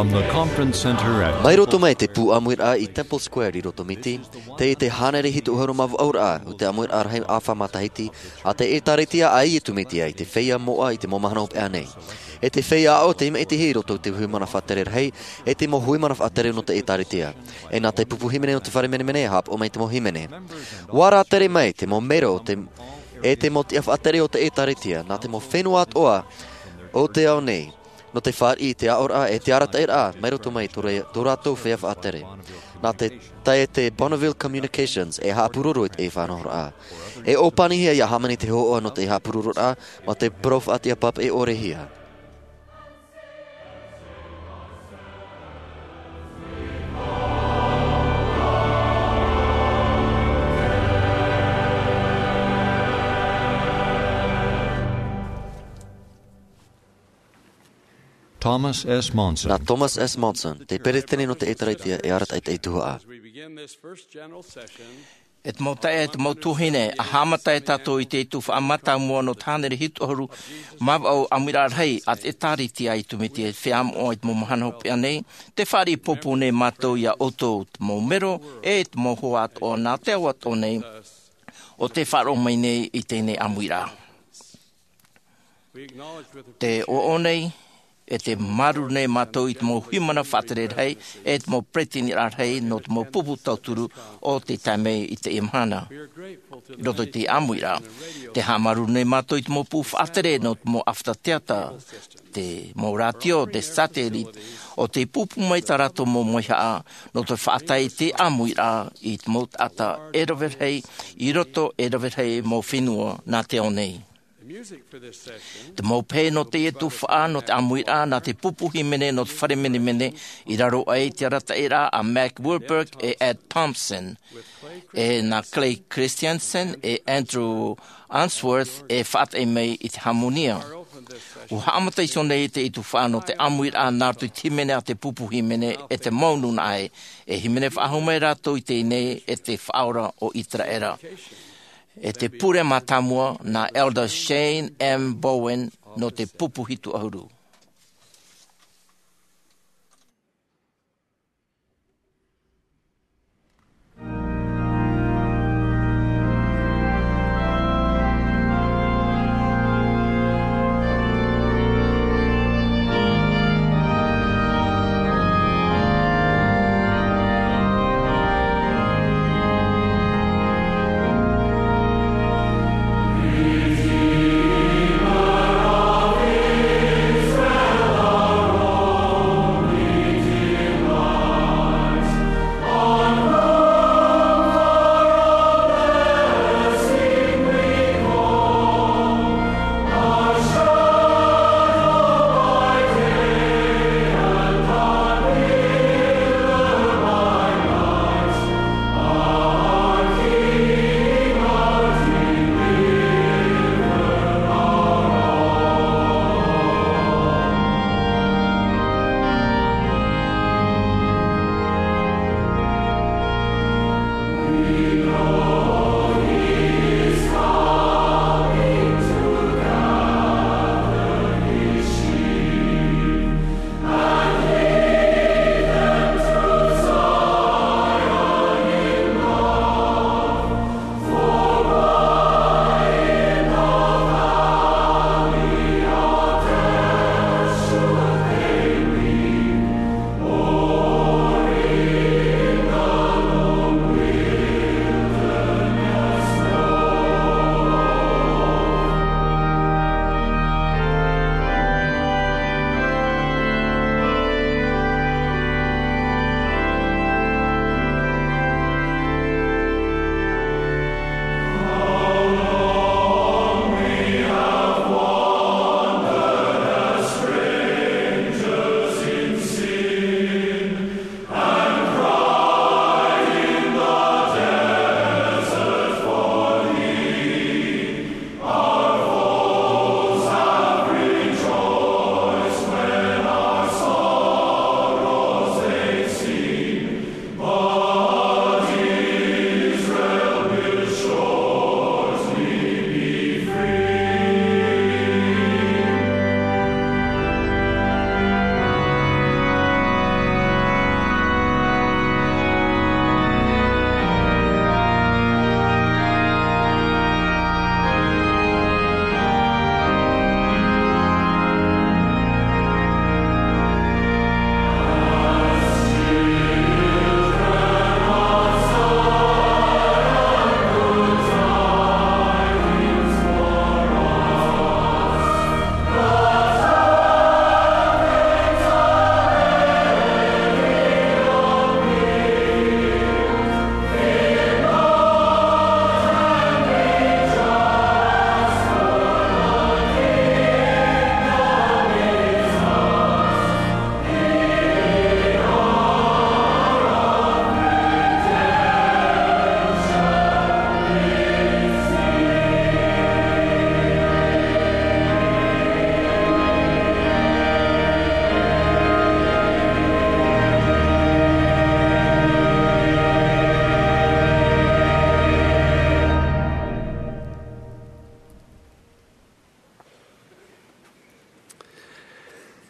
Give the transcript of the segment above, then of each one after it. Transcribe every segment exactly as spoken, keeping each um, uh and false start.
From the Conference Center at Mai roto mai te pū ʻāmuiraʻa i Temple Square i roto Miti, tei te hānere hitu ʻahuru mā vaʻu ra, o te ʻāmuiraʻa rahi ʻāfa matahiti, a te ʻĒtārētia a Iesu Mesia i te feiā moʻa i te mau mahana hopeʻa nei. E te feiā aʻo te ʻimi iti i roto i te hui mana faʻatere rahi, e te mau hui mana faʻatere nō te ʻĒtārētia. E nā te pupu hīmene o te fare menemene e haʻapaʻo mai te mau hīmene. ʻUa rātere mai te mau mero o te, e te mau tiʻa faʻatere o te ʻĒtārētia, nā te mau fenua atoʻa o te ao nei. Nō te fāriʻi i te aʻoraʻa e te arataʻiraʻa, mai roto mai tō re-, tō rātou feiā faʻatere. Nā te tae te Bonneville Communications e haʻapuroro i te faʻanahoraʻa. E ʻōpanihia ia hāmani te hōhoʻa nō te haʻapurororaʻa, mā te parau faʻatiʻa pāpaʻi ʻore hia. Thomas S. Monson. Nā Thomas S. Monson, te peresideni nō te ʻĒtārētia e arataʻi i te tuhaʻa. E te mau taeaʻe, e te mau tuahine, ʻa haʻamata e tātou i te tuhaʻa mātāmua nō te hānere hitu ʻahuru mā vaʻu ʻāmuiraʻa rahi a te ʻĒtārētia a Iesu Mesia i te feiā moʻa i te mau mahana hopeʻa nei, tē fāriʻi pōpō nei mātou ia ʻoutou, te mau mero, e te mau hoa atoʻa nā te ao atoʻa nei, ʻo tē faʻaroʻo mai nei i teie ʻāmuiraʻa. Tē ʻoaʻoa nei, e tē māuruuru nei mātou i te mau hui mana faʻatere rahi, e te mau peresideniraʻa rahi, nō te mau pupu tauturu o tē tae mai i teie mahana. I roto i te ʻāmuiraʻa, tē haʻamāuruuru nei mātou i te mau pupu faʻatere, nō te mau ʻāfata teata, te mau rātio, te satellite, ʻo tē pūpū mai tā rātou mau maihaʻa, nō te faʻatae i te ʻāmuiraʻa i te mau taʻata e rave rahi, i roto e rave rahi mau fenua nā te ao nei. Te mau pehe nō teie tuhaʻa, nō te ʻāmuiraʻa, nā te pupu hīmene nō te fare menemene, i raro aʻe i te arataʻiraʻa a Mac Wilberg e Ed Thompson, e nā Clay Christensen e Andrew Unsworth e faʻatae mai i te hāmonia. ʻUa haʻamata iho nei teie tuhaʻa nō te ʻāmuiraʻa nā roto i te hīmene a te pupu hīmene e te mau nūnaʻa ē, e hīmene faʻahou mai rātou i teie nei e te Faʻaora o ʻĪteraʻera. E te pure mātāmua nā Elder Shane M. Bowen nō te pupu hitu ʻahuru.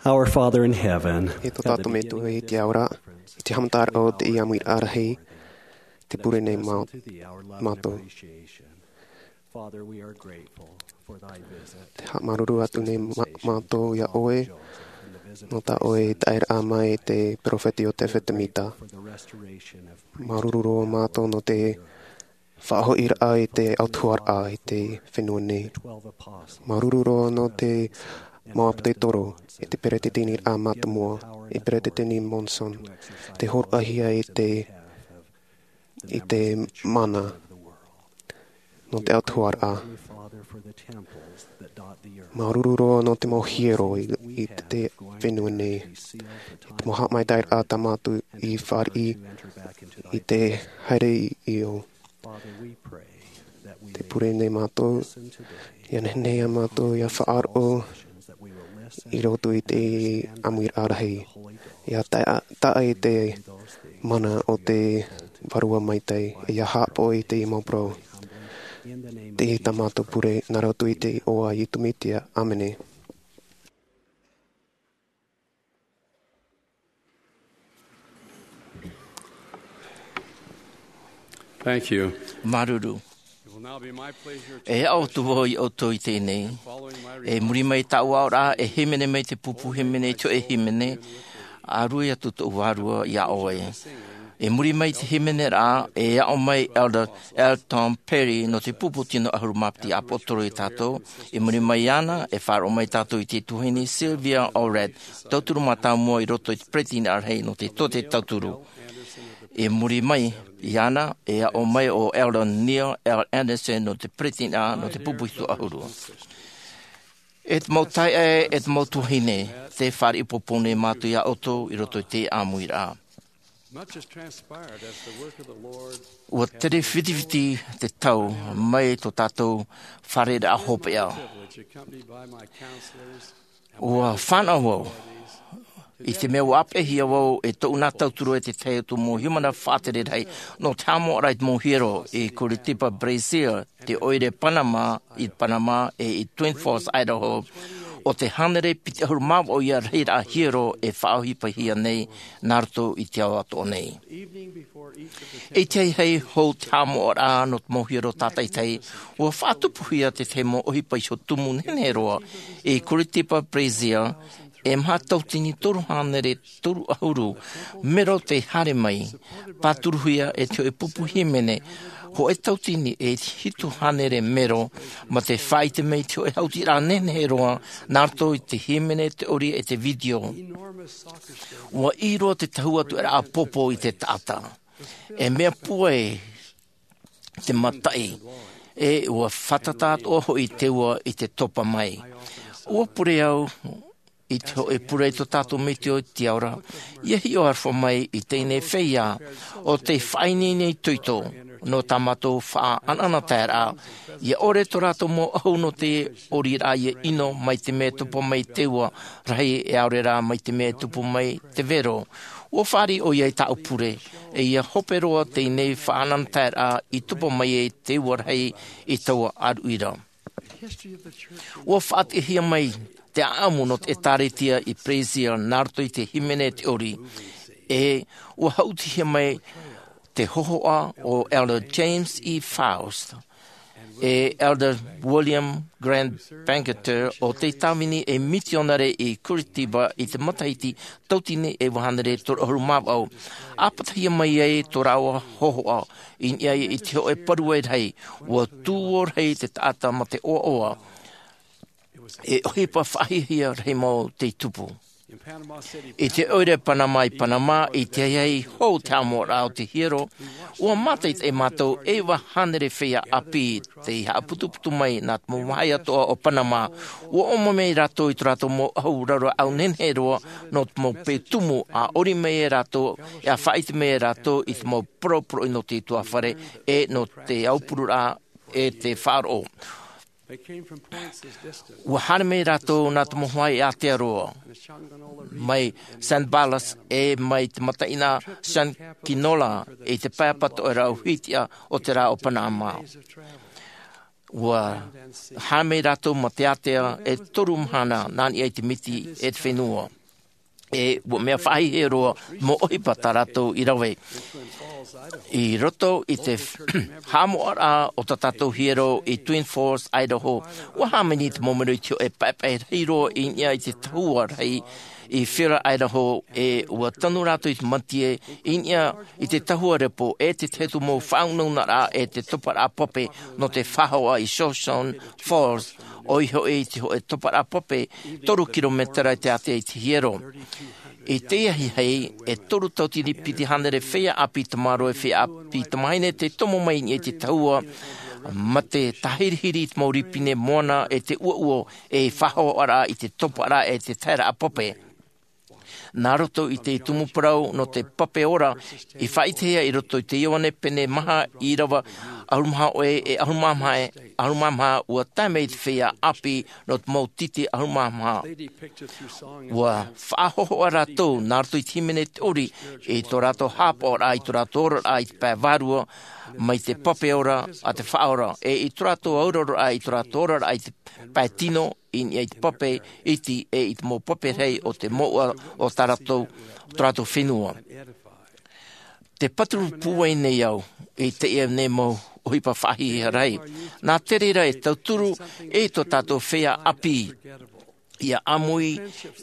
Our Father in heaven, e tō tātou Metua i te ao ra, i te haʻamataraʻa o teie ʻāmuiraʻa rahi, te pure nei mā-, mātou. Te haʻamāuruuru atu nei mā-, mātou iā ʻoe, nō tā ʻoe i taeraʻa mai te peropheta Iotefa Temita. Māuruuru roa mātou nō te faʻahoʻiraʻa i te autahuʻaraʻa i te fenua nei. Māuruuru roa nō te mau ʻāpōsetolo, i te peresideni mātāmua, i Peresideni Monson, te hōroʻahia i te, i te mana nō te autahuʻaraʻa. Māuruuru roa nō te mau hiero i, i te fenua nei. I te mau haʻamaitaʻiraʻa tā mātou i fāriʻi i te haere i ʻō. Te pure nei mātou, ʻia nehenehe ā mātou ʻia faʻaroʻo i roto i te ʻāmuiraʻa rahi. ʻIa tae-, tae i te mana o te Vārua Maitaʻi, ʻia haʻapaʻo i te mau parau. Teie tā mātou pure, nā roto i te iʻoa o Iesu Mesia. ʻĀmene. Thank you. Māuruuru. It will now be my pleasure to E aʻo atu vau iā ʻoutou i teie nei. Following my E muri mai tāʻu aʻoraʻa, e hīmene mai te pupu hīmene i te hōʻē hīmene, A Rui Atu Tōʻu Vārua iā ʻoe. E muri mai te hīmeneraʻa, e aʻo mai Elder L. Tom Perry nō te pupu tino ʻahuru mā piti ʻāpōsetolo iā tātou. E muri mai iāna, e faʻaroʻo mai tātou i te tuahine Sylvia Allred, tauturu mātāmua i roto i te peresideni rahi nō te Tōte Tauturu. E muri mai iāna, e aʻo mai ʻo Elder Neil L. Andersen nō te peresideni nō te pupu hitu ʻahuru. E te mau taeaʻe, e te mau tuahine, tē fāriʻi popou nei mātou iā ʻoutou i roto i te ʻāmuiraʻa. Much has transpired as the work of the Lord ʻUa tere fitifiti te tau mai tō tātou fārereiraʻa hopeʻa. Privilege accompanied by my counselors and ʻUa fānaʻo vau, i te mea ʻua ʻāpeʻehia vau e tōʻu nā tauturu e te tahi atu mau hīmene faʻatere rahi nō te haʻamoʻaraʻa i te mau hiero i Curitiba, Brazil, te ʻoire Panama, i Panama, e i Twin Falls, Idaho, ʻo te hānere piti ʻahuru mā vaʻu ia rahiraʻa hiero e faʻaʻohipahia nei nā roto i te ao atoʻa nei. I te ahiahi hou te haʻamoʻaraʻa nō te mau hiero tātaʻitahi, ʻua faʻatupuhia te tahi mau ʻohipa iho tumu nehenehe roa i Curitiba, Brazil, e maha tauatini toru hānere toru ʻahuru mero tei haere mai, pāturuhia e te hōʻē pupu hīmene, hōʻē tauatini e hitu hānere mero, mā te faʻaʻite mai i te hōʻē hautiraʻa nehenehe roa, nā roto i te hīmene, te ʻori, e te video. ʻUa ʻī roa te tahu atu e rā ʻāpōpō i te taʻata. E mea pūai te mataʻi, e ʻua fātata atoʻa hoʻi te ua i te topa mai. ʻUa pure au i te hōʻē pure i tō tātou Metua i te ao ra, ʻia hiʻo aroha mai i teie feiā, ʻo tē faʻaineine itoito, nō tā mātou faʻaʻanaʻanataeraʻa, ʻia ʻore tō rātou mau ʻahu nō te ʻoriraʻa ʻia ʻino mai te mea e topa mai te ua rahi e ʻaore rā mai te mea e tupu mai te vero. ʻUa fāriʻi ʻoia i tāʻu pure, e ʻia hope roa teie faʻaʻanaʻanataeraʻa i topa mai ai te ua rahi i taua ʻāruʻi ra. ʻUa faʻatiʻahia mai te ʻāʻamu nō te ʻĒtārētia i Brazil nā roto i te hīmene, te ʻori, e ʻua haʻutihia mai te hōhoʻa o Elder James E. Faust, e Elder William Grant Bangerter, ʻo tei tāvini ei mitionare i Curitiba i te matahiti tauatini e iva hānere toru ʻahuru mā vaʻu. ʻApatihia mai ai tō rāua hōhoʻa i niʻa i te hōʻē parau rahi, ʻua tū ʻō rahi te taʻata mā te ʻoaʻoa. E ʻohipa faʻahiahia rahi mau tei tupu. I te ʻoire Panama, i Panama, i te ahiahi hou te haʻamoʻaraʻa o te hiero, ʻua mātaʻitaʻi mātou e iva hānere feiā ʻāpī tei haʻaputuputu mai nā te mau vāhi atoʻa o Panama. ʻUa ʻōmai mai rātou i tō rātou mau ʻahu rauraʻau nehenehe roa nō te mau peu tumu, a ʻori mai e rātou, e a faʻaʻite mai e rātou i te mau poroporoʻi nō te utuāfare, e nō te aupururaʻa, e te faʻaroʻo. ʻUa haere mai rātou nā te mau hoa i Aotearoa, mai San Blas, e mai te mataʻeinaʻa San Quinola, i te pae apatoʻa e rau hitiʻa o te rā o Panama. Ua haere mai rātou ma te ātea e toru mahana nā niʻa i te miti e te fenua. E ua mea faʻahiahia roa mau ʻohipa tā rātou i rave. I roto i te haʻamoʻaraʻa o tā tātou hiero i Twin Falls, Idaho, ua hāmani te mau mero i te hōʻē paepae rahi roa i niʻa i te tahua rahi i Fiera, Idaho, e ua tanu rātou i te mātie i niʻa i te tahua repo e te tahi atu mau faʻaunaunaraʻa e te toparaʻa pape nō te faʻahoʻa i Shoshone Falls, ʻoia hoʻi te hōʻē toparaʻa pape toru kirometera i te ātea i te hiero. I teie ahiahi, e toru tauatini piti hānere feiā ʻāpī tamaroa e feiā ʻāpī tamāhine tei tomo mai i niʻa i te tahua, ma te tāhirihiri i te mau rīpine moana e te ʻuoʻuo e faʻahoʻaraʻa i te toparaʻa e te taheraʻa pape. Nā roto i te tumu parau nō te pape ora i faʻaʻitehia i roto i te Ioane pene maha, ʻīrava ʻahuru mā hōʻē e ʻahuru mā maha, ʻahuru mā maha, ua tae mai te feiā ʻāpī nō te mau titi ʻahuru mā maha. Ua faʻahōhoʻa rātou nā roto i te hīmene, te ʻori, i tō rātou haʻapaʻoraʻa, i tō rātou oraraʻa i te pae vārua, mai te pape ora a te Faʻaora, e i tō rātou auraro, i tō rātou oraraʻa i te pae tino, i niʻa i te pape iti e i te mau pape rahi o te mouʻa o tā rātou, o tō rātou fenua. Te patu pūai nei au i teie nei mau ʻohipa faʻahiahia rahi. Nā te reira e tauturu i tō tātou feiā ʻāpī ʻia ʻāmui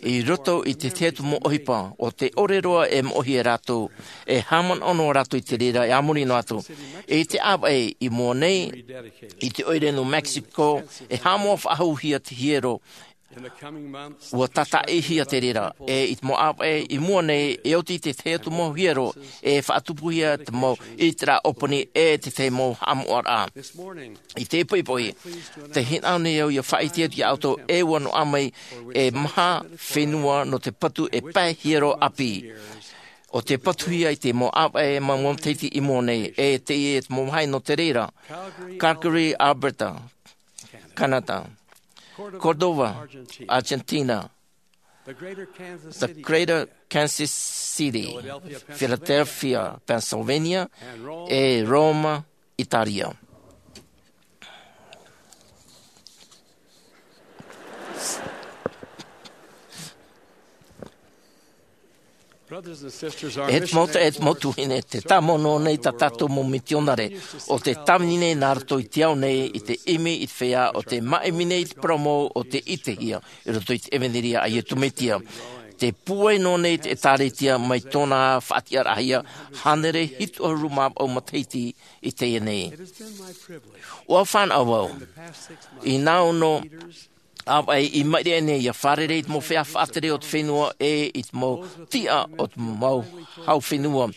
i roto i te tahi atu mau ʻohipa, ʻo te ʻore roa e moʻohia e rātou, e haʻamanaʻo noa rātou i te reira e a muri noa atu. I te ʻāvaʻe i mua nei, i te ʻoire New Mexico, e haʻamoʻa faʻahouhia te hiero. Ua tātaʻihia te reira, e i te mau ʻāvaʻe i mua nei, e oti te tahi atu mau hiero, e faʻatupuhia te mau ʻiteraʻa ʻōpani e te tahi mau haʻamoʻaraʻa. I te poʻipoʻi, tē hinaʻaro nei au ʻia faʻaʻite atu iā ʻoutou e ua noaʻa mai e maha fenua nō te patu e pae hiero ʻāpī. ʻO te patuhia i te mau ʻāvaʻe mau matahiti i mua nei, e teie te mau vāhi nō te reira: Calgary, Alberta, Canada; Cordova, Argentina; the Greater Kansas City, Philadelphia, Pennsylvania; e Roma, Italia. E te mau taeaʻe, e te mau tuahine, tē tāmau noa nei tā tātou mau mitionare, ʻo tē tāvini nei nā roto i te ao nei i te ʻimi i te feiā, ʻo tē māʻimi nei i te parau mau o tē ʻitehia i roto i te ʻevanelia a Iesu Mesia. Tē pūai noa nei te ʻĒtārētia mai tōna faʻatiʻaraʻahia hānere hitu ʻahuru mā vaʻu matahiti i teie nei. ʻUa fānaʻo vau i nā ono ʻāvaʻe i maʻiri aʻe nei ʻia fārerei i te mau feiā faʻatere o te fenua e i te mau tiʻa o te mau hau fenua.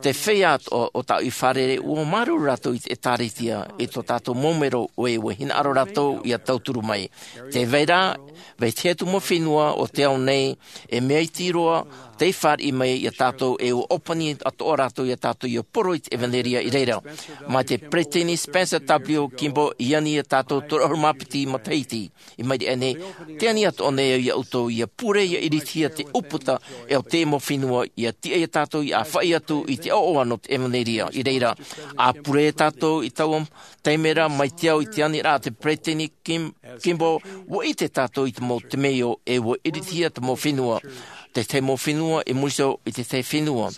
Te feiā atoʻa o tāʻu i fārerei, ʻua māuruuru rātou i te ʻĒtārētia, i tō tātou mau mero, ʻoia ʻua hinaʻaro rātou ʻia tauturu mai. Tē vai ra, vai te tahi atu mau fenua o te ao nei, e mea iti roa tei fāriʻi mai iā tātou, e ʻua ʻōpani atoʻa rātou iā tātou ʻia poro i te ʻevanelia i reira. Mai te Peresideni Spencer W. Kimball i ani iā tātou toru ʻahuru mā piti matahiti i maʻiri aʻe nei, tē ani atoʻa nei au iā ʻoutou ʻia pure, ʻia iritihia te ʻūputa e o te mau fenua, ʻia tiʻa iā tātou ʻia ʻāfaʻi atu i te ʻoaʻoa nō te ʻevanelia i reira. ʻA pure tātou i taua taime ra mai te ao i te aniraʻa a te Peresideni Kim-, Kimball, ʻua ʻite tātou i te mau temeio, e ʻua iritihia te mau fenua, te tahi mau fenua i muri iho i te tahi fenua.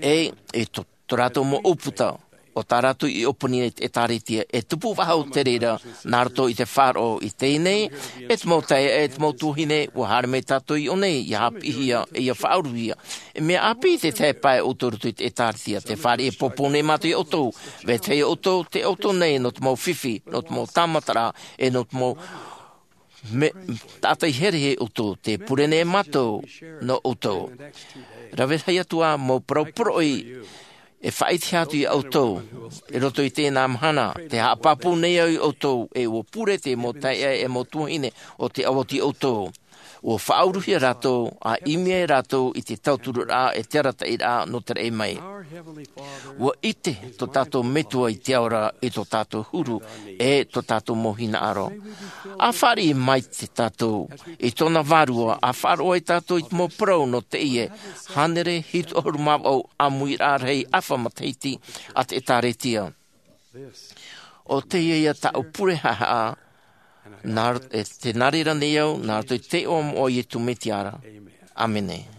E, e tō, tō rātou mau ʻūputa, ʻo tā rātou i ʻōpani nei te ʻĒtārētia, e tupu faʻahou te reira nā roto i te faʻaroʻo i teie nei. E te mau taeaʻe, e te mau tuahine, ʻua haere mai tātou i ʻō nei ʻia haʻapiʻihia, e ʻia faʻauruhia. E mea ʻāpī te tahi pae ʻoutou i roto i te ʻĒtārētia. Tē fāriʻi e pōpou nei mātou iā ʻoutou. Vetahi ʻoutou, tē ʻoutou nei nō te mau fifi, nō te mau tāmataraʻa, e nō te mau me-, taʻata i here iā ʻoutou, tē pure nei mātou nō ʻoutou. Rave rahi atu ā mau parau poroʻi e faʻaʻitehia atu iā ʻoutou i roto i teie mahana, tē haʻapāpū nei au iā ʻoutou, e ʻua pure te mau taeaʻe, e mau tuahine, ʻo tē ʻauvau atu iā ʻoutou. ʻUa faʻauruhia rātou, ʻa ʻimi ai rātou i te tauturu ra, e te arataʻiraʻa nō te raʻi mai. ʻUa ʻite tō tātou Metua i te ao ra, i tō tātou huru, e tō tātou mau hinaʻaro. ʻA fāriʻi mai te tātou i tōna vārua, ʻa faʻaroʻo ai tātou i te mau parau nō teie hānere hitu ʻahuru mā vaʻu ʻāmuiraʻa rahi ʻāfa matahiti a te ʻĒtārētia. ʻo teie ia tāʻu pure haʻehaʻa, nā, e te nā reira nei au, nā roto i te iʻoa moʻa o Iesu Mesia ra. ʻĀmene.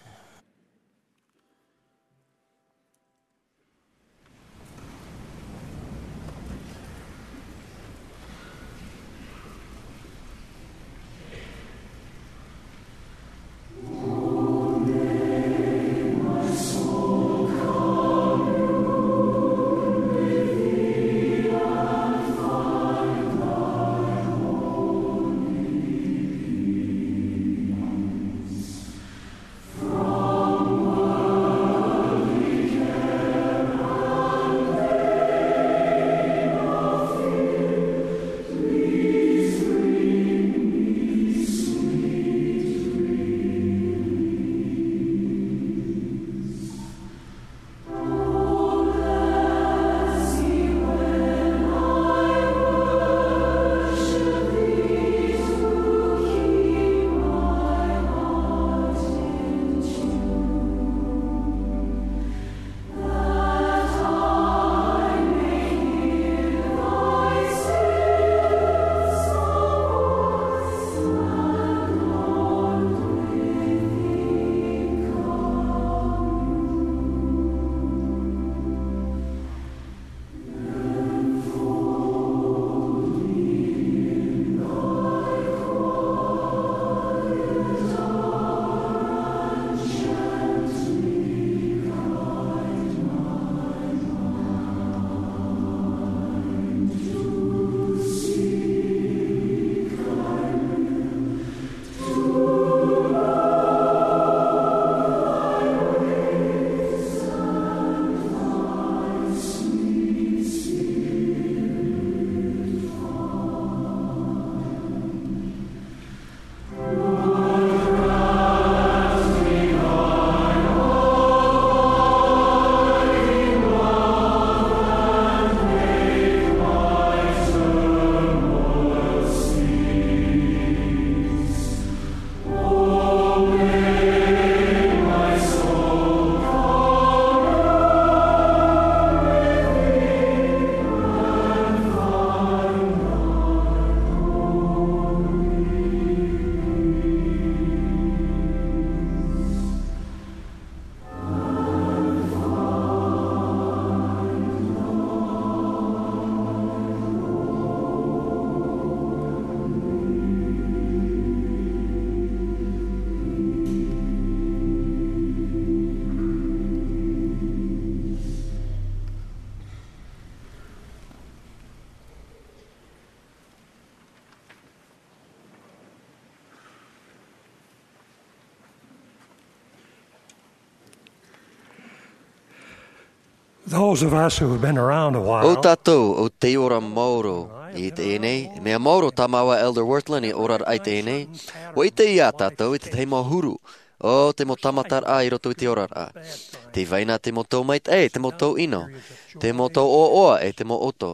Those of us who have been around a while. O tātou o tei ora maoro i teie nei, mea maoro tā māua Elder Wirthlin i oraraʻa i teie nei, ʻua ʻite ia tātou i te tahi mau huru o te mau tāmataraʻa i roto i te oraraʻa. Tē vai na te mau tau maitaʻi, te mau tau ʻino, te mau tau ʻoaʻoa, e te mau ʻoto,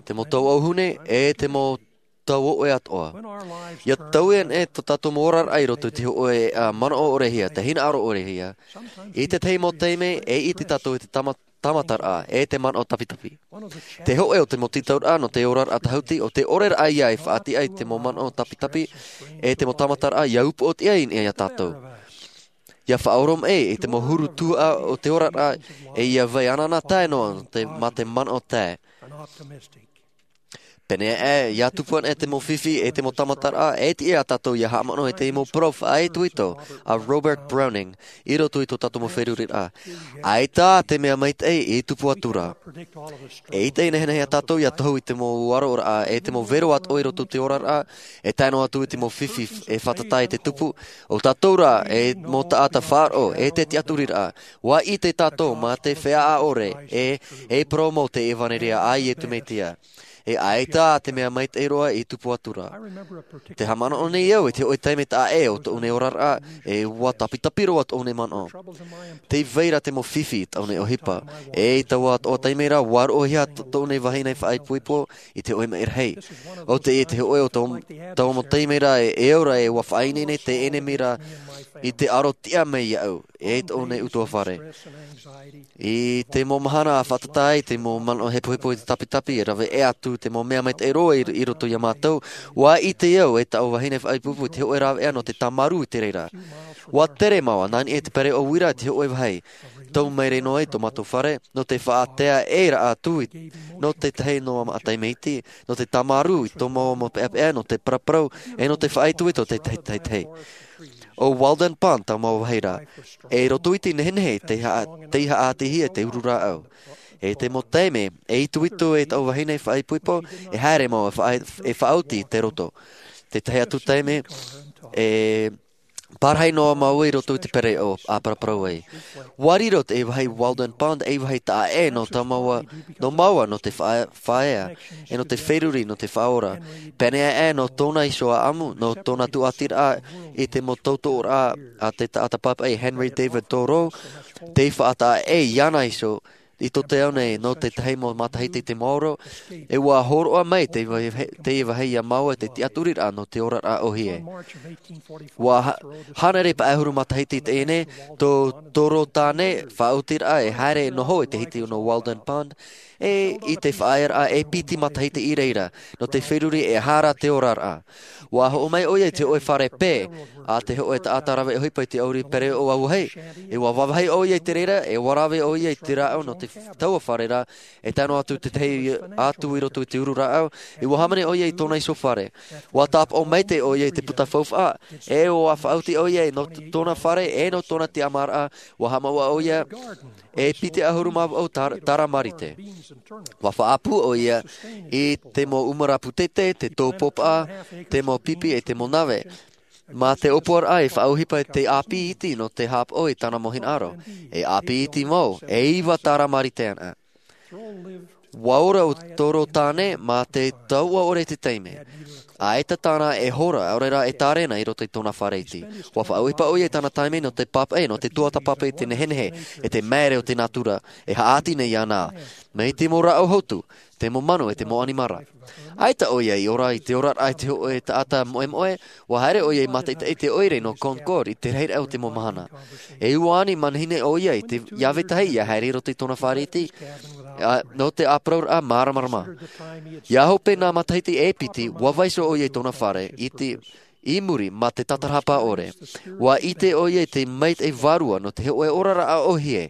te mau tau ʻauhune, e te mau tau ʻoʻe atoʻa. ʻIa taui anaʻe tō tātou mau oraraʻa i roto i te hōʻē, ā, manaʻo ʻorehia, te hinaʻaro ʻorehia, i te tahi mau taime e ʻite tātou i te tāma-, tāmataraʻa, e te manaʻo tapitapi. Te hōʻē o te mau tītauraʻa nō te oraraʻa tāhuti, ʻo te ʻoreraʻa ia e faʻatiʻa i te mau manaʻo tapitapi, e te mau tāmataraʻa ʻia upoʻotiʻa i niʻa ia tātou. ʻIa faʻaoromaʻi i te mau huru tuhaʻa o te oraraʻa, e ʻia vai anaʻanatae noa te, mā te manaʻo tae. Pēneiaʻe, ʻia tupu anaʻe te mau fifi e te mau tāmataraʻa, e tiʻa ia tātou ʻia haʻamanaʻo i te mau parau faʻaitoito a Robert Browning, i roto i tō tātou mau feruriraʻa. ʻAita te mea maitaʻi i tupu atu ra. E ʻita i nehenehe ia tātou ʻia tohu i te mau ʻaroraʻa, e te mau vero atoʻa i roto i te oraraʻa, e tae noa atu i te mau fifi e fātata i te tupu, ʻo tātou rā, e mau taʻata faʻaroʻo, e te tiʻaturiraʻa, ʻua ʻite tātou mā te feiā ʻore, e, e parau mau te ʻevanelia a Iesu Mesia. E ʻaita tā te mea maitaʻi roa i tupu atu ra. Te haʻamanaʻo nei au i te hoʻē taime taʻa ʻē o tōʻu nei oraraʻa, e ʻua tapitapi roa tōʻu nei manaʻo. Tei vai ra te mau fifi i tōʻu nei ʻohipa. E i taua atoʻa taime ra, ʻua roʻohia tō-, tōʻu nei vahine faʻaipoipo i te hoʻē maʻi rahi. ʻO teie te hoʻē o tō-, taua mau taime ra e, e ora e ʻua faʻaineine teie nei mea ra i te aro tiʻa mai iāʻu, e tōʻu nei ʻutuāfare. I te mau mahana a fātata ai te mau manaʻo hepohepo i te tapitapi, e rave ʻē atu te mau mea maitaʻi roa i, i roto iā mātou, ʻua ʻite au e taʻu vahine faʻaipoipo i te hoʻē rāveʻa nō te tāmarū i te reira. ʻUa tere māua, nā niʻa i te pereoʻo uira i te hoʻē vāhi. Tau maere noa i tō mātou fare, nō te faʻaʻātea ʻē ra atu i, nō te tahi noa maʻa tamaiti, nō te tāmarū i tō māua mau peʻapeʻa, nō te paraparau, e nō te faʻaitoito i te tahi, tahi, tahi. ʻO Walden Pond taua mau vāhi ra. E roto i te nehenehe, tei haʻa-, tei haʻatīhia te uru rāʻau. E te mau taime, e itoito e taʻu vahine faʻaipoipo, e haere māua e faʻa-, e faʻaoti i te roto. Te tahi atu taime, e pārahi noa māua i roto i te pereoʻo a paraparau ai. ʻUa riro te vāhi Walden Pond ei vāhi taʻa ʻē nō tō māua, nō māua nō te faʻa-, faʻaea, e nō te feruri, nō te faʻaora. Pēneiaʻe nō tōna iho ʻāʻamu, nō tōna tūʻatiraʻa i te mau tautooraʻa a te taʻata pāpaʻi Henry David Thoreau, tei faʻataʻa ʻē iāna iho, i tō te ao nei nō te tahi mau matahiti i te maoro, e ʻua hōroʻa mai te vāhi, te vāhi iā māua te tiʻaturiraʻa nō te oraraʻa ʻōhie. ʻUa ha-, hānere pae ʻahuru matahiti i teie nei, tō Thoreau tāne faʻaotiraʻa e haere e noho i te hiti nō Walden Pond, e i te faʻaearaʻa e piti matahiti i reira, nō te feruri e aha ra te oraraʻa. ʻUa hoʻo mai ʻoia i te hoʻē fare pē, a te hoʻē taʻata rave ʻohipa i te ʻauri pereoʻo auahi. E ʻua vāvāhi ʻoia i te reira, e ʻua rave ʻoia i te rāʻau nō te f-, taua fare ra, e tae noa atu te tahi atu i roto i te uru rāʻau, e ʻua hāmani ʻoia i tōna iho fare. ʻUa tāpaʻo maitaʻi ʻoia i te puta faufaʻa, e ʻua faʻaoti ʻoia nō t-, tōna fare, e nō tōna tiʻamāraʻa, ʻua haʻamāuʻa ʻoia, e piti ʻahuru mā vaʻu tāra-, tāra marite. ʻUa faʻaʻapu ʻoia i te mau ʻumara pūtete, te tōpōpaʻa, te mau pipi e te mau nave. Mā te ʻōpuaraʻa e faʻaʻohipa i te ʻāpī iti nō te haʻapaʻo i tāna mau hinaʻaro. E ʻāpī iti mau, e iva tāra marite ana. ʻUa ora ʻo Thoreau tāne mā te tauʻa ʻore i te taime. ʻAita tāna e hora, ʻaore rā e tārena i roto i tōna fare iti. ʻUa faʻaʻohipa ʻoia i tāna taime nō te pāpaʻi, nō te tuatāpapa i te nehenehe, e te māere o te nātura, e haʻati nei iāna. Mai te mau rāʻau hotu, te mau manu e te mau ʻanimara. ʻAita ʻoia i ora i te oraraʻa i te hoʻē taʻata moʻemoʻe, ʻua haere ʻoia i mātaʻitaʻi i te ʻoire nō Concord i te rahiraʻa o te mau mahana. E ua ani manihini ʻoia i te, ʻia vetahi ʻia haere i roto i tōna fare iti, ā, nō te ʻāparauraʻa māramarama. ʻIa hope nā matahiti e piti, ʻua vaiiho ʻoia i tōna fare iti i muri mā te tātarahapa ʻore. ʻUa ʻite ʻoia i te maitaʻi vārua nō te hoʻē oraraʻa ʻōhie.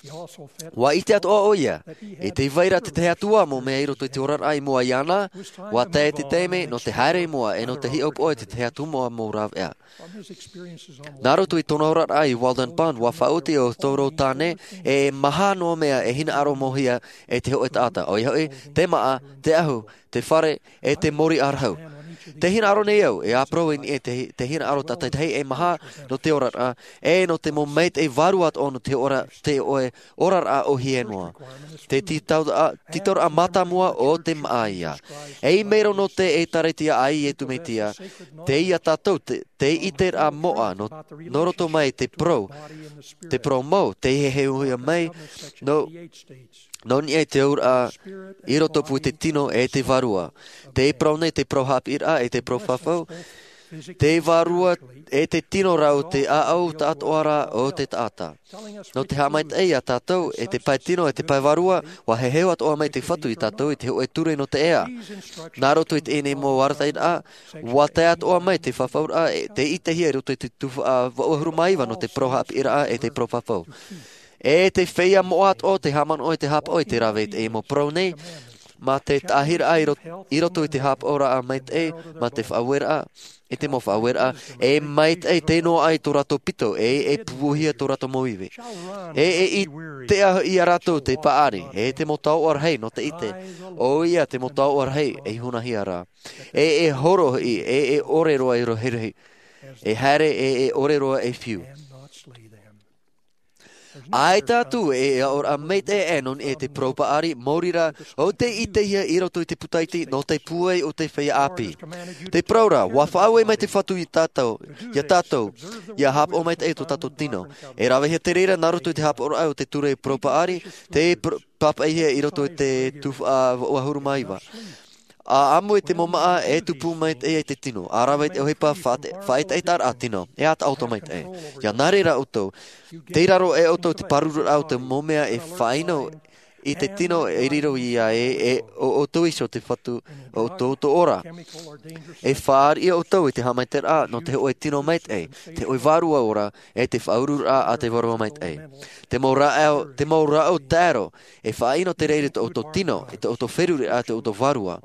ʻUa ʻite atoʻa ʻoia, e tē vai ra te tahi atu ā mau mea i roto i te oraraʻa i mua iāna, ʻua tae te taime nō te haere i mua e nō te hiʻopoʻa i te tahi atu ā mau rāveʻa. Nā roto i tōna oraraʻa i Walden Pond, ʻua faʻaoti ʻo Thoreau tāne, e maha noa mea e hinaʻaro mōhia e te hoʻē taʻata, ʻoia hoʻi, te māʻa, te ʻahu, te fare, e te mōrī ʻārahu. Tē hinaʻaro nei au, e ʻāparau i niʻa i te, te hinaʻaro tātaʻitahi e maha nō te oraraʻa, e nō te mau maitaʻi vārua atoʻa nō te ora, te ʻoe oraraʻa ʻōhie noa. Te tītauraʻa, tītauraʻa mātāmua o te māʻa ïa. E i maoro nō te ʻĒtārētia a Iesu Mesia, tei ia tātou te, te ʻiteraʻa moʻa nō, nō roto mai te parau, te parau mau, tei heheuhia mai, nō, nō niʻa i te auraʻa, i rotopū i te tino e te vārua. Tē parau nei te parau haʻapiʻiraʻa e te parau fafau, te vārua e te tino rā ʻo te ʻāʻau taʻatoʻa rā o te taʻata. Nō te haʻamaitaʻi iā tātou, e te pae tino, e te pae vārua, ʻua heheu atoʻa mai te Fatu iā tātou i te hōʻē ture nō te ea. Nā roto i teie nei mau arataʻiraʻa, ʻua tae atoʻa mai te fafauraʻa, e te ʻitehia i roto i te tuhaʻa vaʻu ʻahuru mā iva nō te parau haʻapiʻiraʻa e te parau fafau. E te feiā moʻa atoʻa te haʻamanaʻo i te haʻapaʻo i te rave i teie mau parau nei, mā te taʻahiraʻa i ro-, i roto i te haʻapaʻoraʻa maitaʻi, mā te faʻaueraʻa, i te mau faʻaueraʻa, e maitaʻi tē noaʻa ai tō rātou pito, e, e pupuhia tō rātou mau ivi. E, e, i te ahu iā rātou te paʻari, e te mau taoʻa rahi nō te ʻite, ʻoia te mau taoʻa rahi e hunahia ra. E, e horo hoʻi, e, e ʻore roa i rohirohi. E haere, e, e ʻore roa e fiu. ʻAita atu e aʻoraʻa maitaʻi ʻē nō niʻa i te parau paʻari, maori rā, ʻo tei ʻitehia i roto i te puta iti nō te pūai o te feiā ʻāpī. Te parau ra, ʻua faʻaue mai te Fatu iā tātou, iā tātou, ʻia haʻapaʻo maitaʻi tō tātou tino. E ravehia te reira nā roto i te haʻapaʻoraʻa o te ture parau paʻari, tei pr-, pāpaʻihia i roto i te tuhaʻa vaʻu ʻahuru mā iva. ʻA ʻamui te mau māʻa e tupu maitaʻi ai te tino, ʻa rave i te ʻohipa faʻaʻetaʻetaraʻa tino, e ʻa taʻoto maitaʻi. ʻIa nā reira ʻoutou, tei raro aʻe ʻoutou i te pārururaʻa o te mau mea e faʻaʻino i te tino e riro iā ē, e ʻo ʻoutou iho te Fatu o tō ʻoutou ora. E fāriʻi ʻoutou i te haʻamaitaʻiraʻa nō te hōʻē tino maitaʻi, te hōʻē vārua ora, e te faʻaururaʻa a te Vārua Maitaʻi. Te mau rāʻau, te mau rāʻau taero, e faʻaʻino te reira i tō ʻoutou tino, i tō ʻoutou feruriraʻa, tō ʻoutou vārua.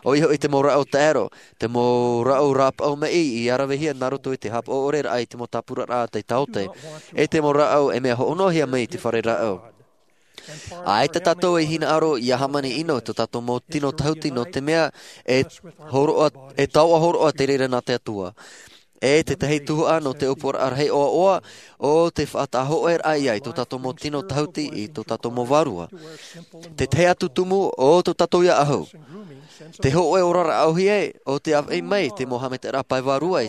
ʻOia hoʻi te mau rāʻau taero, te mau rāʻau rāpaʻau maʻi ʻia ravehia nā roto i te haʻapaʻo ʻore raʻa i te mau tāpuraraʻa a te taote, e te mau rāʻau e mea hoʻonohia mai i te fare rāʻau. ʻAita tātou e hinaʻaro ʻia hāmani ʻino i tō tātou mau tino tahuti nō te mea e hōroʻa, e taoʻa hōroʻa te reira nā te Atua. E tētahi tuhaʻa nō te ʻōpuaraʻa rahi ʻoaʻoa, ʻo te faʻataʻa hōʻē raʻa ia i tō tātou mau tino tahuti, i tō tātou mau vārua. Te tahi atu tumu, ʻo tō tātou ia ʻahu. Te hōʻē oraraʻa ʻōhie, ʻo te ʻāfaʻi mai te mau haʻamaitaʻiraʻa pae vārua,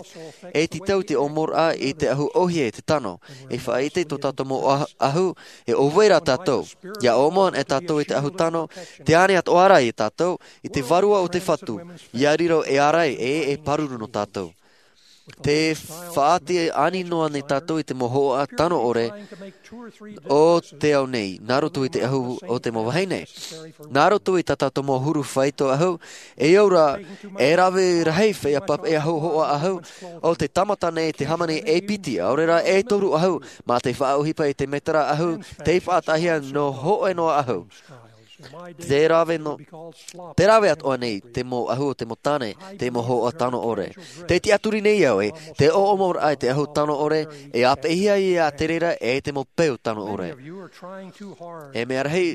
e tītau te ʻōmoraʻa i te ʻahu ʻōhie e te tano, e faʻaʻite i tō tātou mau ʻah-, ʻahu, e ʻōvai rā tātou. ʻIa ʻōmua anaʻe tātou i te ʻahu tano, tē ani atoʻa ra ia tātou, i te Vārua o te Fatu, ʻia riro e ārai, e, e pāruru nō tātou. Tē faʻatiʻa ani noa nei tātou i te mau hōhoʻa tano ʻore o te ao nei, nā roto i te ʻahu o te mau vahine. Nā roto i tā tātou mau huru faito ʻahu, e au ra, e rave rahi feiā pāpaʻi ʻahu, hōhoʻa ʻahu, ʻo te tāmata nei te hāmani e piti, ʻaore rā e toru ʻahu, mā te faʻaʻohipa i te mētera ʻahu, tei faʻataʻahia nō hōʻē noa ʻahu. Tē rave nō, tē rave atoʻa nei te mau ʻahu o te mau tāne, te mau hōhoʻa tano ʻore. Tē tiʻaturi nei au ē, te ʻōʻomoraʻa i te ʻahu tano ʻore, e āpeʻehia ia te reira e te mau peu tano ʻore. E mea rahi,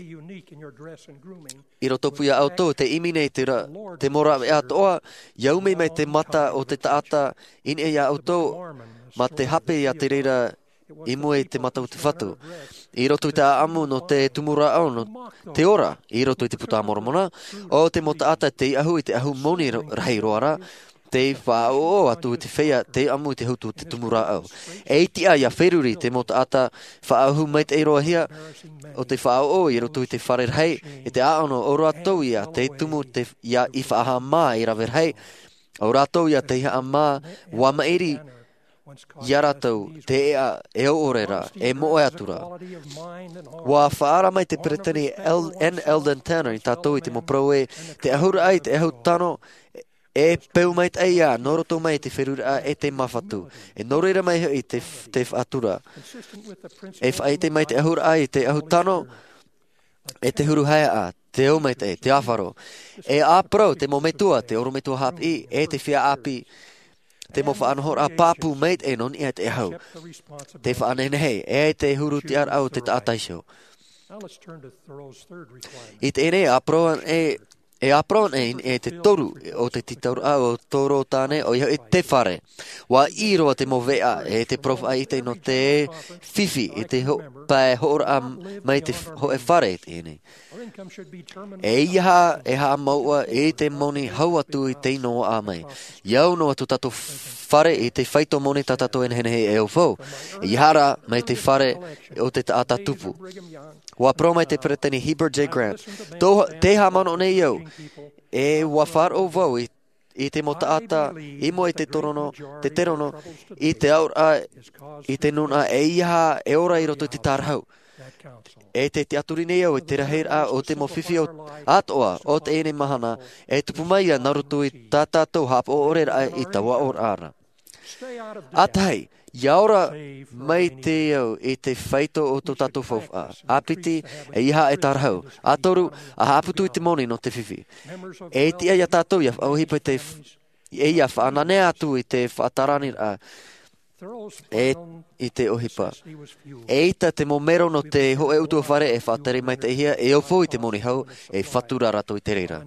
i rotopū ia ʻoutou, te ʻimi nei te ra-, te mau rāveʻa atoʻa, ʻia umi mai te mata o te taʻata i niʻa ia ʻoutou, mā te hape ia te reira i mua i te mata o te Fatu. I roto i te ʻāʻamu nō te tumu rāʻau nō te ora, i roto i te Puta a Moromona, ʻo te mau taʻata tei ʻahu i te ʻahu moni ra-, rahi roa ra, tei faʻaʻoʻo atu i te feiā, tei ʻamu i te hautu o te tumu rāʻau. E tiʻa ʻia feruri te mau taʻata faʻaʻahu maitaʻi roa hia, ʻo te faʻaʻoʻo i roto i te fare rahi, i te ʻāʻano ʻo rātou ia tei tumu te, ia i faʻahaʻamā i rave rahi, ʻo rātou ia tei haʻamā, ʻua maʻiri, ia rātou, te ʻēʻa, e ʻore ra, e moʻe atu ra. ʻUa faʻaara mai te Peresideni El-, N. Eldon Tanner ia tātou i te mau parau ē, te ʻahuraʻa i te ʻahu tano, e peu maitaʻi ia, nō roto mai i te feruriraʻa e te māfatu. E nō reira mai hoʻi te f-, te faʻatura. E faʻaʻite mai te ʻahuraʻa i te ʻahu tano, e te huru haeaʻa, te au maitaʻi, te āfaro. E ʻāparau, te mau metua, te ʻorometua haʻapiʻi, e te feiā ʻāpī, te mau faʻanahoraʻa pāpū maitaʻi nō niʻa i te ʻahu. Te faʻanehenehe, e te huru tiʻaraʻa o te taʻata iho. I teie nei, ʻāparau anaʻe, e ʻāparau anaʻe i te toru o te tītauraʻa o Tōrō Tāne, ʻoia hoʻi te fare. ʻUa ʻī roa te mau veʻa, e te parau faʻaʻite nō te fifi, i te ho-, pae hoʻoraʻa mai te f-, hōʻē fare i teie nei. E ʻeiaha e haʻamāuʻa i te moni hau atu i te ʻino ʻā mai. ʻIa au noa tō tātou fare i te faito moni tā tātou e nehenehe e au fau. ʻEiaha rā mai te fare o te taʻata tupu. ʻUa parau mai te Peresideni Heber J. Grant, tō, tē haʻamanaʻo nei au, e ʻua faʻaroʻo vau i i te mau taʻata, i mua i te torono, te terono, i te aoraʻa, i te nūnaʻa ʻeiaha e ora i roto i te tārahu. E te tiʻaturi nei au i te rahiraʻa o te mau fifi atoʻa o teie nei mahana, e tupu mai ia nā roto i tā tātou haʻapaʻo ʻore raʻa i taua ʻōraʻa ra. ʻA tahi, ʻia ora mai te au i te faito o tō tātou faufaʻa. ʻA piti, ʻeiaha e tārahu. ʻA toru, ʻa haʻaputu i te moni nō te fifi. E tiʻa ia tātou ʻia faʻaʻohipa i te f-, ʻeiaha faʻananea atu i te faʻatarani raʻa. E i te ʻohipa. E ʻita te mau mero nō te hōʻē ʻutuāfare e faʻatere maitaʻihia, e ʻōpou i te moni hau, e fatu rā rātou i te reira.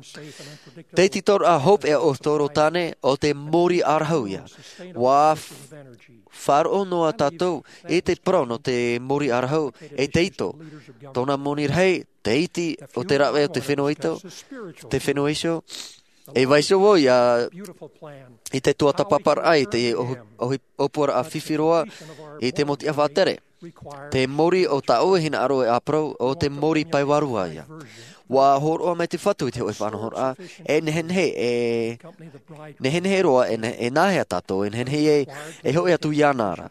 Te tītauhia hopeʻa o Toro Tāne, ʻo te mōrī ʻārahu ia. ʻUa f-, faʻaroʻo noa tātou i te parau nō te mōrī ʻārahu, e te ito. Tōna moni rahi, te iti o te rave o te fenua ito, te fenua iho, e vaiiho vau ia i te tuatāpaparaʻa i te ʻohi-, ʻohi-, ʻōpuaraʻa fifi roa i te mau tiʻa faʻatere. Te mōrī o tāʻu e hinaʻaro e ʻāparau, ʻo te mōrī pae vārua ia. ʻUa hōroʻa mai te Fatu i te hōʻē faʻanahoraʻa, e nehenehe, e nehenehe roa, e ne-, e nāhea tātou, e nehenehe e, e hoʻi atu iāna ra.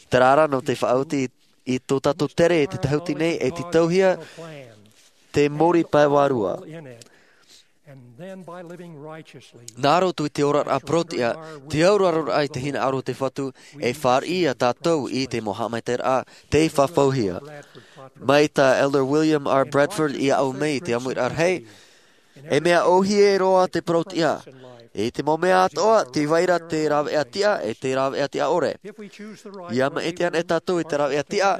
Terā rā nō te faʻaoti i tō tātou tere i te tahuti nei, e tītauhia te mōrī pae vārua. Nā roto i te oraraʻa parau-tiʻa, te auraroraʻa i te hinaʻaro o te Fatu, e fāriʻi ia tātou i te mau haʻamaitaʻiraʻa tei fafauhia. Mai tā Elder William R. Bradford iāʻu mai i te ʻāmuiraʻa rahi, e mea ʻōhie roa te parau-tiʻa. I te mau mea atoʻa, tē vai ra te rāveʻa tiʻa, e te rāveʻa tiʻa ʻore. ʻIa maʻiti anaʻe tātou i te rāveʻa tiʻa,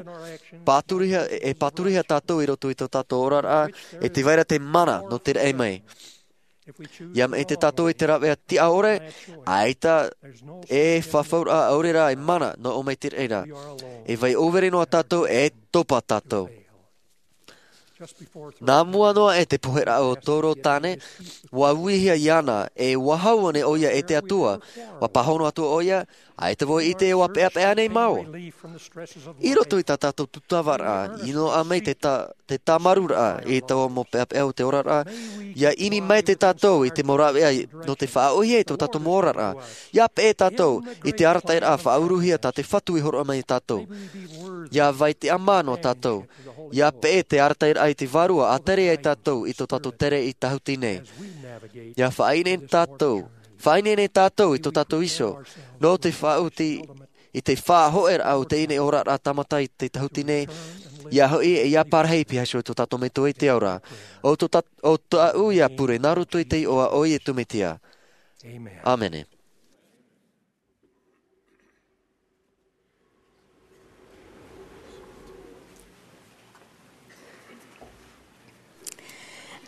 pāturihia, e pāturihia tātou i roto i tō tātou oraraʻa, e tē vai ra te mana nō te raʻi mai. ʻIa maʻiti tātou i te rāveʻa tiʻa ʻore, ʻaita e fafauraʻa ʻaore rā e mana nō ʻō mai te raʻi ra. E vai ʻōvere noa tātou, e topa tātou. Nā mua noa aʻe te poheraʻa o Toro Tāne, ʻua uihia iāna, e ʻua hau ānei ʻoia e te Atua, ʻua pāhono atu ʻoia, ʻaita vau e ʻite ʻua peʻapeʻa ānei māua. I roto i tā tātou tūtavaraʻa, i noaʻa mai te tā-, te tāmarūraʻa i taua mau peʻapeʻa o te oraraʻa, ʻia ʻimi maitaʻi tātou i te mau rāveʻa nō te faʻaʻōhie i tō tātou mau oraraʻa. ʻIa peʻe tātou i te arataʻiraʻa faʻauruhia tā te Fatu i hōroʻa mai ia tātou. ʻIa vai tiʻamā noa tātou. ʻIa peʻe te arataʻiraʻa i te Vārua, ʻa tere ai tātou i tō tātou tere i tahuti nei. ʻIa faʻaineine tātou, faʻaineine tātou i tō tātou iho, nō te faʻaoti i te faʻahoʻiraʻa o teie nei oraraʻa tāmata i te tahuti nei, ʻia hoʻi e ʻia parahi piha iho i tō tātou Metua i te ao ra. ʻO tō tā-, ʻo tāʻu ïa pure nā roto i te iʻoa o Iesu Mesia. ʻĀmene.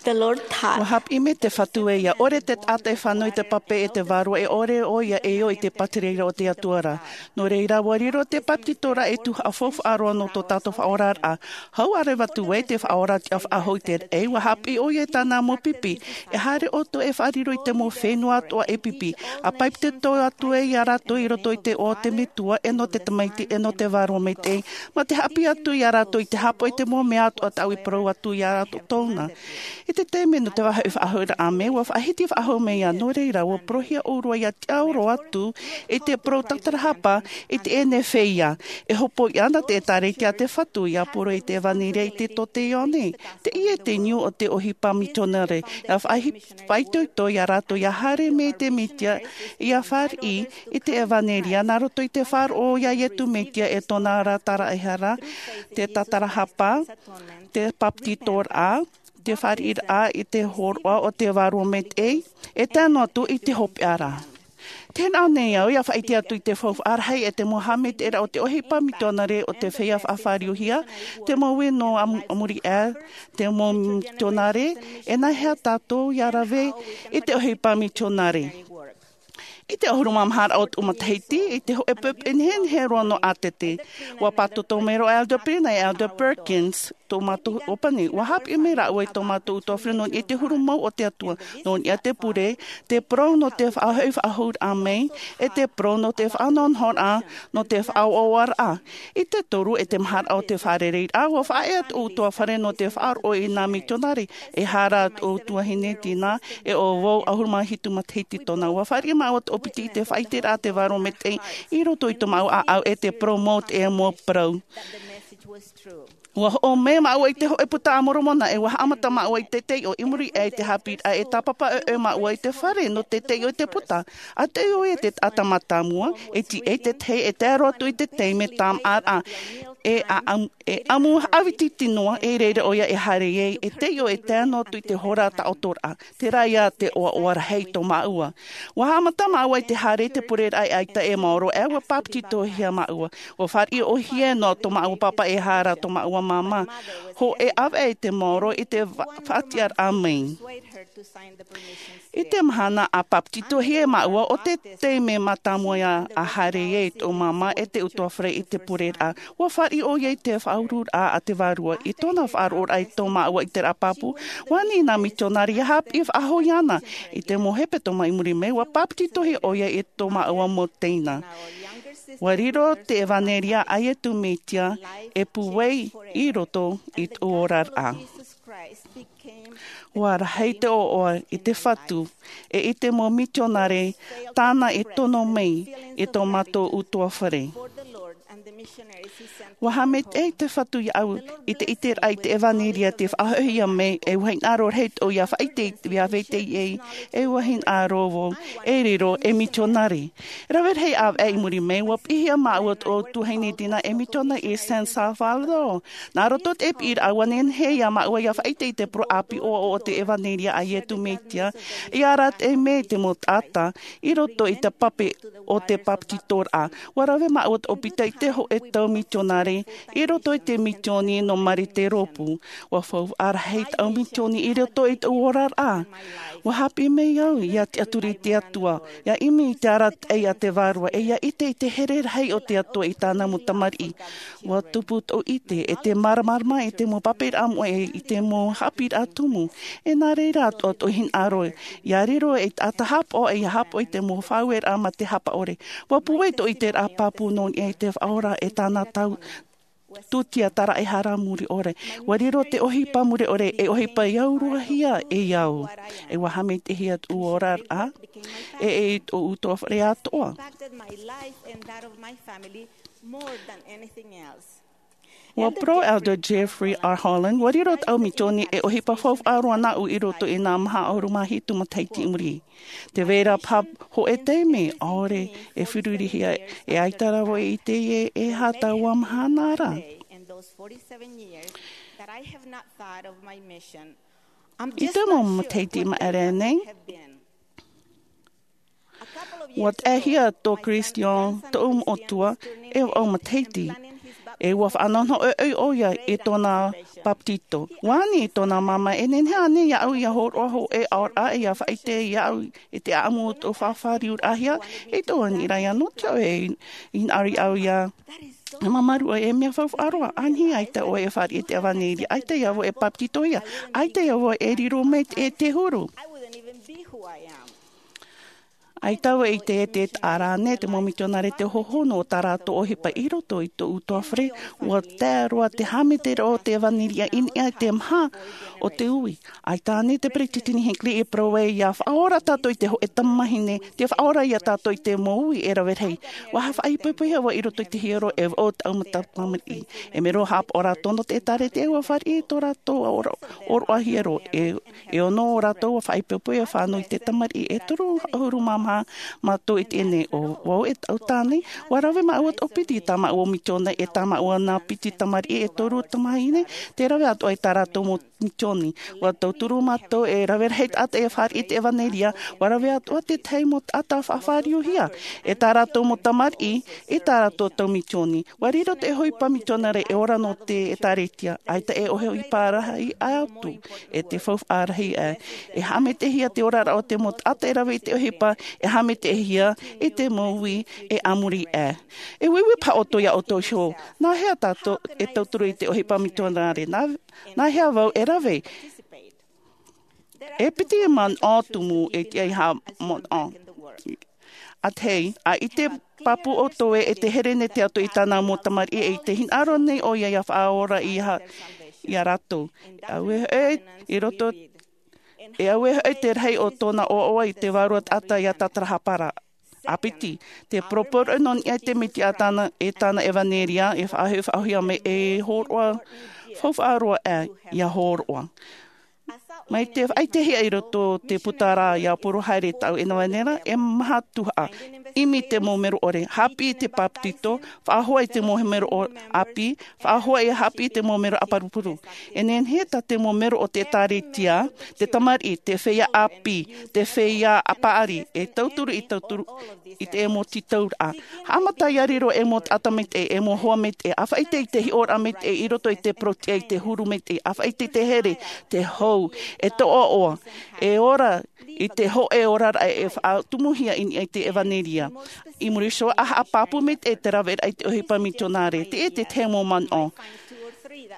The Lord taught. ʻUa haʻapiʻi mai te Fatu ē, ʻia ʻore te taʻata e fānau i te pape e te Vārua, e ʻore ʻoia e ō i te pātireiraʻa o te Atua ra. Nō reira, ʻua riro te bāpetizoraʻa ei tuhaʻa faufaʻa roa nō tō tātou faʻaoraraʻa. Hau ā rā atu ē te Faʻaora tiʻa faʻahou i te raʻi, ʻua haʻapiʻi ʻoia i tāna mau pipi. E haere ʻoutou e faʻariro i te mau fenua atoʻa e pipi. ʻA bāpetizo atu ē ia rātou i roto i te iʻoa o te Metua, e nō te Tamaiti, e nō te Vārua Maitaʻi. Mā te haʻapiʻi atu ia rātou i te haʻapaʻo i te mau mea atoʻa tāʻu i parau atu ia rātou tōna. I te taime nō te vāhi faʻahoʻiraʻa mai, ʻua faʻahiti faʻahou mai ïa. Nō reira, ʻua parauhia ʻōrua ʻia tiʻaoro atu i te parau tātarahapa i teie nei feiā. E hopoiʻa na te ʻĒtārētia a te Fatu ʻia parau i te ʻEvaneria i te tote Ioane. Teie te niu o te ʻohipa mitionare. ʻIa faʻahi-, faʻaitoito ia rātou ʻia haere mai te Mesia, ʻia fāriʻi i te ʻEvaneria nā roto i te faʻaroʻo ia Iesu Mesia e tōna ra taraehara, te tātarahapa, te bāpetizoraʻa, te fāriʻiraʻa i te hōroʻa o te Vārua Maitaʻi, e tae noa atu i te hopeʻa ra. Tē nā ʻō nei au, ʻia faʻaʻite atu i te faufaʻa rahi e te mau haʻamaitaʻiraʻa o te ʻohipa mitionare o te feiā faʻafāriuhia, te mau ui nō a-, a muri aʻe, te mau mitionare, e nāhea tātou ʻia rave i te ʻohipa mitionare. I te ʻahuru mā maha raʻa o tōʻu matahiti, i te hōʻē pepe nehenehe roa nō ʻĀtete, ʻua pātoto mai roa Elder Pina e Elder Perkins, tō mātou ʻōpani. ʻUa haʻapiʻi mai rāua i tō mātou tuatāpaparaʻa nō niʻa i te huru mau o te Atua, nō niʻa i te pure, te parau nō te faʻahoʻi faʻahou raʻa mai, e te parau nō te faʻanahonahoraʻa, nō te faʻaoaoaraʻa. I te toru, e te maharaʻa o te fārereiraʻa, ʻua faʻaea tōʻu ʻutuāfare nō te faʻaroʻo i nā mitionare, e hara tōʻu tuahine Tina, e ʻo vau ʻahuru mā hitu matahiti tōna. ʻUa fāriʻi māua tōʻu piti i te faʻaʻiteraʻa a te Vārua Maitaʻi i roto i tō māua ʻāʻau, e te parau mau te mau parau. ʻUa hoʻo mai māua i te hōʻē puta a Moromona, e ʻua haʻamata māua i te taiʻo i muri aʻe i te haʻapiʻiraʻa, e tāpapa ʻoeʻoe māua i te fare nō te taiʻo i te puta. ʻA taiʻo ʻoia i te taʻata mātāmua, e tiʻa i te tahi e tae roa atu i te taime tāmāʻaraʻa. e ʻaʻamu e ʻamu haʻavititi noa, e reira ʻo ia e haere ai e taiʻo e tae noa atu i te hora taʻotoraʻa. Terā ia te ʻoaʻoa rahi tō māʻua. Ua haʻamata māʻua i te haere i te pureraʻa e ʻaita e maoro ʻe ua pāpetitohia māʻua. Ua fāriʻi ʻohie noa tō māʻua pāpā e hara tō māʻua māmā. Hōʻē ʻāvaʻe i te maoro i te faʻatiʻaraʻa mai. I te mahana a pāpetitohia māʻua, ʻo te taime mātāmua ia a haere ai tō māmā e te utuafare i te pureraʻa. Ua fāriʻi ʻo ia i te faʻaururaʻa a te vārua i tōna faʻaroʻoraʻa i tō māʻua i te raʻa pāpū. Ua ani nā mitionare ia haʻapiʻi faʻahoʻi ana. I te mau hepetoma i muri mai ua pāpetitohia ʻo ia i tō māʻua mau teina. Ua riro te ʻevanelia a iesu mesia e pūai i roto i tō oraraʻa. Ua rahi te ʻoaʻoa i te fatu e i te mau mitionare tāna e tono mai i tō mātou utuafare. Ua haʻamaitaʻi te fatu iaʻu i te ʻiteraʻa i te ʻevanelia te faʻahoʻihia mai e ua hinaʻaro rahi ʻo ia faʻaite ia vetahi ʻē. E ua hinaʻaro vau e riro e mitionare. Rave rahi ʻāvaʻe i muri mai ua piʻihia māʻua tō tuahine dina e mitionare i san salvador. Nā roto te piʻiraʻa ua nehenehe ia māʻua ia faʻaite i te poro ʻāpī ʻoaʻoa o te ʻevanelia a iesu mesia. I arataʻi mai te mau taʻata i roto i te pape o te pāpetitoraʻa. Ua rave māʻua tō pita i te hōʻē tau mitionare i roto i te misioni nō marite rōpū. Ua faufaʻa rahi tau misioni i roto i tō oraraʻa. Ua haʻapiʻi mai au ia tiʻaturi i te atua ia ʻimi i te arataʻi a te vārua e ia ʻite i te here rahi o te atua i tāna mau tamariʻi. Ua tupu tō ʻite e te māramarama i te mau pāpaʻiraʻa moʻe i te mau haʻapiʻiraʻa tumu. E nā reira atoʻa tō hinaʻaro ia riro e taʻata haʻapaʻo e ia haʻapaʻo i te mau faʻaueraʻa mā te haʻapaʻore. Ua pūai tō ʻiteraʻa pāpū nō niʻa i te faʻaora e tāna tau tūtia taraʻehara muri ʻore. Ua riro te ʻohipa muri ʻore e ʻohipa i auruahia e au. E ua haʻamaitaʻihia tō oraraʻa e e i tō utuafare atoʻa. Ua parau elder jeffrey r holland ua riro tau misioni e ʻohipa faufaʻa roa nāʻu i roto i nā maha ʻahuru mā hitu matahiti i muri. Te vera paha hōʻē taime ʻaore e ferurihia e ʻaita rā vau e ʻite e e hā taua mahana ra. I te mau matahiti maʻere nei ua taʻehia tō christian tōʻu moʻotua e vaʻu matahiti. E ua faʻanohonoho ʻoiʻoi ʻo ia i tōna pāpetito. Ua ani i tōna māmā e nehenehe ānei iaʻu ia hōroʻa hōʻē aoraʻa ia faʻaite iaʻu i te ʻaʻamu o tō fāriuraʻahia. I tō ani rā ia nō te au e hinaʻaro iaʻu ia mamaru ʻoe e mea faufaʻa roa ʻānei ʻaita ʻoe e fāriʻi i te ʻevanelia ʻaita ia vau e pāpetitohia ʻaita ia vau e riro mai e te huru. ʻAita vau i te ʻite e taʻa rā nei te mau mitionare te hohonu o tā rātou ʻohipa i roto i tō utuafare. Ua tae roa te haʻamaitaʻiraʻa o te ʻevanelia i niʻa i te maha o te ui. ʻAita ānei te peresideni hinckley i parau ai ia faʻaora tātou i te hōʻē tamahine te faʻaora ia tātou i te mau ui e rave rahi. Ua faʻaipoipohia vau i roto i te hiero e vaʻu tau tamariʻi. E mea roa haʻapaʻo rātou nō te ʻēkālesia ua fāriʻi i tō rātou ʻoroʻa hiero. E e ono o rātou ua faʻaipoipohia fānau i te tamariʻi e toru ʻahuru mā maha mātou i teie nei. ʻO vau e tau tāne ua rave māʻua tō piti tā māʻua misioni e tā māʻua nā piti tamariʻi e toru tamahine. Te rave atoʻa i tā rātou mau misioni. Ua tauturu mātou e rave rahi taʻata e fāriʻi i te ʻevanelia. Ua rave atoʻa te tahi mau taʻata faʻafāriuhia e tā rātou mau tamariʻi i tā rātou tau misioni. Ua riro te ʻohipa mitionare e ora nō te ʻēkālesia ʻaita e ʻohipa rahi atu e te faufaʻa rahi ʻā. E haʻamaitaʻihia te oraraʻa o te mau taʻata e rave i te ʻohipa e haʻamaitaʻihia i te mau ui e a muri ʻā. E uiui paha ʻoutou iā ʻoutou iho nā hea tātou e tauturu i te ʻohipa mitionare? Nā hea vau e rave? E piti manaʻo tumu e tiʻa i haʻamanaʻo. A te hei a i te pāpū ʻoutou e te here nei te atua i tāna mau tamariʻi e i te hinaʻaro nei ʻo ia ia faʻaora iā rātou. E au e hoʻi i roto e au e hoʻi te rahi o tōna ʻoaʻoa i te vārua taʻata iā tātarahapa ra. A piti te poroporoʻi nō niʻa i te mesia a tāna e tāna ʻevanelia e faʻahoʻi faʻahoʻihia mai e hōroʻa faufaʻa roa ʻā ia hōroʻa. Mai te faʻaitehia i roto o te puta ra ia poro haere taʻu e nava nei ra, e maha tuhaʻa. ʻImi te mau mero ʻore, haʻapiʻi te papetito, faʻahoa i te mau mero ʻāpī, faʻahoa e haʻapiʻi te mau mero ʻāparupuru. E nehenehe tā te mau mero o te ʻĒtārētia, te tamariʻi, te feiā ʻāpī, te feiā paʻari, e tauturu i tauturu i te ʻemo tītauraʻa. Haʻamata ia riro e mau taʻata maitaʻi, e mau hoa maitaʻi, ʻa faʻaʻite i te hiʻoraʻa maitaʻi i roto i te porotiʻa, i te huru maitaʻi, ʻa faʻaʻite i te here, te hou, e toʻoʻoa, e ora i te hōʻē oraraʻa e faʻatumuhia i niʻa i te ʻevanelia. I muri iho ā, haʻapāpū maitaʻi te raveraʻa i te ʻohipa mitionare, te ʻite te mau manaʻo.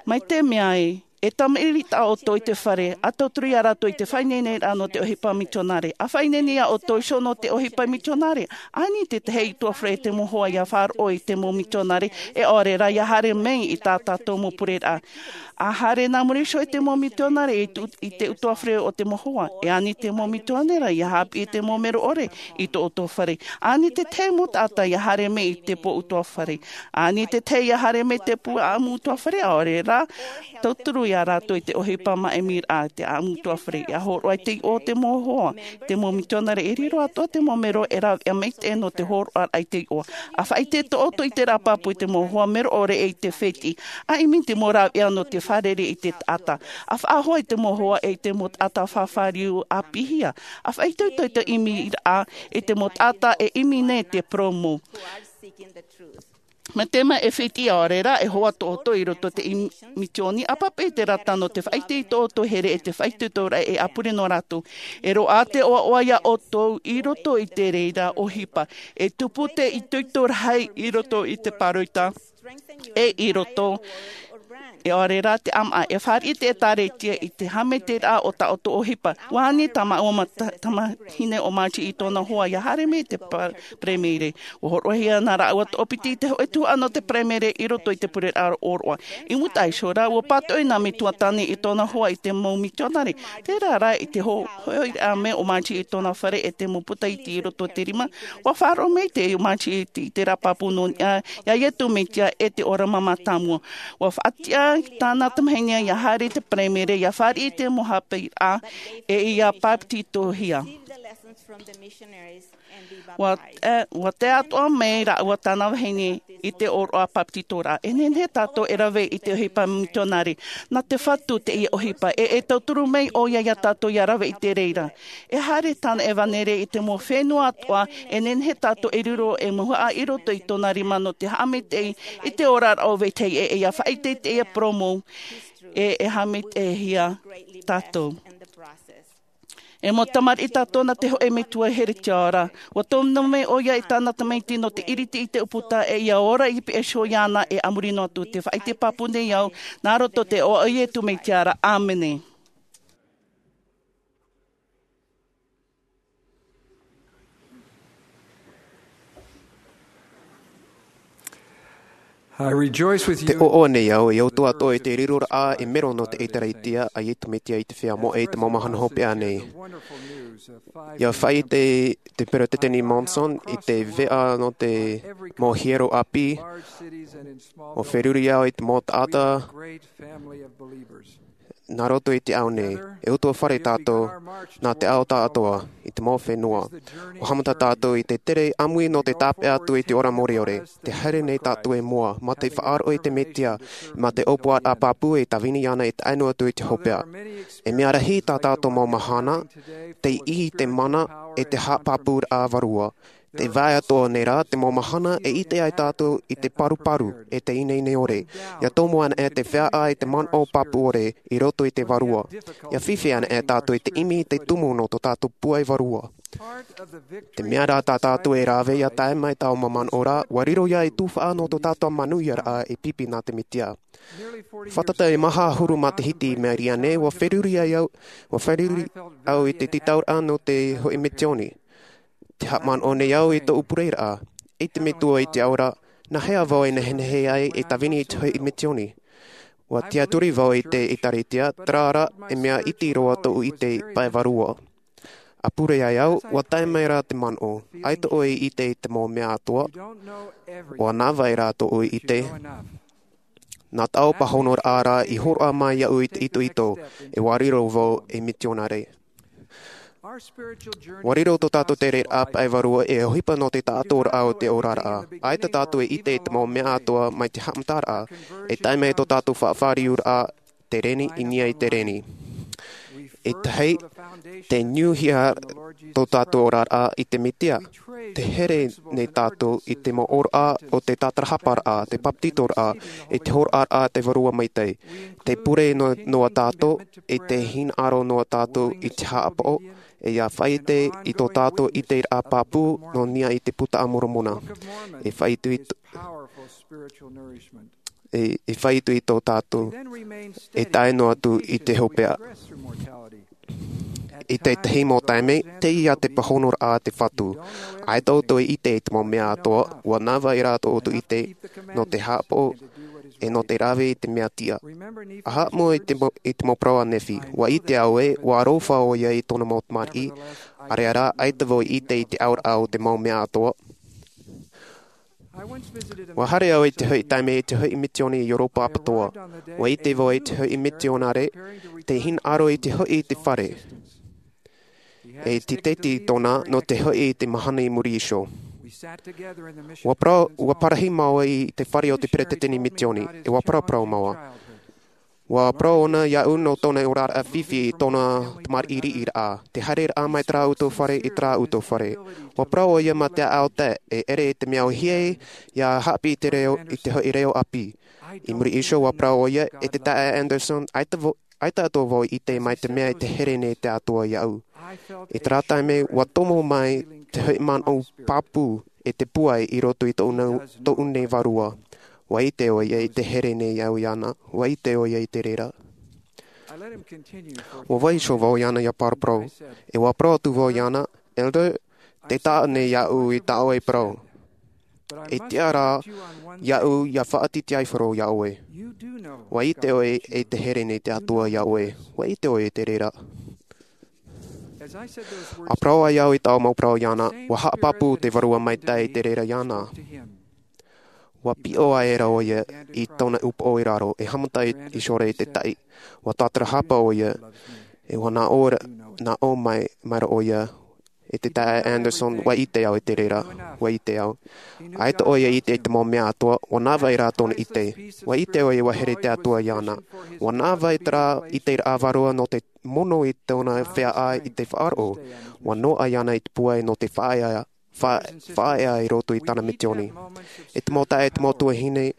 Mai te mea ē, e tamariʻi tā ʻoutou i te fare, ʻa tauturu ia rātou i te faʻaineineraʻa nō te ʻohipa mitionare. ʻA faʻaineine ia ʻoutou iho nō te ʻohipa mitionare. ʻAni te tahi utuafare e te mau hoa ia faʻaroʻo i te mau mitionare, e ʻaore rā ia haere mai i tā tātou mau pureraʻa. ʻA haere nā muri iho i te mau mitionare i tu-, i te utuafare o te mau hoa. E ani te mau mitionare ia haʻapiʻi te mau mero ʻore i tō ʻoutou fare. Ani te tahi mau taʻata ia haere mai i te pō utuafare. Ani te tahi ia haere mai i te pū ʻaʻamu utuafare, ʻaore rā, tauturu ia rātou i te ʻohipa māʻimiraʻa te ʻaʻamu utuafare. Ia hōroʻa i te iʻoa o te mau hoa, te mau mitionare e riro atoʻa te mau mero e rāveʻa maitaʻi nō te hōroʻaraʻa i te iʻoa. ʻA faʻaʻite tō ʻoutou ʻiteraʻa pāpū i te mau hoa mero ʻore e i te fētiʻi. ʻA ʻimi te mau rāveʻa nō te fārerei i te taʻata. ʻA faʻahoa i te mau hoa e i te mau taʻata fāriu ʻāpīhia. ʻA faʻaitoito i te ʻimiraʻa i te mau taʻata e ʻimi nei te promo. Mai te mea e fētiʻi ʻaore rā, e hoa tō ʻoutou i roto i te im-, mitioni, ʻa pāpaʻi te rata nō te faʻaʻite i tō ʻoutou here e te faʻaitoitoraʻa e ʻapure nō rātou. E roaʻa te ʻoaʻoa ia ʻoutou i roto i te reira ʻohipa. E tupu te itoito rahi i roto i te pāroita. E i roto, e ʻaore rā te ʻāmaʻa, e fāriʻi te ʻĒtārētia i te haʻamaitaʻiraʻa o tā ʻoutou ʻohipa. ʻUa ani tā māua ma-, ta-, tamahine ʻo Margie i tōna hoa ia haere mai i te pa-, paraimere. ʻUa hōroʻahia nā rāua toʻopiti i te hōʻē tuhaʻa nō te paraimere i roto i te pureraʻa ʻōroʻa. I mūtaʻa iho rā, ʻua pātoʻi nā Metua Tani i tōna hoa i te mau mitionare. Terā rā, i te ho-, hoʻiraʻa mai o Margie i tōna fare e te mau puta iti i roto i te rima, ʻua faʻaroʻo maitaʻi Margie i te, i te ʻiteraʻa pāpū nō niʻa iā Iesu Mesia e te ora mātāmua. ʻUa faʻatiʻa tāna tamahine ia haere i te paraimere, ia fāriʻi i te mau haʻapiʻiraʻa, e ia papetitohia. ʻUa, e, ʻua tae atoʻa mai rāua tāna vahine i te ʻōroʻa papetitoraʻa. E nehenehe tātou e rave i te ʻohipa mitionare. Nā te Fatu teie ʻohipa, e, e tauturu mai ʻoia iā tātou ia rave i te reira. E haere tāna ʻevanelia i te mau fenua atoʻa, e nehenehe tātou e riro e mauhaʻa i roto i tōna rima nō te haʻamaitaʻi i te oraraʻa o vetahi e, e ia faʻaʻite i teie promo, e, e haʻamaitaʻihia tātou. E mau tamariʻi tātou nā te hōʻē metua here tiʻa ra. ʻUa tōmina mai ʻoia i tāna tamaiti nō te ʻiriti i te ʻūputa, e ia ora i piha iho iāna e a muri noa atu. Te faʻaʻite pāpū nei au, nā roto i te iʻoa o Iesu Mesia ra. ʻĀmene. I rejoice with you. Te ʻoaʻoa nei au, e ʻoutou atoʻa i te riroraʻa e mero nō te ʻĒtārētia a Iesu Mesia i te feiā moʻe i te mau mahana hopeʻa nei. ʻIa faʻaʻite te Peresideni Monson i te veʻa nō te mau hiero ʻāpī, ʻua feruri au i te mau taʻata nā roto i te ao nei. E utuafare tātou nā te ao tāʻātoa i te mau fenua. ʻUa haʻamata tātou i te tere ʻāmui nō te tāpeʻa atu i te ora mōreore. Te haere nei tātou i mua, mā te faʻaroʻo i te Mesia, mā te ʻōpuaraʻa pāpū e tāvini ana e tae noa atu i te hopeʻa. E mea rahi tā tātou mau mahana, tei ʻī i te mana e te haʻapāpūraʻa vārua. Te vaʻa atoʻa nei rā, te mau mahana e ʻite ai tātou i te paruparu, e te ineine ʻore. ʻIa tomo ana e te feiā i te manaʻo pāpū ʻore i roto i te vārua. ʻIa fifi ana e tātou i te ʻimi i te tumu nō tō tātou pūai vārua. Te mea rā tā tātou e rave ʻia tae mai taua manaʻo ra, ʻua riro ia i te tuhaʻa nō tō tātou manuiaraʻa e pipi nā te Mesia. Fātata e maha ʻahuru matahiti i maori aʻe nei, ʻua feruri ai au, ʻua feruri au i te tītauraʻa nō te hōʻē misiōni. Te haʻamanaʻo nei au i tōʻu pureraʻa, e te Metua i te ao ra, nā hea vau e nehenehe ai e tāvini i te hōʻē misiōni. ʻUa tiaturi vau i te ʻĒtārētia, terā rā, e mea iti roa tōʻu ʻite pae vārua. ʻA pure ai au, ʻua tae mai rā te manaʻo, ʻaita ʻoe i ʻite i te mau mea atoʻa, ʻua navaʻi rā tōʻu ʻite. Nā taʻu pāhonoraʻa ra i hōroʻa mai iaʻu i te itoito, e ua riro vau ei mitionare. Ua riro tō tātou tereraʻa pae vārua e ʻohipa nō te taʻatoʻaraʻa o te oraraʻa. ʻAita tātou e ʻite i te mau mea atoʻa mai te haʻamataraʻa, e tae mai tō tātou faʻafāriuraʻa, te reni, i niʻa i te reni. E tahi, te niuhia tō tātou oraraʻa i te Mesia. Te here nei tātou i te mau ʻōraʻa o te tātarahaparaʻa, te bāpetizoraʻa, i te hōroʻaraʻa a te Vārua Maitaʻi. Te pure noa, noa tātou, i te hinaʻaro noa tātou i te haʻapaʻo, e ʻia faʻaʻite i tō tātou ʻiteraʻa pāpū, nō niʻa i te Buka a Moromona. E faʻaʻite i tō, e, e faʻaʻite i tō tātou, e tae noa atu i te hopeʻa. I tētahi mau taime, teie te pāhonoraʻa a te Fatu. ʻAita ʻoutou e ʻite i te mau mea atoʻa, ua navaʻi rā tō ʻoutou ʻite, nō te haʻapaʻo, e nō te rave i te mea tiʻa. ʻA haʻamou i te mau, i te mau parau a Nephi, ua ʻite au ē, ua aroha ʻoia i tōna mau tamariʻi, ʻaore rā, ʻaita vau i ʻite i te auraʻa o te mau mea atoʻa. Ua haere au i te hoʻi taime i te hoʻi misioni i Europa ʻapatoʻa. Ua ʻite vau i te hoʻi mitionare, te hinaʻaro i te hoʻi i te fare. E titeti tōna nō te hoʻi i te mahana i muri iho. Ua parau, ua parahi māua i te fare o te peretiteni misioni, e ua paraparau māua. Ua parau ʻōna iaʻu nō tōna oraraʻa fifi i tōna tamariʻi riʻiraʻa, te haereraʻa mai terā ʻoutou fare i terā ʻoutou fare. Ua parau ʻoia mā te ʻāʻau tae, e ʻere i te mea ʻōhie ʻia haʻapiʻi i te reo, i te hoʻi reo ʻāpī. I muri iho ua parau ʻoia, e te taeaʻe Anderson, ʻaita vau, ʻaita atoʻa vau i ʻite mai te mea i te here nei te Atua iaʻu. I terā taime, ua tomo mai te hoʻi manaʻo pāpū e te pūai i roto i tōʻu nei, tōʻu nei vārua. Ua ʻite ʻoia i te here nei au iāna, ua ʻite ʻoia i te reira. Ua vaiiho vau iāna ʻia paraparau, e ua parau atu vau iāna, Elder, tē taʻa nei iaʻu i tā ʻoe parau. E tiʻa rā iaʻu ʻia faʻatītīʻaifaro iā ʻoe. Ua ʻite ʻoe i te here nei te Atua iā ʻoe. Ua ʻite ʻoe i te reira. ʻA parau ai au i taua mau parau iāna, ua haʻapāpū te Vārua Maitaʻi i te reira iāna. Ua piʻo aʻera ʻoia i tōna upoʻo i raro, e haʻamata i, i ʻore i te taʻi. Ua tātarahapa ʻoia, e ua nā ʻō ra, nā ʻō mai, mai ra ʻoia, e te taeaʻe Anderson, ua ʻite au i te reira, ua ʻite au. ʻAita ʻoia i ʻite i te mau mea atoʻa, ua navaʻi rā tōna ʻite. Ua ʻite ʻoia ua here te Atua iāna. Ua navaʻi terā ʻiteraʻa vārua nō te mono i tōna feiā i te faʻaroʻo. Ua noaʻa iāna i te pūai nō te faʻaea, fa-, faʻaea i roto i tāna misioni. E te mau taeaʻe, e te mau tuahine,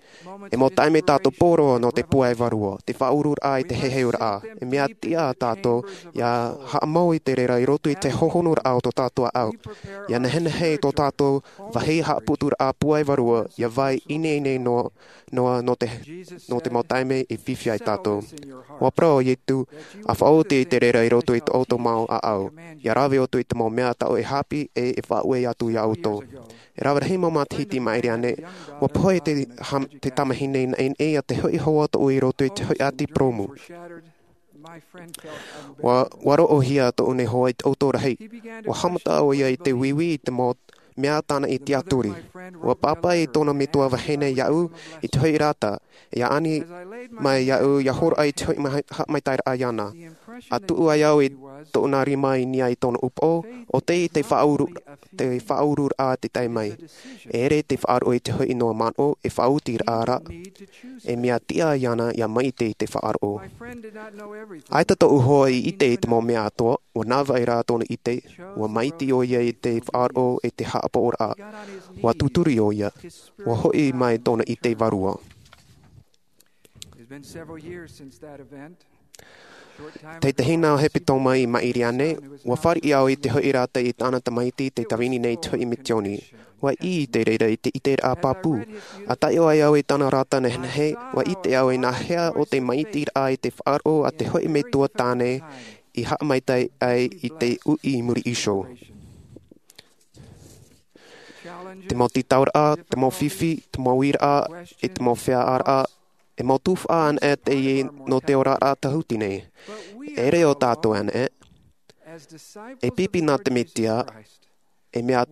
e mau taime tātou poroʻi nō te pūai vārua, te faʻauruaraʻa i te heheuraʻa. E mea tiʻa tātou ʻia haʻamau i te reira i roto i te hohonoraʻa o tō tātou ʻāʻau. ʻIa nehenehe i tō tātou vāhi haʻaputuraʻa pūai vārua, ʻia vai ineine noa, noa nō te, nō te mau taime e fifi ai tātou. Ua parau ʻo Ietu, ʻa faʻaoti i te reira i roto i tō ʻoutou mau ʻāʻau. ʻIa rave ʻoutou i te mau mea tāʻu e haʻapiʻi e, e faʻaue atu iā ʻoutou. E rave rahi mau matahiti i maʻiri aʻe, ua pohe te ham-, te tamahine naʻinaʻi iā te hoʻi hoa tōʻu i roto i te hoʻi ʻati purōmu. Ua, ua roʻohia tōʻu nei hoa i te ʻoutou rahi. Ua haʻamata ʻoia i te uiui i te mau mea tāna i tiʻaturi. Ua pāpaʻi tōna metua vahine iāʻu i te hoʻi rata, ʻia ani mai iāʻu ʻia hōroʻa i te hoʻi mai-, haʻamaitaʻiraʻa iāna. ʻA tuʻu ai au i tōna rima i niʻa i tōna upoʻo, ʻo tei te faʻauru-, te faʻaururaʻa te tae mai. E ʻere te faʻaroʻo i te hoʻi noa manaʻo, e faʻaotiraʻa ra. E mea tiʻa iāna ʻia maʻiti i te faʻaroʻo. ʻAita tōʻu hoa i ʻite i te mau mea atoʻa, ua navaʻi rā tōna ʻite, ua maʻiti ʻoia i te faʻaroʻo e te haʻapaʻoraʻa. Ua tūturi ʻoia, ua hoʻi mai tōna ʻite vārua. Tētahi nā hepetoma i maʻiri aʻe, ua fāriʻi au i te hoʻi rata i tāna tamaiti tei tāvini nei i te hoʻi misioni. Ua ʻī i te reira i te ʻiteraʻa pāpū. ʻA taiʻo ai au i tāna rata nehenehe, ua ʻite au i nā hea ʻo te maʻitiraʻa i te faʻaroʻo a te hoʻi metua tāne i haʻamaitaʻi ai i te uʻi i muri iho. Te mau tītauraʻa, te mau fifi, te mau uiraʻa, e te mau feiāraʻa, e mau tuhaʻa anaʻe teie nō te oraraʻa tāhuti nei. E ʻere ʻo tātou anaʻe, e pipi nā te Mesia, e mea,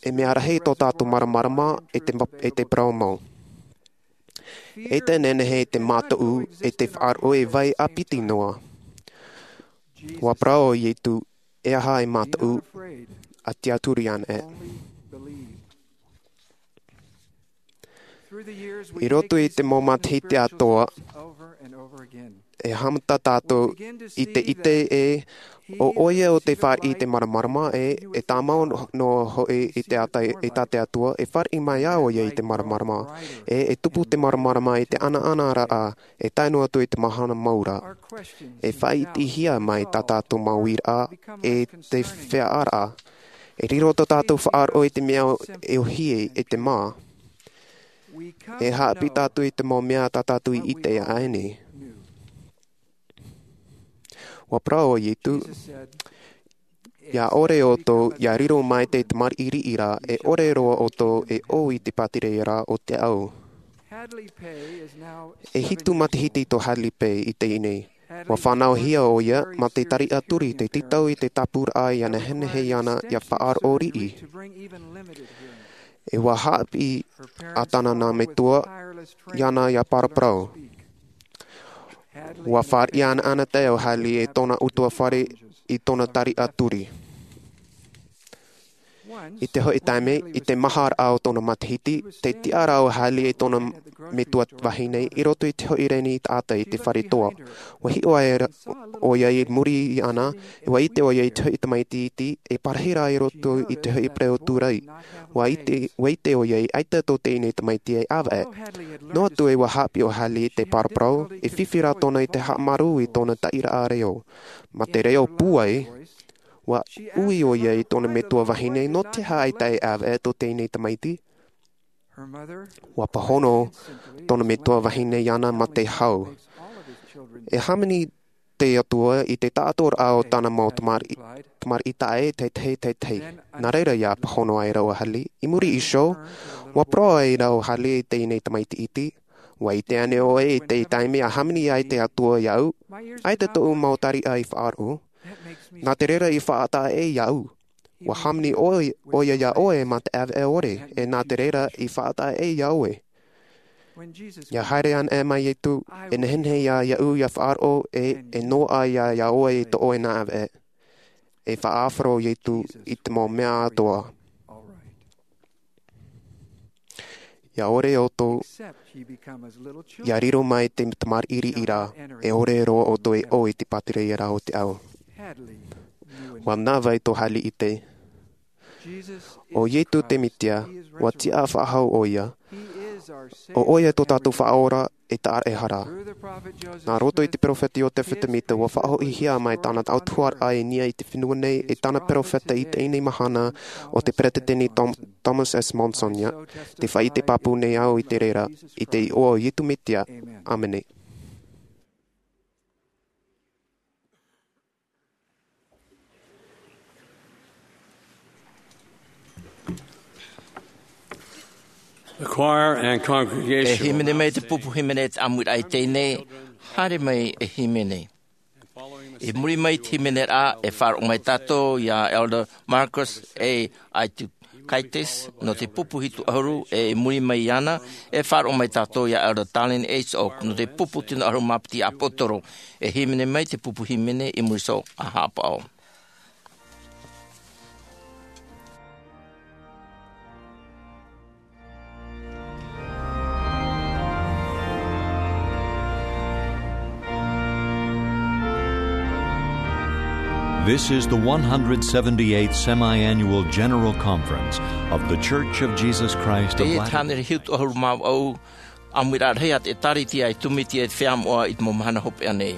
e mea rahi tō tātou māramarama e te ma-, e te parau mau. E te nehenehe te mātau e te faʻaroʻo e vai ʻāpiti noa. Ua parau ʻo Ietu, e aha e mātau, a tiʻaturi ana e. I roto i te mau matahiti atoʻa, e haʻamata tātou i te ʻite ē, ʻo ʻoia ʻo tei fāriʻi i te māramarama ē, e tāmau noa hoʻi i te ata, i tā te Atua, e fāriʻi mai ā ʻoia i te māramarama ē, e tupu te māramarama i te ʻanaʻanaraʻa, e tae noa atu i te mahana mau ra. E faʻaʻitehia mai tā tātou mau uiraʻa, e te feiā ra. E riro tō tātou faʻaroʻo i te mea e ʻōhie, e te mā. E haʻapiʻi tātou i te mau mea tā tātou i ʻite aʻe nei. Ua parau ʻo Ietu, ʻia ʻore ʻoutou, ʻia riro mai te tamariʻi riʻi ra, e ʻore roa ʻoutou e ʻō i te pātireia ra o te ʻāʻau. E hitu matahiti tō Hadley Peay i teie nei. Ua fānauhia ʻoia mā te tariʻa turi, te tītau i te tāpūraʻa ʻia nehenehe iāna ʻia faʻaroʻo riʻi. E ua haʻapiʻi ā tāna nā metua iāna ʻia paraparau. Ua fāriʻi anaʻanatae ʻo Hadley e tōna ʻutuāfare i tōna tariʻa turi. I te hoʻi taime, i te maharaʻa o tōna matahiti, tei tiʻa ra ʻo Hadley e tōna metua vahine i roto i te hoʻi reni taʻata i te fare toa. Ua hiʻo aʻe ra ʻoia i muri iāna, e ua ʻite ʻoia i te hoʻi tamaiti iti, e parahi ra i roto i te hoʻi pereoturai. Ua ʻite, ua ʻite ʻoia ʻaita tō teie nei tamaiti e ʻāvaʻe. Noa atu ē ua haʻapiʻi ʻo Hadley i te paraparau, e fifi rā tōna i te haʻamāuruuru i tōna taʻiraʻa reo. Mā te reo pūai, ua ui ʻoia i tōna metua vahine, nō te aha ʻaita e ʻāvaʻe tō teie nei tamaiti? Ua pāhono tōna metua vahine iāna mā te hau. E hāmani te Atua i te taʻatoʻaraʻa o tāna mau tamari-, tamariʻi taʻa ʻē, teitei, teitei. Nā reira ʻia pāhono aʻera ʻo Hadley. I muri iho, ua parau aʻera ʻo Hadley i teie nei tamaiti iti, ua ʻite ānei ʻoe i te taime ʻa hāmani ai te Atua iāʻu? ʻAita tōʻu mau tariʻa i faʻaroʻo. Nā te reira i faʻataʻa ʻē iāʻu. Ua hāmani ʻoe, ʻoia iā ʻoe mā te ʻāvaʻe ʻore, e nā te reira i faʻataʻa ʻē iā ʻoe. ʻIa haere ana ē mai Ietu, e nehenehe ia iāʻu ʻia faʻaroʻo, e, e noaʻa ia iā ʻoe i tō ʻoe nā ʻāvaʻe. E faʻaʻāfaro Ietu i te mau mea atoʻa. ʻIa ʻore ʻoutou, ʻia riro mai te tamariʻi riʻi ra, e ʻore roa ʻoutou e ʻō i te pātireia ra o te ʻāʻau. Ua nā vai tō Hadley i ʻite. ʻO Ietu te Mesia, ua tiʻa faʻahou ʻoia. ʻO ʻoia tō tātou Faʻaora, e tāraʻehara. Nā roto i te peropheta Iosefa Sāmita, ua faʻahoʻihia mai tāna autahuʻaraʻa i niʻa i te fenua nei, e tāna peropheta i teie nei mahana, ʻo te Peresideni Tom-, Thomas S. Monson ia, tē faʻaʻite pāpū nei au i te reira, i te iʻoa o Ietu Mesia. ʻĀmene. The choir and congregation. E hīmene mai te pupu hīmene i te ʻāmuiraʻa i teie nei, haere mai e hīmene. I muri mai i te hīmene ra, e faʻaroʻo mai tātou ia Elder Marcus A. Aitu Kaitis, nō te pupu hitu ʻahuru, e i muri mai iāna, e faʻaroʻo mai tātou ia Elder Dallin H. Oaks, nō te pupu tino ʻahuru mā piti ʻāpōsetolo, e hīmene mai te pupu hīmene i muri iho ā haʻapaʻo. This is the one hundred seventy-eighth Semi-Annual General Conference of The Church of Jesus Christ of Latter-day Teie te hānere hitu ʻahuru mā vaʻu, ʻāmuiraʻa rahi a te ʻĒtārētia i tūmite i te feiā moʻa i te mau mahana hopeʻa nei.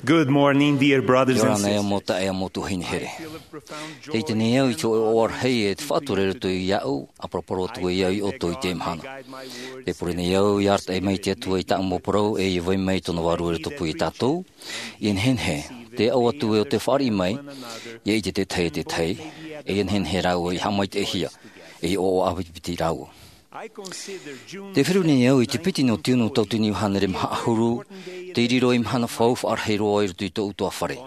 Good morning, dear brothers and sisters. Ora na e mau taeaʻe, mau tuahine here. Tē ʻite nei au i te hōʻē ʻoaʻoa rahi e te faʻatura i roto iāʻu, ʻa poroporo atu ai au iā ʻoutou i teie mahana. Tē pure nei au ʻia arataʻi mai te Atua i tāʻu mau parau, e ʻia vai mai tōna vārua i rotopū iā tātou, ʻia nehenehe, tē aʻo atu e ʻo tē fāriʻi mai, ʻia ʻite te tahi e te tahi, e ʻia nehenehe rāua ʻia haʻamaitaʻihia, e ʻia ʻoaʻoa ʻāpitipiti rāua. Tē feruri nei au i te piti nō tiunu tauatini hānere maha ʻahuru, tei riro ei mahana faufaʻa rahi roa i roto i tōʻu ʻutuāfare.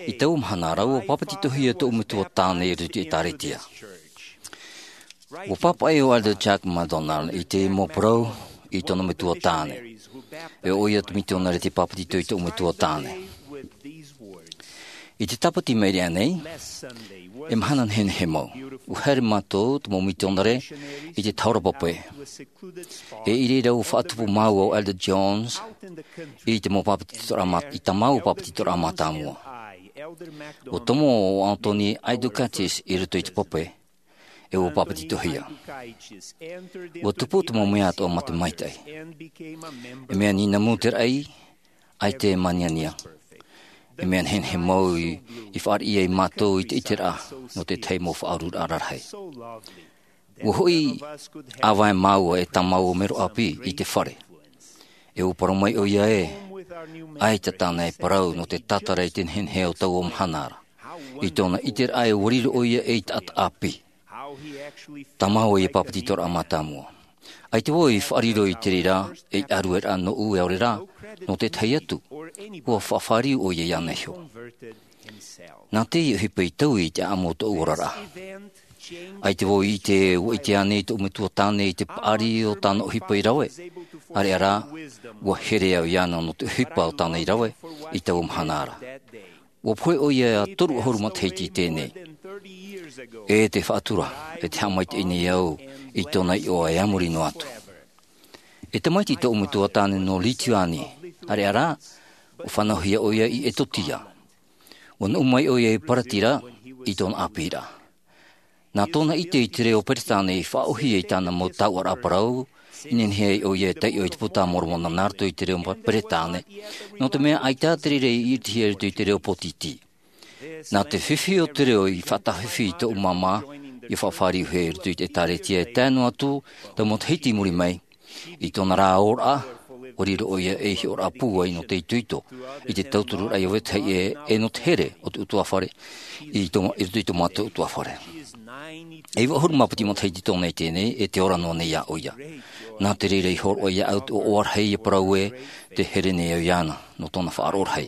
I taua mahana ra, ʻua pāpetitohia tōʻu metua tāne i roto i te ʻĒtārētia. ʻUa pāpaʻi ʻo Elder Jack MacDonald i te mau parau i tōna metua tāne. E ʻo ia te mitionare tei pāpetito i tōʻu metua tāne. I te tāpati mai i reira nei, e mahana nehenehe mau, ʻua haere mātou, te mau mitionare, i te tahora pape. E i reira ʻua faʻatupu māua ʻo Elder Jones i te mau pāpetitoraʻa mā-, i tā māua pāpetitoraʻa mātāmua. ʻUa tomo ʻo Anthony Aidukaitis i roto i te pape, e ʻua pāpetitohia. ʻUa tupu te mau mea atoʻa mā te maitaʻi. E mea nīnamu te raʻi, ʻaita e māniania. E mea nehenehe mau i, i fāriʻi ai mātou i te ʻiteraʻa nō te tahi mau faʻaururaʻa rarahi. ʻUa hoʻi ʻāvae māua e tā māua mero ʻāpī i te fare. E ʻua parau mai ʻo ia ē, ʻaita tāna e parau nō te tātara i te nehenehe o taua mahana ra. I tōna ʻiteraʻa ē ʻua riro ʻo ia ei taʻata ʻāpī. Tā māua ïa pāpetitoraʻa mātāmua. ʻAita vau i faʻariro i te reira, ei ʻārueraʻa nōʻu e ʻaore rā, nō te tahi atu, ʻua faʻafāriu ʻo ia iāna iho. Nā te ʻohipa i taui i te ʻāʻamu o tōʻu oraraʻa. ʻAita vau i ʻite, ʻua ʻite ānei tōʻu metua tāne i te paʻari o tāna ʻohipa i rave. ʻĀreʻa rā, ʻua here au iāna nō te ʻohipa o tāna i rave, i taua mahana ra. ʻUa pohe ʻo ia e toru ʻahuru matahiti i teie nei. E te faʻatura, e tē haʻamaitaʻi nei au i tōna iʻoa e a muri noa atu. E tamaiti tōʻu metua tāne nō Lituania, ʻāreʻa rā, ʻua fānauhia ʻo ia i Etotia. ʻUa nuʻu mai ʻo ia i Paratira, i tōna ʻāpīraʻa. Nā tōna ʻite i te reo Peretāne i faʻaʻōhie i tāna mau taoʻaraʻa parau, i nehenehe ai ʻo ia e taiʻo i te Puta a Moromona nā roto i te reo Peretāne, nō te mea ʻaita te reira i ʻiritihia i roto i te reo pōtītī. Nā te fifi o te reo i faʻataʻafifi i tōʻu māmā, ʻia faʻafāriuhia i roto i te ʻĒtārētia e tae noa atu, taua matahiti i muri mai, i tōna rā ora, ʻua riro ʻo ia ei hiʻoraʻa pūai nō te itoito, i te tautururaʻa i ʻō vetahi ʻē, e nō te here o te ʻutuāfare, i tō, i roto i tō mātou ʻutuāfare. E iva ʻahuru mā piti matahiti tōna i teie nei, e tē ora noa nei ā ʻo ia. Nā te reira i hōroʻa iāʻu te ʻoaʻoa rahi ʻia parau ē, tē here nei au iāna, nō tōna faʻaroʻo rahi,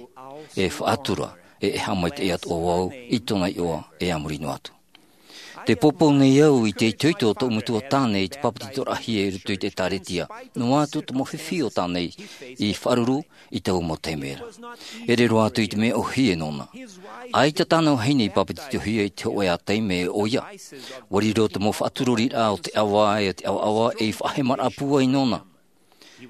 e faʻatura, e, e haʻamaitaʻi atoʻa vau, i tōna iʻoa, e a muri noa atu. Tē poupou nei au i te itoito o tōʻu metua tāne i te pāpetitoraʻahia i roto i te ʻĒtārētia, noa atu te mau fifi o tāna i faʻaruru i taua mau taime ra. E riro atu i te mea ʻōhie nōna. ʻAita tāna vahine i pāpetitohia i te hōʻē ā taime ʻo ia. ʻUa riro te mau faʻatururiraʻa o te ʻava e te ʻavaʻava ei faʻahemaraʻa pūai nōna.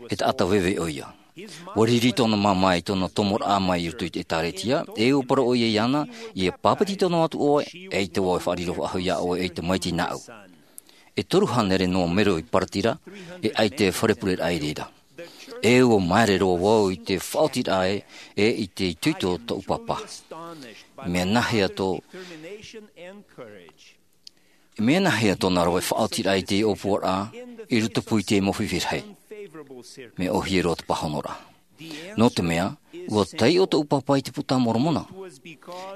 E taʻata veve ʻo ia. ʻUa riri tōna māmā i tōna tomoraʻa mai i roto i te ʻĒtārētia, e ʻua parau ʻo ia iāna, ʻia pāpetito noa atu ʻoe, ʻaita vau e faʻariro faʻahou iā ʻoe ei tamaiti nāʻu. E toru hānere noa mero i Paratira, e ʻaita e fare pureraʻa i reira. E ʻua māere roa vau i te faʻaotiraʻa ē, e i te itoito o tōʻu pāpā. Mea nāhea tō E mea nāhea tōna rave faʻaotiraʻa i te ʻōpuaraʻa i rotopū i te mau fifi rahi? Mea ʻōhie roa te pāhonoraʻa. Nō te mea, ʻua taiʻo tōʻu pāpā i te Puta a Moromona.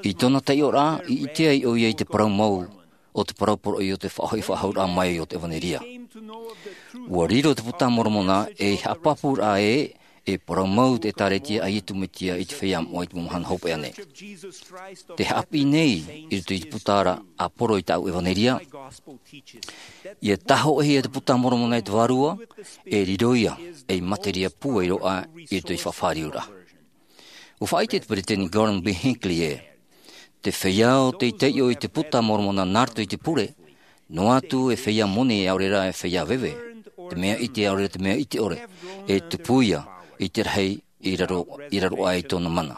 I tōna taiʻoraʻa, i ʻite ai ʻo ia i te parau mau o te parau poroʻi o te faʻahoʻi faʻahouraʻa mai o te ʻEvanelia. ʻUa riro te Puta a Moromona ei haʻapāpūraʻa ē, e parau mau te ʻĒtārētia a Iesu Mesia i te feiā moʻa i te mau mahana hopeʻa nei. Tē haʻapiʻi nei i roto i te puta ra ʻāporo i tāʻu ʻEvanelia. ʻIa tāhōʻēhia te Puta a Moromona e te Vārua, e riro ia ei materia pūai roa i roto i te faʻafāriuraʻa. ʻUa faʻaʻite te Peresideni Gordon B. Hinckley ē, te feiā ʻo tei taiʻo i te Puta a Moromona nā roto i te pure, noa atu e feiā moni ʻaore rā e feiā veve, te mea ʻite ʻaore rā te mea ʻite ʻore, e tupu ia i te rahi i raro, i raro aʻe i tōna mana.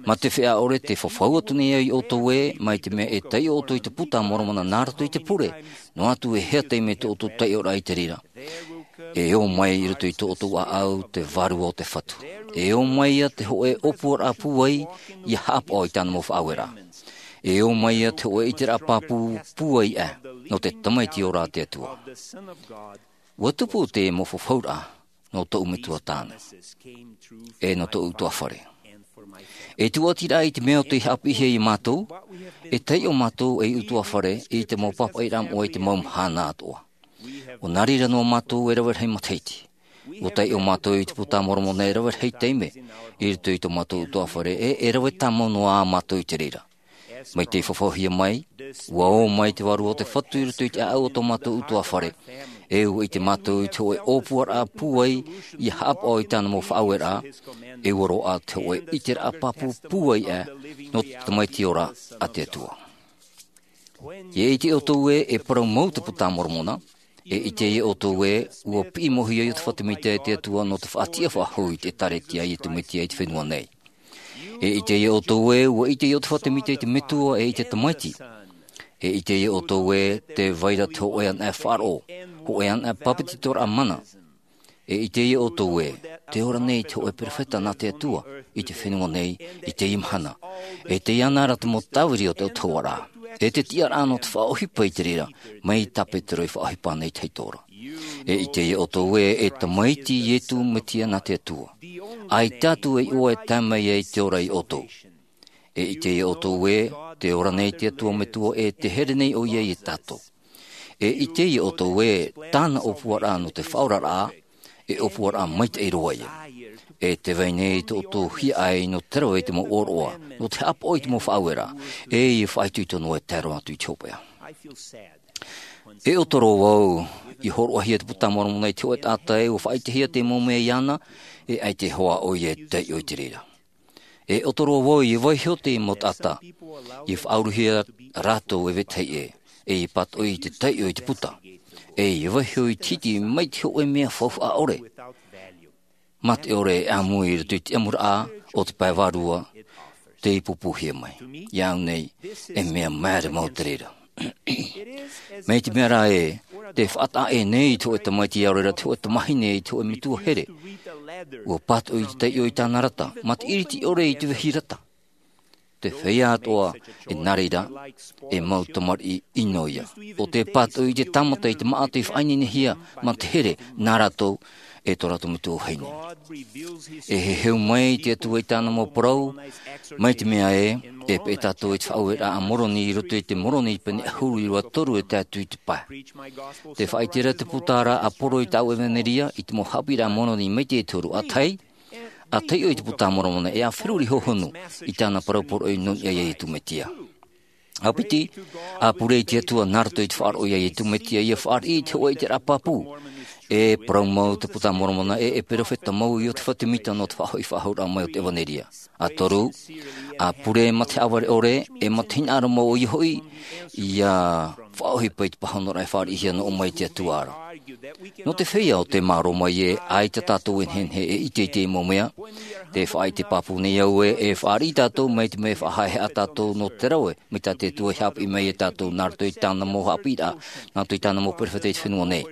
Mā te feiā ʻore tē fafau atu nei au iā ʻoutou ē, mai te mea e taiʻo ʻoutou i te Puta a Moromona nā roto i te pure, noa atu e hea taime tō ʻoutou taiʻoraʻa i te reira. E ō mai i roto i tō ʻoutou ʻāʻau te vārua o te Fatu. E ō mai ia te hōʻē ʻōpuaraʻa pūai ia haʻapaʻo i tāna mau faʻaueraʻa. E ō mai ia te hōʻē ʻiteraʻa pāpū pūai aʻe nō te Tamaiti ora a te Atua. Ua tupu te mau fafauraʻa nō tōʻu metua tāne, e nō tōʻu ʻutuāfare. E tūʻatiraʻa i te mea o tei haʻapiʻihia iā mātou, e taiʻo mātou ei ʻutuāfare i te mau pāpaʻiraʻa moʻa i te mau mahana atoʻa. ʻO nā reira noa mātou e rave rahi matahiti. Ua taiʻo mātou i te Puta a Moromona e rave rahi taime i roto i tō mātou ʻutuāfare, e e rave tāmau noa ā mātou i te reira. Mai tei fafaohia mai, ua ō mai te vārua o te Fatu i roto i te ʻāʻau o tō mātou ʻutuāfare, e ua ʻite mātou i te hōʻē ʻōpuaraʻa pūai ia haʻapaʻo i tāna mau faʻaueraʻa, e ua roaʻa te hōʻē ʻiteraʻa pāpū pūai aʻe nō te Tamaiti ora a te Atua. E ʻite ʻoutou ē, e parau mau te Puta a Moromona, e ʻite ia ʻoutou ē, ua piʻi mau hia Iosepha Semita e te Atua nō te faʻatiʻa faʻahou i te ʻĒtārētia a Iesu Mesia i te fenua nei. E ʻite ia ʻoutou ē, ua ʻite Iosepha Semita i te Metua e i te Tamaiti. E ʻite ia ʻoutou ē, tē vai ra te hōʻē anaʻe faʻaroʻo, hōʻē anaʻe pāpetitoraʻa mana. E ʻite ia ʻoutou ē, tē ora nei te hōʻē perofeta nā te Atua i te fenua nei i teie mahana. E tei iāna ra te mau tāviri o te autahuʻaraʻa, e te tiʻaraʻa nō te faʻaʻohipa i te reira, mai tā Petero i faʻaʻohipa nei te Atua ra. E ʻite ia ʻoutou ē, e Tamaiti Iesu Mesia nā te Atua. ʻAita atu e iʻoa e tae mai ai te ora ia ʻoutou. E ʻite ia ʻoutou ē, tē ora nei te Atua Metua e tē here nei ʻoia ia tātou. E ʻite ia ʻoutou ē, tāna ʻōpuaraʻa nō te faʻaoraraʻa, e ʻōpuaraʻa maitaʻi roa ia. E tē vai nei tō ʻoutou hiaʻai nō te rave i te mau ʻōroʻa, nō te haʻapaʻo i te mau faʻaueraʻa, e ia faʻaitoito noa e tae roa atu i te hopeʻa. E ʻoto roa vau i hōroʻahia te Puta a Moromona i te hōʻē taʻata ē ua faʻaʻitehia te mau mea iāna, e ʻaita e hoa ʻoia e taiʻo i te reira. E ʻoto roa vau i vaiiho te mau taʻata, i faʻauruhia rātou e vetahi ʻē, e i pātoʻi i te taiʻo i te Puta, e i vaiiho i te hiti mai te hōʻē mea faufaʻa ʻore. Mā te ʻore e ʻāmui i roto i te ʻamuraʻa o te pae vārua, tei pūpūhia mai. Iāʻu nei, e mea māere mau te reira. Mai te mea rā ē, tē faʻataʻa ʻē nei te hōʻē tamaiti, ʻaore rā te hōʻē tamahine i te hōʻē metua here. Ua pātoʻi i te taiʻo i tāna rata, mā te ʻiriti ʻore i te vehi rata. Te feiā atoʻa, e nā reira, e mau tamariʻi ʻino ia. ʻO tē pātoʻi i te tāmata i te māʻa tei faʻaineinehia mā te here nā rātou, e tō rātou metua vahine. E heheu mai te Atua i tāna mau parau, mai te mea ē, e peʻe tātou i te faʻaueraʻa a Moroni i roto i te Moroni pene ʻahuru ʻīrava toru e tae atu i te pae. Tē faʻaʻite ra te Puta ra ʻa Poro i tāʻu ʻevanelia, i te mau haʻapiʻiraʻa a Moroni maitaʻi e toru, ʻa tahi, ʻa taiʻo i te Puta a Moromona, e ʻa feruri hōhonu i tāna parau poroʻi nō niʻa iā Iesu Mesia. ʻA piti, ʻa pure i te Atua nā roto i te faʻaroʻo iā Iesu Mesia, ʻia fāriʻi i te hōʻē ʻiteraʻa pāpū. E parau mau te Puta a Moromona, e, e perofeta mau Iosepha Semita nō te faʻahoʻi faʻahouraʻa mai o te ʻevanelia. ʻA toru, ʻa pure mā te haʻavare ʻore, e mā te hinaʻaro mau ʻoia hoʻi, ʻia faʻaʻohipa i te pāhonoraʻa e fāriʻihia noa mai te Atua ra. Nō te feiā ʻo tē mārō mai ē, ʻaita tātou e nehenehe e ʻite i te mau mea, tē faʻaʻite pāpū nei au ē, e fāriʻi tātou mai te mea e faʻahaʻehaʻa tātou nō te rave, mai tā te Atua i haʻapiʻi mai iā tātou, nā roto i tāna mau haʻapiʻiraʻa, nā roto i tāna mau perofeta i te fenua nei.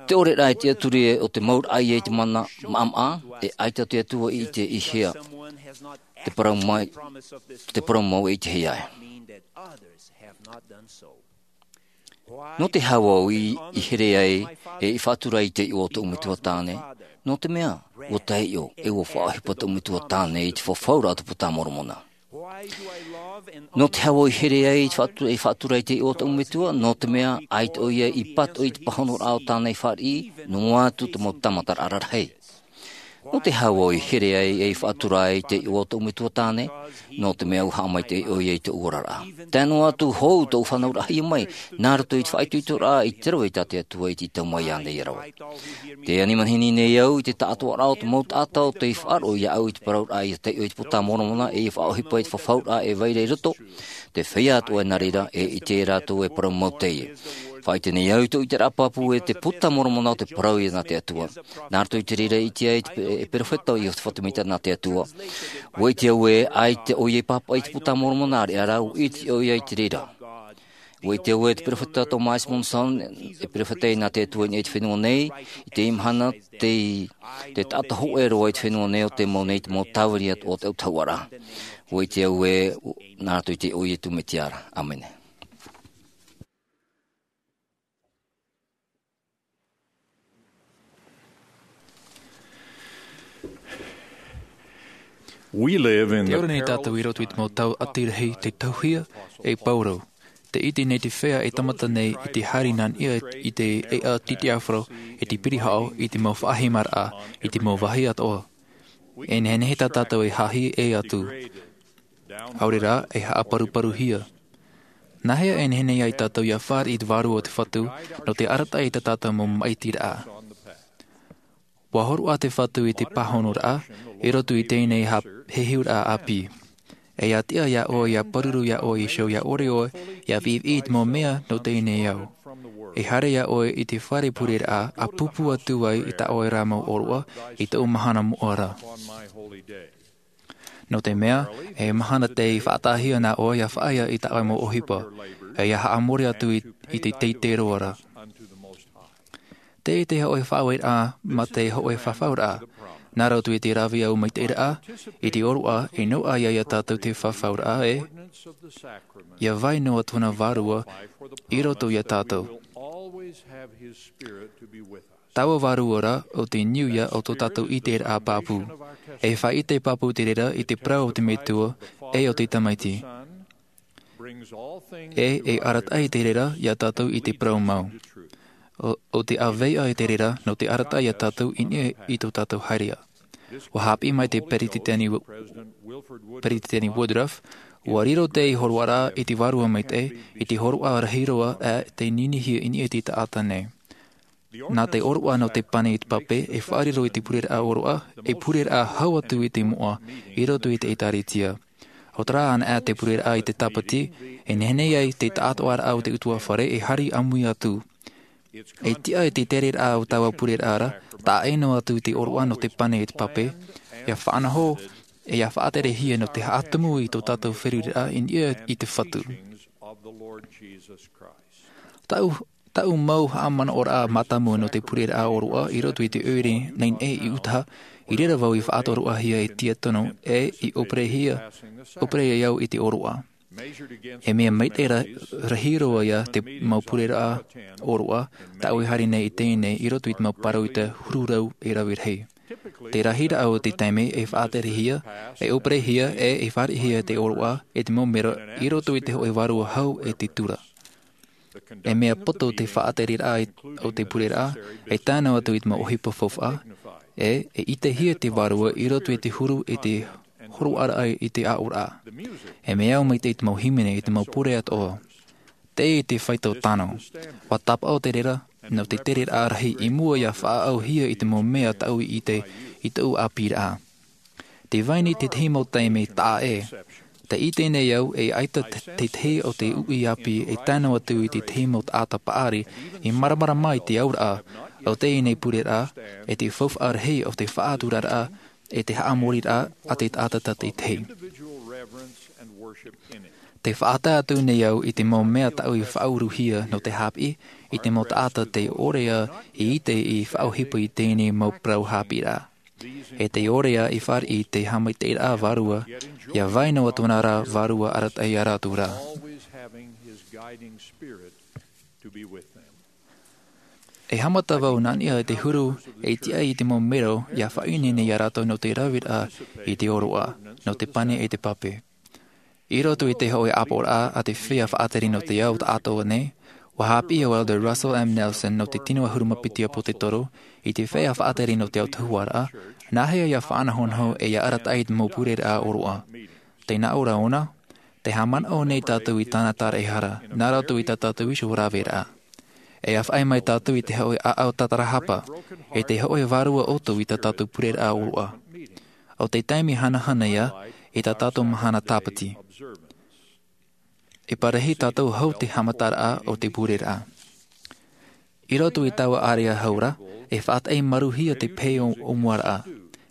Te ʻoreraʻa e tiʻaturi ē, ʻo te mauraʻa ia i te mana maʻamaʻa, e ʻaita te Atua i ʻite i hea te parau mai, te parau mau e ʻitehia ai. Nō te aha vau i, i here ai, e i faʻatura i te iʻoa o tōʻu metua tāne? Nō te mea, ua taiʻo, e ua faʻaʻohipa tōʻu metua tāne i te fafauraʻa o te Puta a Moromona. Nō te aha vau i here ai, i faʻatu-, i faʻatura i te iʻoa o tōʻu metua? Nō te mea, ʻaita ʻoia i pātoʻi i te pāhonoraʻa o tāna i fāriʻi, noa atu te mau tāmataraʻa rarahi. Nō te aha vau i here ai, e i faʻatura ai i te iʻoa o tōʻu metua tāne? Nō te mea ʻua haʻamaitaʻi ʻoia i tōʻu oraraʻa. Tae noa atu hou tōʻu fānauraʻahia mai, nā roto i te faʻaitoitoraʻa i te rave tā te Atua i tau mai iāna ia rave. Tē ani manihini nei au i te taʻatoʻaraʻa o te mau taʻata ʻo tei faʻaroʻo iāʻu i te parauraʻa ʻia taiʻo i te Puta a Moromona, e ʻia faʻaʻohipa i te fafauraʻa e vai ra i roto. Te feiā atoʻa e nā reira, e ʻite rātou e parau mau teie. Faʻaʻite nei au i tōʻu ʻiteraʻa pāpū ē, te Puta a Moromona ʻo te parau ia nā te Atua. Nā roto i te reira i ʻite ai te pe-, e perofeta ʻo Iosepha Semita nā te Atua. Ua ʻite au ē, ʻaita ʻoia i pāpaʻi i te Puta a Moromona, ʻāreʻa rā, ua ʻite ʻoia i te reira. ʻUa ʻite au ē te peropheta Thomas Monson, e peropheta nā te Atua i niʻa i te fenua nei, i teie mahana, te, te taʻata hōʻē roa i te fenua nei ʻo tei mau nei te mau tāviri atoʻa o te autahuʻaraʻa. ʻUa ʻite au ē, nā roto i te iʻoa o Iesu Mesia ra. ʻĀmene. We live in Te the ora nei perilous tātou i roto i te mau tau ʻati rahi, te tauhia, e pau rau. Te ʻite nei te feiā e tāmata nei i te haere nā niʻa i te ʻēʻa titiʻafarau, i te pirihaʻo, i te mau faʻahimaraʻa, i te mau vāhi atoʻa. E nehenehe tā tātou e haʻahi ʻē atu. ʻAore rā, e haʻaparuparuhia. Nāhea e nehenehe ai tātou ʻia fāriʻi i te vārua o te Fatu, nō te arataʻi i tā tātou mau maʻitiraʻa? ʻUa hōroʻa te Fatu i te pāhonoraʻa, i roto i teie nei ha-, heheuraʻa ʻāpī. E ʻia tiʻa iā ʻoe, ʻia pāruru iā ʻoe iho, ʻia ʻore ʻoe, ʻia viʻiviʻi i te mau mea nō teie nei ao. E haere iā ʻoe i te fare pureraʻa, ʻa pūpū atu ai i tā ʻoe ra mau ʻōroʻa, i tōʻu mahana moʻa ra. Nō te mea, e mahana tei faʻataʻahia nā ʻoe ʻia faʻaea i tā ʻoe mau ʻohipa, e ʻia haʻamori atu i, i te teitei roa ra. Tē ʻite te hōʻē faʻaueraʻa mā te hōʻē fafauraʻa, nā roto i te rāveʻa maitaʻiraʻa, i te ʻōroʻa, e noaʻa iā tātou te fafauraʻa ē, ʻia vai noa tōna vārua i roto iā tātou. Taua vārua ra, ʻo te niuia o tō tātou ʻiteraʻa pāpū. E faʻaʻite pāpū te reira i te parau o te Metua, e ʻo te Tamaiti. E, e arataʻi te reira iā tātou i te parau mau. ʻO, ʻo te ʻāvaʻe te reira nō te arataʻi iā tātou i niʻa i tō tātou haereʻa. ʻUa haʻapiʻi mai te Peretiteni Wo-, Peretiteni Woodruff, ʻua riro te hōroʻaraʻa i te vārua maitaʻi, i te hōroʻa rahi roa, ʻe tei ninihia i niʻa i te taʻata nei. Nā te ʻōroʻa nō te pane i te pape, e faʻariro i te pureraʻa ʻōroʻa, e pureraʻa hau atu i te moʻa, i roto i te ʻĒtārētia. ʻO terā anaʻe te pureraʻa i te tāpati, e nehenehe ai te taʻatoʻaraʻa o te ʻutuāfare e haere ʻāmui atu. E tiʻa i te tereraʻa o taua pureraʻa ra, taʻa ʻē noa atu i te ʻōroʻa nō te pane i te pape, ʻia faʻanaho, e ʻia faʻaterehia nō te haʻatumu i tō tātou feruriraʻa i niʻa i te Fatu. Taʻu, taʻu mau haʻamanaʻoraʻa mātāmua nō te pureraʻa ʻōroʻa i roto i te ʻoire nei nei i ʻutaʻa, i reira vau i faʻatoroʻahia e Tiakono, ʻe i ʻōperehia, ʻōpere ai au i te ʻōroʻa. E mea maitaʻi ra-, rahi roa ia te mau pureraʻa ʻōroʻa, tāʻu e haere nei i teie nei i roto i te mau pāroita huru rau e rave rahi. Te rahiraʻa o te taime e faʻaterehia, e ʻōperehia, ʻe e fāriʻihia te ʻōroʻa, e te mau mero, i roto i te hōʻē vārua hau e te tura. E mea poto te faʻatereraʻa i, o te pureraʻa, e tae noa atu i te mau ʻohipa faufaʻa, ʻe, e ʻitehia te vārua i roto i te huru i te hōroʻaraʻa i te aʻoraʻa. E mea au maitaʻi te mau hīmene i te mau pure atoʻa. Tē ʻite te faito tano. ʻUa tāpaʻo te reira, nō te tereraʻa rahi i mua ʻia faʻaʻauhia i te mau mea tāʻu i ʻite, i tōʻu ʻāpīraʻa. Tē vai nei te tahi mau taime taʻa ʻē. Tē ʻite nei au e ʻaita te, te tahi o te uʻi ʻāpī e tae noa atu i te tahi mau taʻata paʻari i māramarama i te auraʻa o teie nei pureraʻa, e te faufaʻa rahi o te faʻaturaraʻa, e te haʻamoriraʻa a te taʻata tātaʻitahi. Tē faʻatae atu nei au i te mau mea tāʻu i faʻauruhia nō te haʻapiʻi i te mau taʻata tē ʻore ā i ʻite i faʻaʻohipa i teie nei mau parau haʻapiʻiraʻa. E tē ʻore ā i fāriʻi i te haʻamaitaʻiraʻa vārua, ʻia vai noa tōna ra vārua arataʻi iā rātou ra. E haʻamata vau nā niʻa i te huru, e tiʻa i te mau mero, ʻia faʻaineine iā rātou nō te raveraʻa i te ʻōroʻa, nō te pane e te pape. I roto i te hōʻē ʻāpoʻoraʻa a te feiā faʻatere nō te ao taʻatoʻa nei, ʻua haʻapiʻi ʻo Elder Russell M. Nelson nō te tino ʻahuru mā piti ʻāpōsetolo, i te feiā faʻatere nō te autahuʻaraʻa, nāhea ʻia faʻanahonaho ʻe ʻia arataʻi i te mau pureraʻa ʻōroʻa. Tē nā ʻō ra ʻōna, tē haʻamanaʻo nei tātou i tāna taraehara, nā roto i tā tātou iho raveraʻa. E ʻia faʻaʻī mai tātou i te hōʻē ʻāʻau tatarahapa, e te hōʻē vārua ʻoto i tā tātou pureraʻa ʻōroʻa. ʻO te taime hanahana ia, i tā tātou mahana tāpati. E parahi tātou hau te haʻamataraʻa o te pureraʻa. I roto i taua ʻārea hau ra, e faʻataʻi maruhia te pehe ʻōmuaraʻa.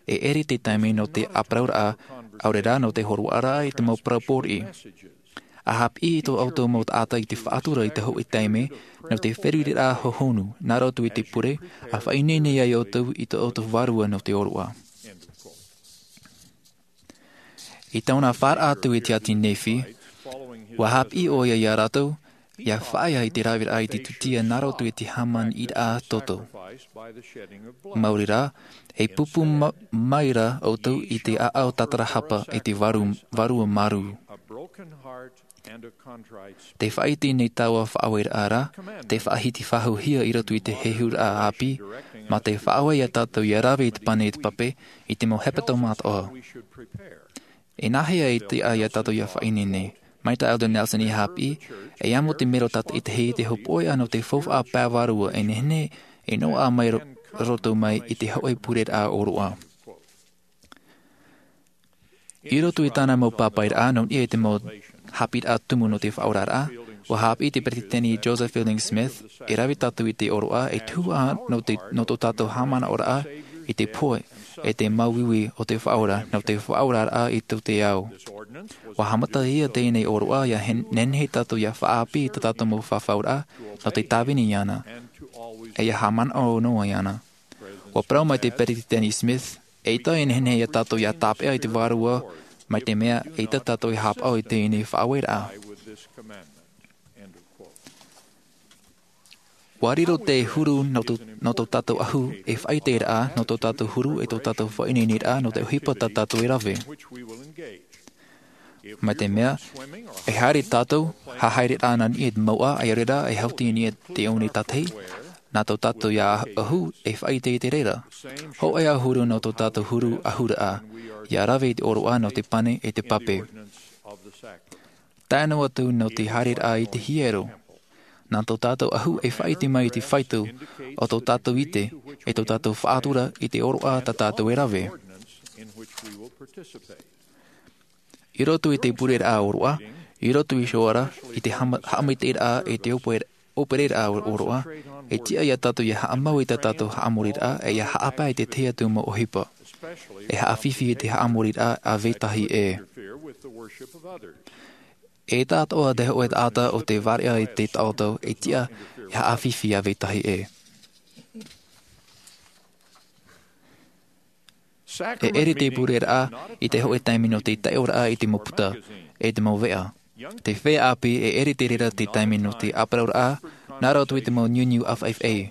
E ʻere te taime nō te ʻāparauraʻa, ʻaore rā nō te hōroʻaraʻa i te mau parau pōriʻi. A hāpiʻi tō ʻoutou mau taʻata i te faʻatura i te hōʻē taime nō te feruriraʻa hohonu nā roto i te pure, a faʻaineine ai ʻoutou i tō ʻoutou vārua nō te ʻōroʻa. I tōna faʻaara atu i te ʻāti Nephi, ua hāpiʻi ʻoia ia rātou ia faʻaea i te raveraʻa i te tūtia nā roto i te hāmani ʻīraʻa toto. Maori rā, e pūpū ma-, mai rā ʻoutou i te ʻāʻau tātarahapa e te vārua, vārua mārū. Te faʻaite nei taua faʻaueraʻa rā, te faʻahiti faʻahouhia i roto i te hehuraʻa ʻāpī, mā te faʻaue ia tātou ia rave i te pane e te pape i te mau hepetoma atoʻa. E nāhea e tiʻa ia tātou ia faʻaineine? Mai tā Elder Nelson i hāpiʻi, e amo te mero tātaʻitahi i te hopoiʻa nō te faufaʻa pae vārua e nehenehe e noaʻa mai ro-, roto mai i te hōʻē pureraʻa ʻōroʻa. I roto i tāna mau pāpaʻiraʻa nō niʻa i te mau haʻapiʻiraʻa tumu nō te faʻaoraraʻa, ua hāpiʻi te peretiteni Joseph Fielding Smith, e rave tātou i te ʻōroʻa, e tuhaʻa nō te, nō tō tātou haʻamanaʻoraʻa i te pohe, e te māuiui o te Faʻaora, nō te faʻaoraraʻa i tō te ao. Ua haʻamatahia teie nei ʻōroʻa, ia hen-, nehenehe tātou ia faʻaʻāpī i tā tātou mau fafauraʻa, nō te tāvini iāna. E ia haʻamanaʻo noa iāna. Ua parau mai te peretiteni Smith, eʻita e nehenehe ia tātou ia tāpeʻa i te vārua, mai te mea, eʻita tātou e haʻapaʻo i teie nei faʻaueraʻa. Ua riro te huru nō tō, nō tō tātou ʻahu, e faʻaiteraʻa, nō tō tātou huru, e tō tātou faʻaineineraʻa, nō te ʻohipa tā tātou e rave. Mai te mea, e haere tātou, hahaere rā nā niʻa i te mouʻa, ʻaore rā, e haʻuti i niʻa i te one tātahi, nā tō tātou ia ʻahu, e faʻaite i te reira. Hōʻē ā huru nō tō tātou huru ʻahuraʻa, ia rave i te ʻōroʻa nō te pane e te pape. Tae noa atu nō te haereraʻa i te hiero. Nā tō tātou ʻahu e faʻaite mai i te faito o tō tātou ʻite, e tō tātou faʻatura i te ʻōroʻa tā tātou e rave. I roto i te pureraʻa ʻōroʻa, i roto iho ā ra i te hama-, haʻamaitaʻiraʻa e te ʻōpue-, ʻōpereraʻa ʻōroʻa, e tiʻa ia tātou ia haʻamau i tā tātou haʻamoriraʻa, e ia haʻapae i te tahi atu mau ʻohipa. E haʻafifi i te haʻamoriraʻa a vetahi ʻē. E taʻatoʻa te hōʻē taʻata o te vāriʻa i te taʻoto, e tiʻa ia haʻafifi a vetahi ʻē. E ʻere te pureraʻa i te hōʻē taime nō te taiʻoraʻa i te mau puta, e te mau veʻa. Te feiā ʻāpī e ʻere te reira te taime nō te ʻāparauraʻa, nā roto i te mau niuniu ʻāfaʻifaʻi,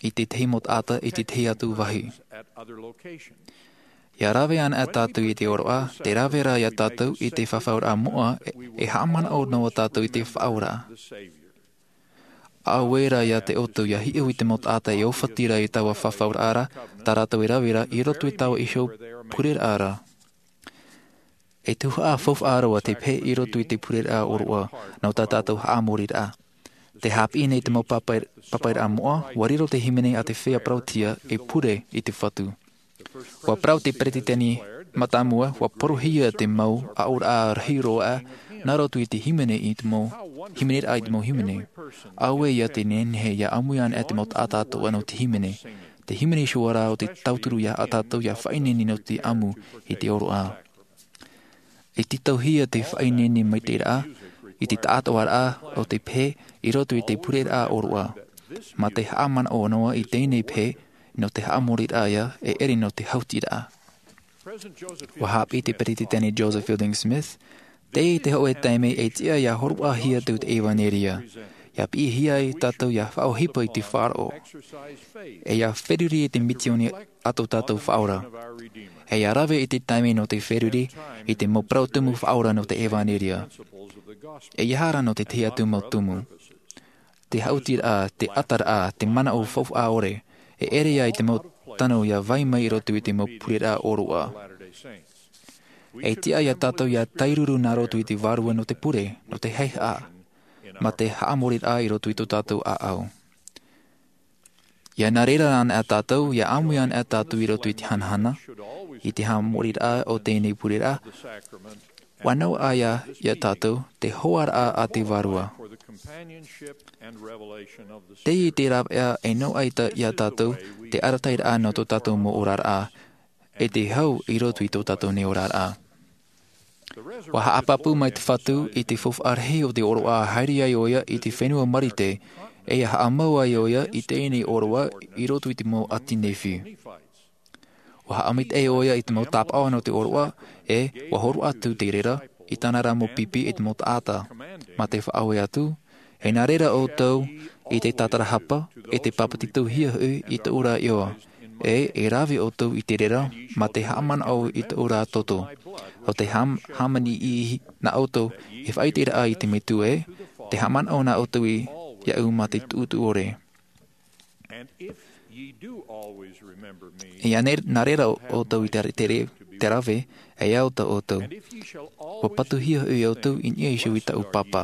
i te tahi mau taʻata, i te tahi atu vāhi. Ia rave ana tātou i te ʻōroʻa, tē rave ra ia tātou i te fafauraʻa moʻa, e, e haʻamanaʻo noa tātou i te Faʻaora. ʻAore rā ia te ʻoutou ia hiʻo i te mau taʻata e ʻōfati ra i taua fafauraʻa ra, tā rātou e rave ra i roto i taua iho pureraʻa ra. E tuhaʻa faufaʻa roa te pehe i roto i te pureraʻa ʻōroʻa nō tā tātou haʻamoriraʻa. Tē haʻapiʻi nei te mau pāpaʻi-, pāpaʻiraʻa moʻa, ua riro te hīmene a te feiā parauʻtiʻa e pure i te Fatu. Ua parau te peretiteni mātāmua, ua porohia te mau aʻoraʻa rahi roa nā roto i te hīmene i te mau, hīmeneraʻa i te mau hīmene. ʻAore ia te nehenehe ia ʻāmui ana te mau taʻata atoʻa nō te hīmene. Te hīmene iho ā ra o te tauturu ia tātou ia faʻaineine nō te ʻamu i te ʻōroʻa. E tītauhia te faʻaineine maitaʻiraʻa i te taʻatoʻaraʻa o te pehe i roto i te pureraʻa ʻōroʻa, mā te haʻamanaʻo noa i teie nei pehe nō te haʻamoriraʻa ia e ʻere nō te haʻutiraʻa. Ua haʻapiʻi te peretiteni Joseph Fielding Smith, teie te hōʻē taime e tiʻa ia hōroʻahia atu te ʻevanelia, ia piʻihia ai tātou ia faʻaʻohipa i te faʻaroʻo, e ia feruri i te misioni a tō tātou Faʻaora. E ia rave i te taime nō te feruri i te mau parau tumu faʻaora nō te ʻevanelia. E ia haere nō te tahi atu mau tumu. Te haʻutiraʻa, te ʻataraʻa, te manaʻo faufaʻa ʻore, e ʻere ia i te mau tano ia vai mai i roto i te mau pureraʻa ʻōroʻa. E tiʻa ia tātou ia tairuru nā roto i te vārua nō te pure, nō te haihaʻa, mā te haʻamoriraʻa i roto i tō tātou ʻāʻau. Ia nā reira ana tātou, ia ʻāmui ana tātou i roto i te hanahana, i te haʻamoriraʻa o teie nei pureraʻa, ua noaʻa ia, ia tātou, te hoaraʻa a te Vārua. Teie te rāveʻa e noaʻa ia tātou, te arataʻiraʻa nō tō tātou mau oraraʻa, e te hau i roto i tō tātou nei oraraʻa. Ua haʻapāpū mai te Fatu i te faufaʻa rahi o te ʻōroʻa, haere ai ʻoia i te fenua Marite, ʻe ia haʻamau ai ʻoia i teie nei ʻōroʻa i roto i te mau ʻāti Nephi. Ua haʻamaitaʻi ʻoia i te mau tāpaʻo nō te ʻōroʻa, ʻe ua hōroʻa atu te reira i tāna ra mau pipi e te mau taʻata, mā te faʻaue atu, e nā reira ʻoutou i te tātarahapa, e te pāpetitohia hoʻi i tōʻu ra iʻoa, ʻe e rave ʻoutou i te reira mā te haʻamanaʻo i tōʻu ra toto, ʻo te hām-, hāmani i nā ʻoutou e faʻaʻiteraʻa i te Metua, ʻe te haʻamanaʻo nā ʻoutou i, iāʻu mā te tuʻutuʻu ʻore. ʻE ia ne-, nā reira ʻoutou i te, te re-, te rave, e au tā ʻoutou. Ua patuhia hoʻi ʻoutou i niʻa iho i tāʻu Pāpā.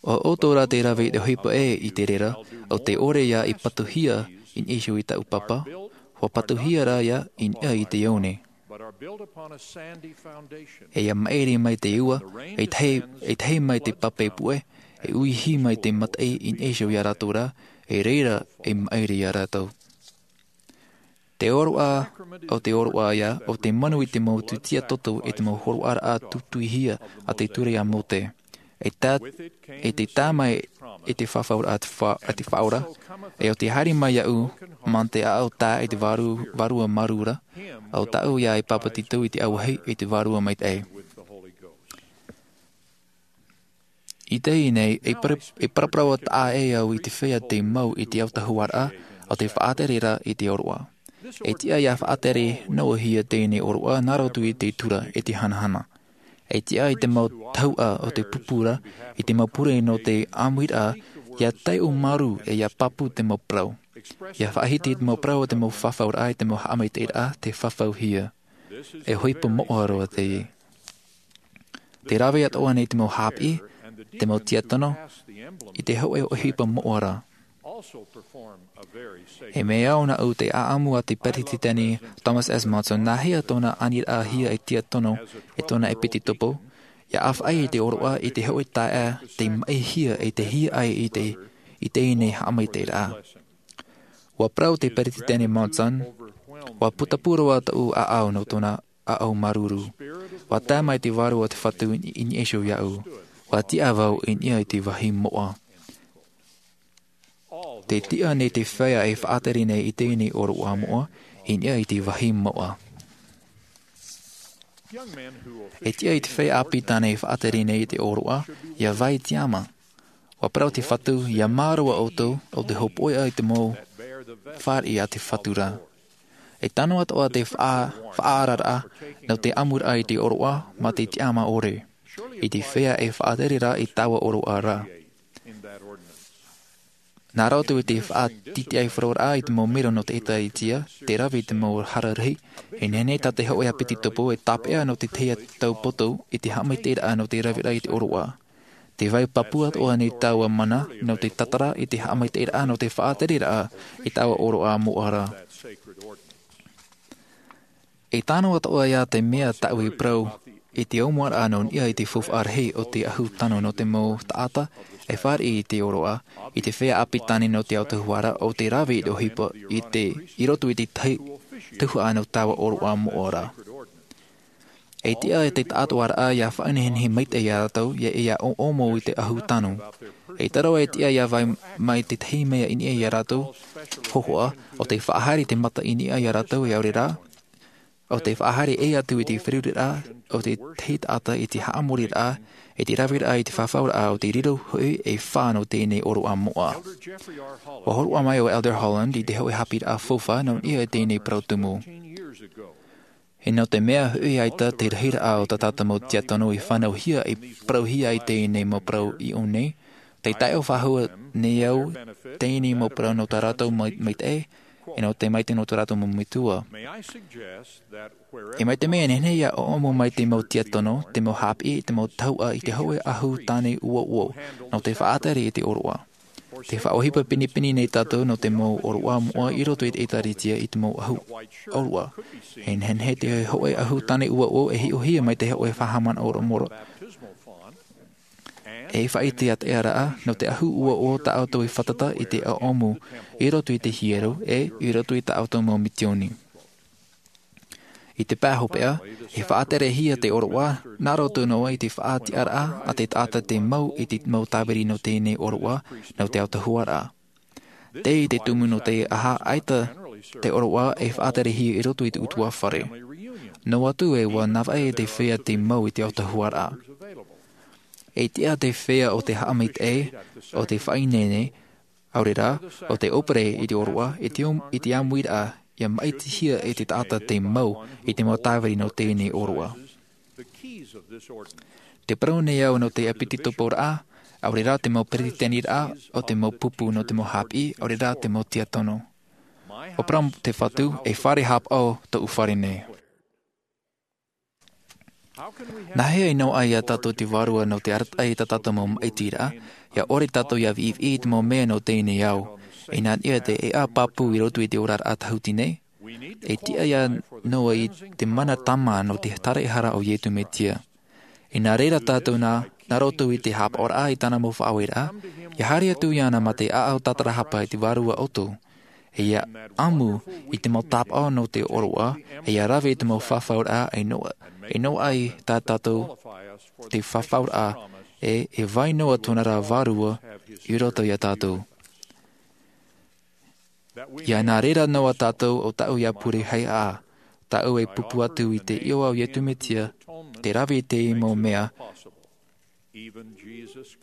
ʻO ʻoutou rā te rave i te ʻohipa ē i te reira, ʻo te ʻore ia i patuhia i niʻa iho i tāʻu Pāpā, ua patuhia rā ia i niʻa i te one. E ia maʻiri mai te ua, e tahi, e tahi mai te pape puʻe, e uihi mai te mataʻi i niʻa iho ia rātou ra, e reira e maʻiri ia rātou. Te ʻōroʻa, ʻo te ʻōroʻa ia, ʻo te manu i te mau tūtia toto e te mau hōroʻaraʻa tūtuihia a te ture a Mōte. E tā, e te tā mai e te fafauraʻa a te fa-, a te Faʻaora, ʻe ʻo te haere mai iāʻu, mā te ʻāʻau tā e te vārua, vārua marū ra, ʻo tāʻu ia e pāpetito i te auahi e te Vārua Maitaʻi. I teie nei, e para-, e paraparau taʻa ʻē au i te feiā tei mau i te autahuʻaraʻa o te faʻatere ra i te ʻōroʻa. E tiʻa ia faʻatere noa hia teie nei ʻōroʻa nā roto i te tura e te hanahana. E tiʻa i te mau tahuʻa o te pupu ra, i te mau pure nō te ʻāmuiraʻa, ia taiʻo marū ʻe ia pāpū te mau parau. Ia faʻahiti te mau parau o te mau fafauraʻa e te mau haʻamaitaʻiraʻa te fafauhia. E ʻohipa moʻa roa teie. Te rave atoʻa nei te mau haʻapiʻi, te mau tiatono, i te hōʻē ʻohipa moʻa ra. E mea au nāʻu te ʻāʻamu a te Peretiteni Thomas S. Monson, nā hea tōna aniraʻahia e tiatono, e tōna ʻepitetopo, ia ʻāfaʻi i te ʻōroʻa i te hōʻē taeaʻe tei maʻihia e te hiaʻai i te, i teie nei haʻamaitaʻiraʻa. Ua parau te Peretiteni Monson, ua putapū roa tōʻu ʻāʻau nō tōna ʻāʻau māuruuru. Ua tae mai te Vārua o te Fatu i, i niʻa iho iāʻu. Ua tiʻa vau i niʻa i te vāhi moʻa. Te tiʻa nei te feiā e faʻatere nei i teie nei ʻōroʻa moʻa, i niʻa i te vāhi moʻa. E tiʻa i te feiā ʻāpī tāne e faʻatere nei i te ʻōroʻa, ia vai tiama. Ua parau te Fatu, ia mā roa ʻoutou, ʻo te hopoiʻa i te mau fāriʻi a te Fatu ra. E tano atoʻa te faʻa-, faʻaararaʻa, nō te ʻamuraʻa i te ʻōroʻa, mā te tiama ʻore. I te feiā e faʻatere ra i taua ʻōroʻa ra. Nā roto i te faʻatitiʻaifaroraʻa i te mau mero nō te ʻĒtārētia, te rave i te mau hara rahi, e nehenehe tā te hōʻē ʻāpitetopo e tāpeʻa nō te tahi atu tau poto i te haʻamaitaʻiraʻa nō te raveraʻa i te ʻōroʻa. Te vai pāpū atoʻa nei taua mana nō te tatara i te haʻamaitaʻiraʻa nō te faʻatereraʻa i taua ʻōroʻa moʻa ra. E tano atoʻa ia te mea tāʻu e parau i te ʻōmuaraʻa nō niʻa i te faufaʻa rahi o te ʻahu tano nō te mau taʻata e fāriʻi i te ʻōroʻa, i te feiā ʻāpī tāne nō te autahuʻaraʻa ʻo te rave i te ʻohipa i te, i roto i te tahi tuhaʻa nō taua ʻōroʻa moʻa ra. E tiʻa e te taʻatoʻaraʻa ia faʻanehenehe maitaʻi ia rātou, ia, ia ʻō-, ʻōmu i te ʻahu tano. E taro e tiʻa ia vai mai te tahi mea i niʻa ia rātou, hōhoʻa, ʻo te faʻahaere te mata i niʻa ia rātou e ʻaore rā, ʻo te faʻahaere ʻē atu i te feruriraʻa o te tahi taʻata i te haʻamoriraʻa, i te raveraʻa i te fafauraʻa o te riro hoʻi e fā nō teie nei ʻōroʻa moʻa. Ua hōroʻa mai ʻo Elder Holland i te hōʻē haʻapiʻiraʻa faufaʻa nō niʻa i teie nei parau tumu. E nō te mea hoʻi ʻaita te rahiraʻa o tā tātou mau tiatono i fānauhia, i parauhia i teie nei mau parau i ʻō nei, tē taiʻo faʻahou nei au teie nei mau parau nō tā rātou mai-, maitaʻi, e nō te maitaʻi nō tō rātou mau metua. E mai te mea e nehenehe ia ʻōmu mai te mau tiatono, te mau haʻapiʻi, te mau tahuʻa i te hōʻē ʻahu tāne uouo, nō te faʻatere i te ʻōroʻa. Tē faʻaʻohipa pinepine nei tātou nō te mau ʻōroʻa moʻa i roto i te ʻĒtārētia i te mau ʻahu ʻōroʻa. E nehenehe te hōʻē ʻahu tāne uouo e hiʻohia mai te hōʻē faʻahaʻamanaʻo ʻorometua. E faʻaʻite atu ʻē rā, nō te ʻahu uouo tā ʻoutou e fātata i te ʻōmu i roto i te hiero, ʻe i roto i tā ʻoutou mau misiōni. I te pae hopeʻa, e faʻaterehia te ʻōroʻa, nā roto noa i te faʻatiʻaraʻa a te taʻata tei mau i te mau tāviri nō teie nei ʻōroʻa, nō te autahuʻaraʻa. Tei te tumu nō te aha ʻaita te ʻōroʻa e faʻaterehia i roto i te ʻutuāfare. Noa atu ē ʻua navaʻi te feiā tei mau i te autahuʻaraʻa. E tiʻa te feiā o te haʻamaitaʻi, o te faʻaineine, ʻaore rā, o te ʻōpere i te ʻōroʻa, i te om-, i te ʻāmuiraʻa, ʻia maʻitihia e te taʻata tei mau i te mau tāviri nō teie nei ʻōroʻa. Te parau nei au nō te ʻepitetoporaʻa, ʻaore rā te mau peresideniraʻa, o te mau pupu nō te mau haʻapiʻi, ʻaore rā te mau tiakono. ʻO parau te Fatu, e fare haʻapaʻo tōʻu fare nei. Nā hea e noaʻa ia tātou te Vārua nō te arataʻi i tā tātou mau maʻitiraʻa, ʻia ʻore tātou ʻia viʻiviʻi i te mau mea nō teie nei ao, e nā niʻa i te ʻēʻa pāpū i roto i te oraraʻa tāhuti nei, e tiʻa ia noa i te mana tāmā nō te taraehara o Iesu Mesia. E nā reira tātou nā, nā roto i te haʻapaʻoraʻa i tāna mau faʻaueraʻa, ʻia haere atu iāna mā te ʻāʻau tātarahapa i te Vārua ʻoutou. E ʻia ʻamu i te mau tāpaʻo nō te ʻōroʻa, e ʻia rave i te mau fafauraʻa, e noa, e noaʻa i tā tātou te fafauraʻa, e, e vai noa tōna ra Vārua i roto ia tātou. ʻIa nā reira noa tātou ʻo tāʻu ʻia pure haihaʻa, tāʻu e pūpū atu i te iʻoa o Iesu Mesia, te rave i te mau mea,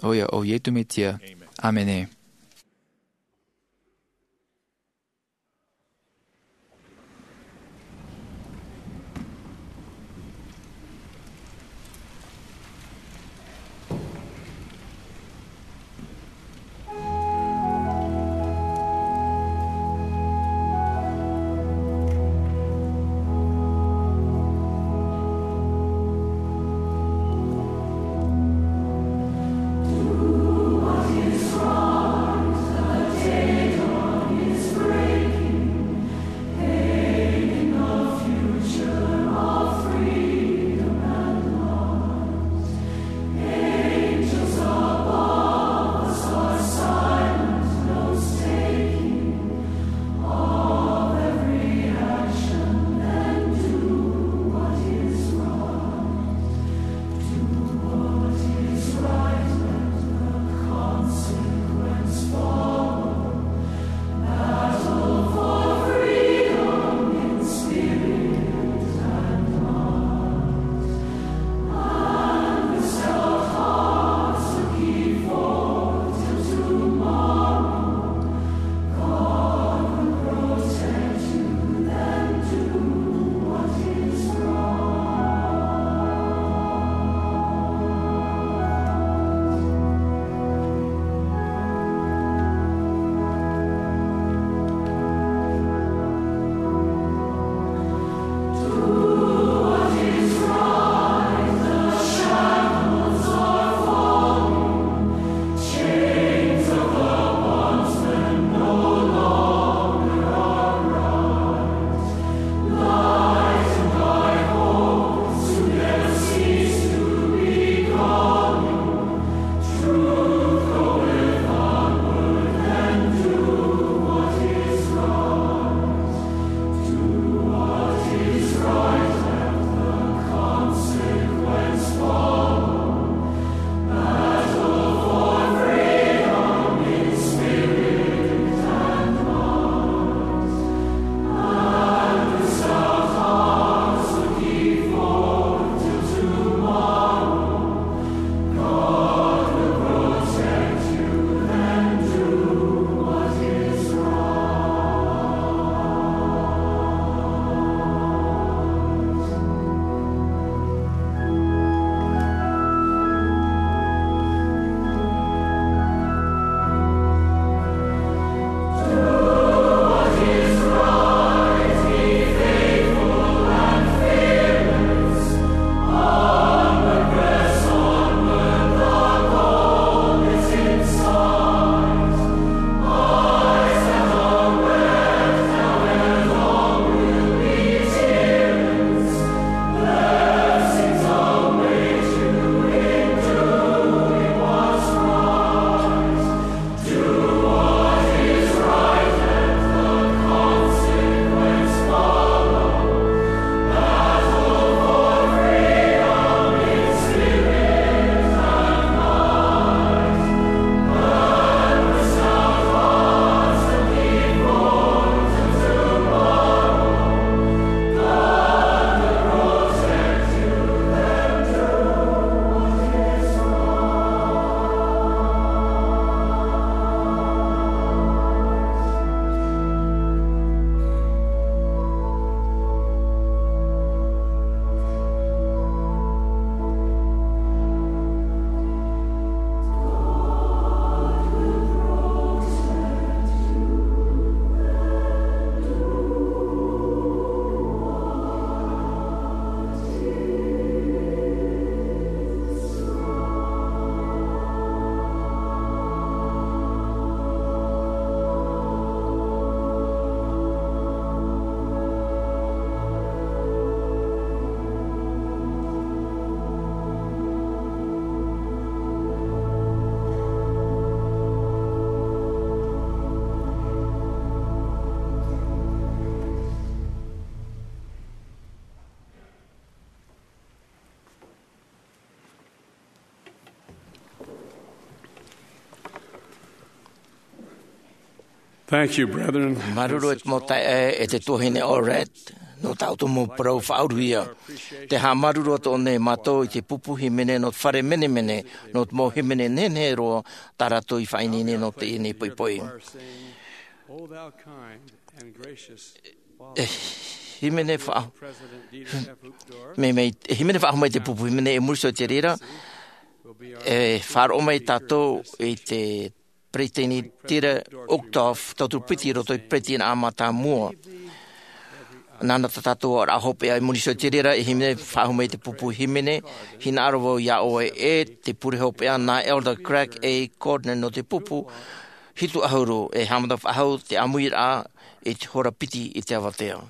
ʻoia, ʻo Iesu Mesia. ʻĀmene. Thank you, brethren. Māuruuru e te mau taeaʻe e te tuahine Orette, nō tā ʻoutou mau parau faʻauruhia. Tē haʻamāuruuru atu nei mātou i te pupu hīmene nō te fare menemene, nō te mau hīmene nehenehe roa tā rātou i faʻaineine nō teie nei poʻipoʻi. E hīmene faʻa-, mea, mea, e hīmene faʻahou mai te pupu hīmene i muri iho i te reira, e faʻaroʻo mai tātou i te Peretiteni Dieter Uchtdorf, tauturu piti i roto i te peretitiraʻa mātāmua. Nāna tā tātou oraraʻa hopeʻa i muri iho i te reira, e hīmene faʻahou mai te pupu hīmene, hinaʻaro vau iā ʻoe e te pure hopeʻa nā Elder Craig A. Gardner nō te pupu hitu ʻahuru, e haʻamata faʻahou te ʻāmuiraʻa i te hora piti i te avatea.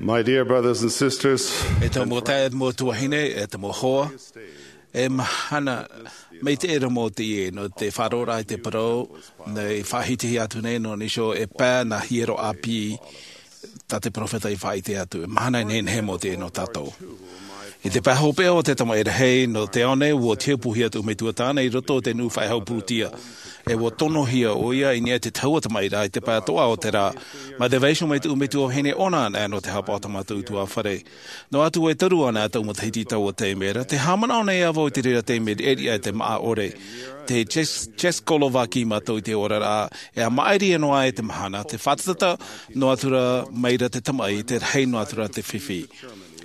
My dear brothers and sisters, e te mau taeaʻe, mau tuahine, e te mau hoa, e mahana maitaʻi roa mau teie nō te faʻaroʻoraʻa i te parau, nei faʻahitihia atu nei nō Nīsio e pae nā hiero ʻāpī, tā te peropheta i faʻaʻite atu, e mahana nehenehe mau teie nō tātou. I te pae hopeʻa o te tamaʻi rahi nō te ao nei, ua tiapuhia tō metua tāne i roto o te nuʻu faʻehau purutia. E ua tonohia ʻo ia i niʻa i te tahua tamaʻi rā i te pae toʻa o te rā. Mai te vaiiho mai tō metua vahine ʻona ana nō te hapa o tā mātou utuafare. Noa atu e toru ana tau matahiti i taua taime ra, te haʻamanaʻo nei ā vau i te reira taime riʻariʻa e te maʻa ʻore. Te Czechoslovakia mātou i te oraraʻa, e a maʻiri noa ai te mahana, te fātata noa atu ra mai ra te tamaʻi, te rahi noa atu ra te fifi.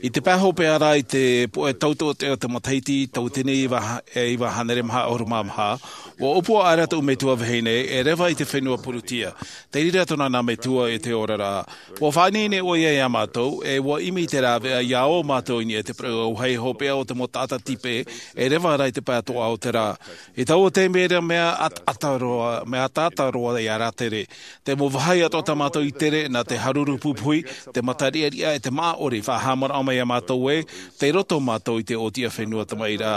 I te pae hopeʻa ra i te poʻe tautoʻotoʻo o te matahiti, tauatini e iva hānere maha ʻahuru mā maha, ua ʻōpua aʻera tō metua vahine e reva i te fenua purutia. Te reira tōna nā metua i te oraraʻa. Ua faʻaineine ʻo ia iā mātou, e ua ʻimi te rāveʻa iā ʻō mātou i niʻa i te pereʻoʻo auahi hopeʻa o te mau taʻata tipe, e reva ra i te pae toʻa o te rā. I taua taime ra mea ataata roa, mea ataata roa iā rātere. Te mau vāhi atoʻa tā mātou i tere, nā te haruru pupuhi, te mata riʻariʻa, e te maʻa ʻore, faʻahaʻamanaʻo mai iā mātou ē, tei roto mātou i te ʻōtiʻa fenua tamaʻi rā.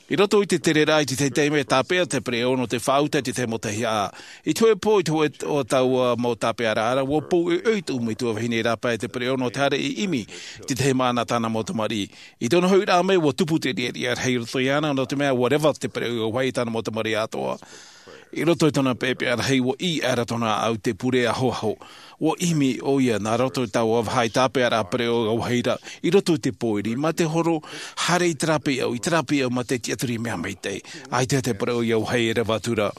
I roto i te tereraʻa i te tahi taime, tāpeʻa te pereʻoʻo nō te faʻauta i te tahi mau tahiaʻa. I te hōʻē pō, i te hōʻē o taua mau tāpeʻaraʻa ra, ua pou ʻoiʻoi tō metua vahine i rāpae i te pereʻoʻo nō te haere i ʻimi i te tahi māʻa nā tāna mau tamariʻi. I tōna hoʻiraʻa mai, ua tupu te riʻariʻa rahi i roto iāna, nō te mea ua reva te pereʻoʻo auahi i tāna mau tamariʻi atoʻa. I roto i tōna peʻapeʻa rahi, ua ʻī aʻera tōna ʻāʻau i te pure ahoaho. Ua ʻimi ʻo ia nā roto i taua vāhi tāpeʻaraʻa pereʻoʻo auahi ra, i roto i te pōiri, mai te horo, haere i terā pīʻau, i terā pīʻau, mai te tiʻaturi mea maitaʻi. ʻAita te pereʻoʻo auahi e reva atu ra.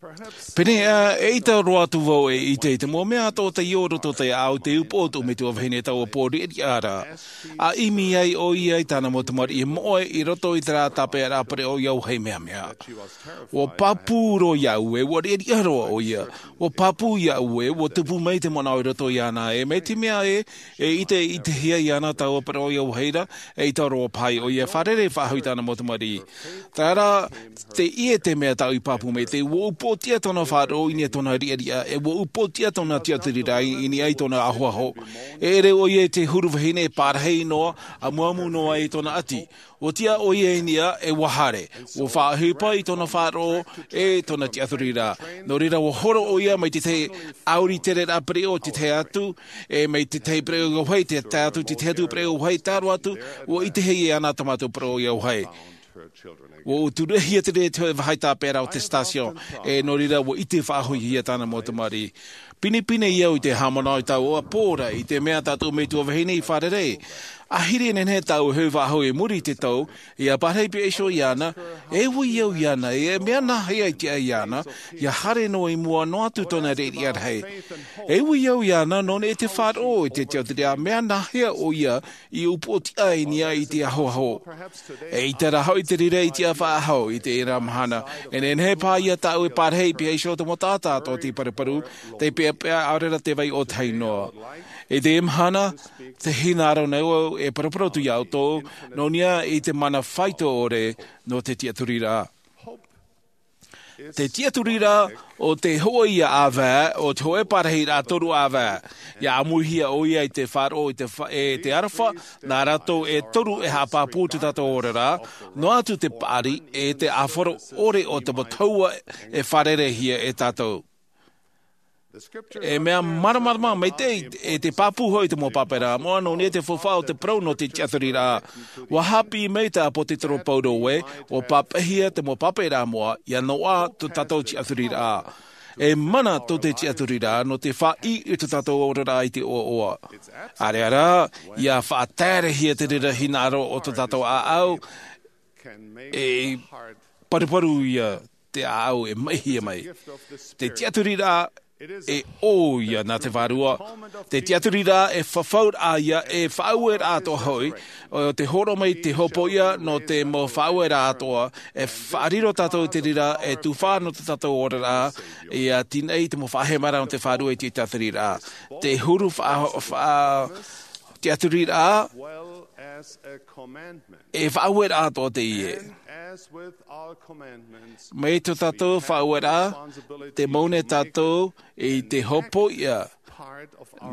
Pēneiaʻe, eʻita roa atu vau e ʻite i te mau mea atoʻa tei ō i roto i te ʻāʻau i te upoʻo o tō metua vahine i taua pō riʻariʻa ra. A ʻimi ai ʻo ia i tāna mau tamariʻi moʻe i roto i terā tāpeʻaraʻa pereʻoʻo auahi mea mea. Ua pāpū roa iāʻu ē, ua riʻariʻa roa ʻo ia. Ua pāpū iāʻu ē, ua tupu mai te manaʻo i roto iāna ē, mai te mea ē, e ʻite, ʻitehia iāna taua pereʻoʻo auahi ra, eʻita roa paʻi ʻo ia e fārerei faʻahou i tāna mau tamariʻi. Terā rā, te ʻie te mea tāʻu i pāpū mai, tē ua upoʻotiʻa tōna faʻaroʻo i niʻa i tōna riʻariʻa, e ua upoʻotiʻa tōna tiʻaturiraʻa i niʻa i tōna ahoaho. E ʻere ʻo ia i te huru vahine e pārahi noa, amuamu noa i tōna ʻati. Ua tiʻa ʻo ia i niʻa, e ua haere. Ua faʻaʻohipa i tōna faʻaroʻo, e tōna tiʻaturiraʻa. Nō reira ua horo ʻo ia mai te tahi ʻāuri tereraʻa pereʻoʻo i te tahi atu, e mai te tahi pereʻoʻo auahi i te tahi atu, te tahi atu pereʻoʻo auahi, tae roa atu, ua ʻitehia iāna tā mātou pereʻoʻo auahi. Ua uturuʻahia te reira i te vāhi tāpeʻaraʻa o te station, e nō reira ua ʻite faʻahouhia tāna mau tamariʻi. Pinepine au i te haʻamanaʻo i taua pō ra i te mea tā tō metua vahine i fārerei. ʻĀhiri e nehenehe tāʻu e hoʻi faʻahou i muri i te tau, ʻia pārahi pihaʻi iho iāna, e ui au iāna, e mea nāhea i tiʻa iāna, ʻia haere noa i mua noa atu tōna riʻariʻa rahi. E ui au iāna, nō niʻa i te faʻaroʻo i te tiʻaturiraʻa, mea nāhea ʻo ia i upoʻotiʻa i niʻa i te ahoaho. ʻEita rā hoʻi te reira i tiʻa faʻahou i teie mahana, e nehenehe paʻi tāʻu e pārahi pihaʻi iho te mau taʻata atoʻa tei paruparu, tei peʻapeʻa, ʻaore rā tē vai ʻōtahi noa. I teie mahana, tē hinaʻaro nei au e paraparau atu iā ʻoutou, nō niʻa i te mana faito ʻore nō te tiʻaturiraʻa. Te tiʻaturiraʻa ʻo te hōʻē ʻāvae, ʻo te hōʻē parahiraʻa toru ʻāvae. ʻIa ʻāmuihia ʻo ia i te faʻaroʻo i te fa-, e te aroha, nā rātou e toru e haʻapāpū i tō tātou oraraʻa, noa atu te paʻari, e te ʻāfaro ʻore o te mau tahua e fārereihia e tātou. E mea māramarama maitaʻi, e te pāpū hoʻi i te mau pāpāraʻa moʻa, nō niʻa i te faufaʻa o te parau nō te tiʻaturiraʻa. ʻUa haʻapiʻi mai te ʻāpōsetolo Paulo ē, ʻua pāpaʻihia te mau pāpāraʻa moʻa, ʻia noaʻa tō tātou tiʻaturiraʻa. E mana tō te tiʻaturiraʻa, nō te faʻaʻī i tō tātou oraraʻa i te ʻoaʻoa. ʻAreʻa rā, ʻia faʻataerehia te reira hinaʻaro o tō tātou ʻāʻau, e paruparu ia te ʻāʻau e maʻihia mai. Te tiʻaturiraʻa e ʻō ia nā te Vārua. Te tiʻaturiraʻa e fafauraʻa ia, e faʻaueraʻa atoʻa hoʻi, ʻo te hōroʻa mai te hopoiʻa nō te mau faʻaueraʻa atoʻa, e faʻariro tātou i te reira, e tufaʻa nō tō tātou oraraʻa, ʻia tīaʻi te mau faʻahemaraʻa nō te Vārua i te tiʻaturiraʻa. Te huru faʻa-, faʻa-, tiʻaturiraʻa, e faʻaueraʻa atoʻa teie. Mai tō tātou faʻaueraʻa, tē mau nei tātou i te hopoiʻa,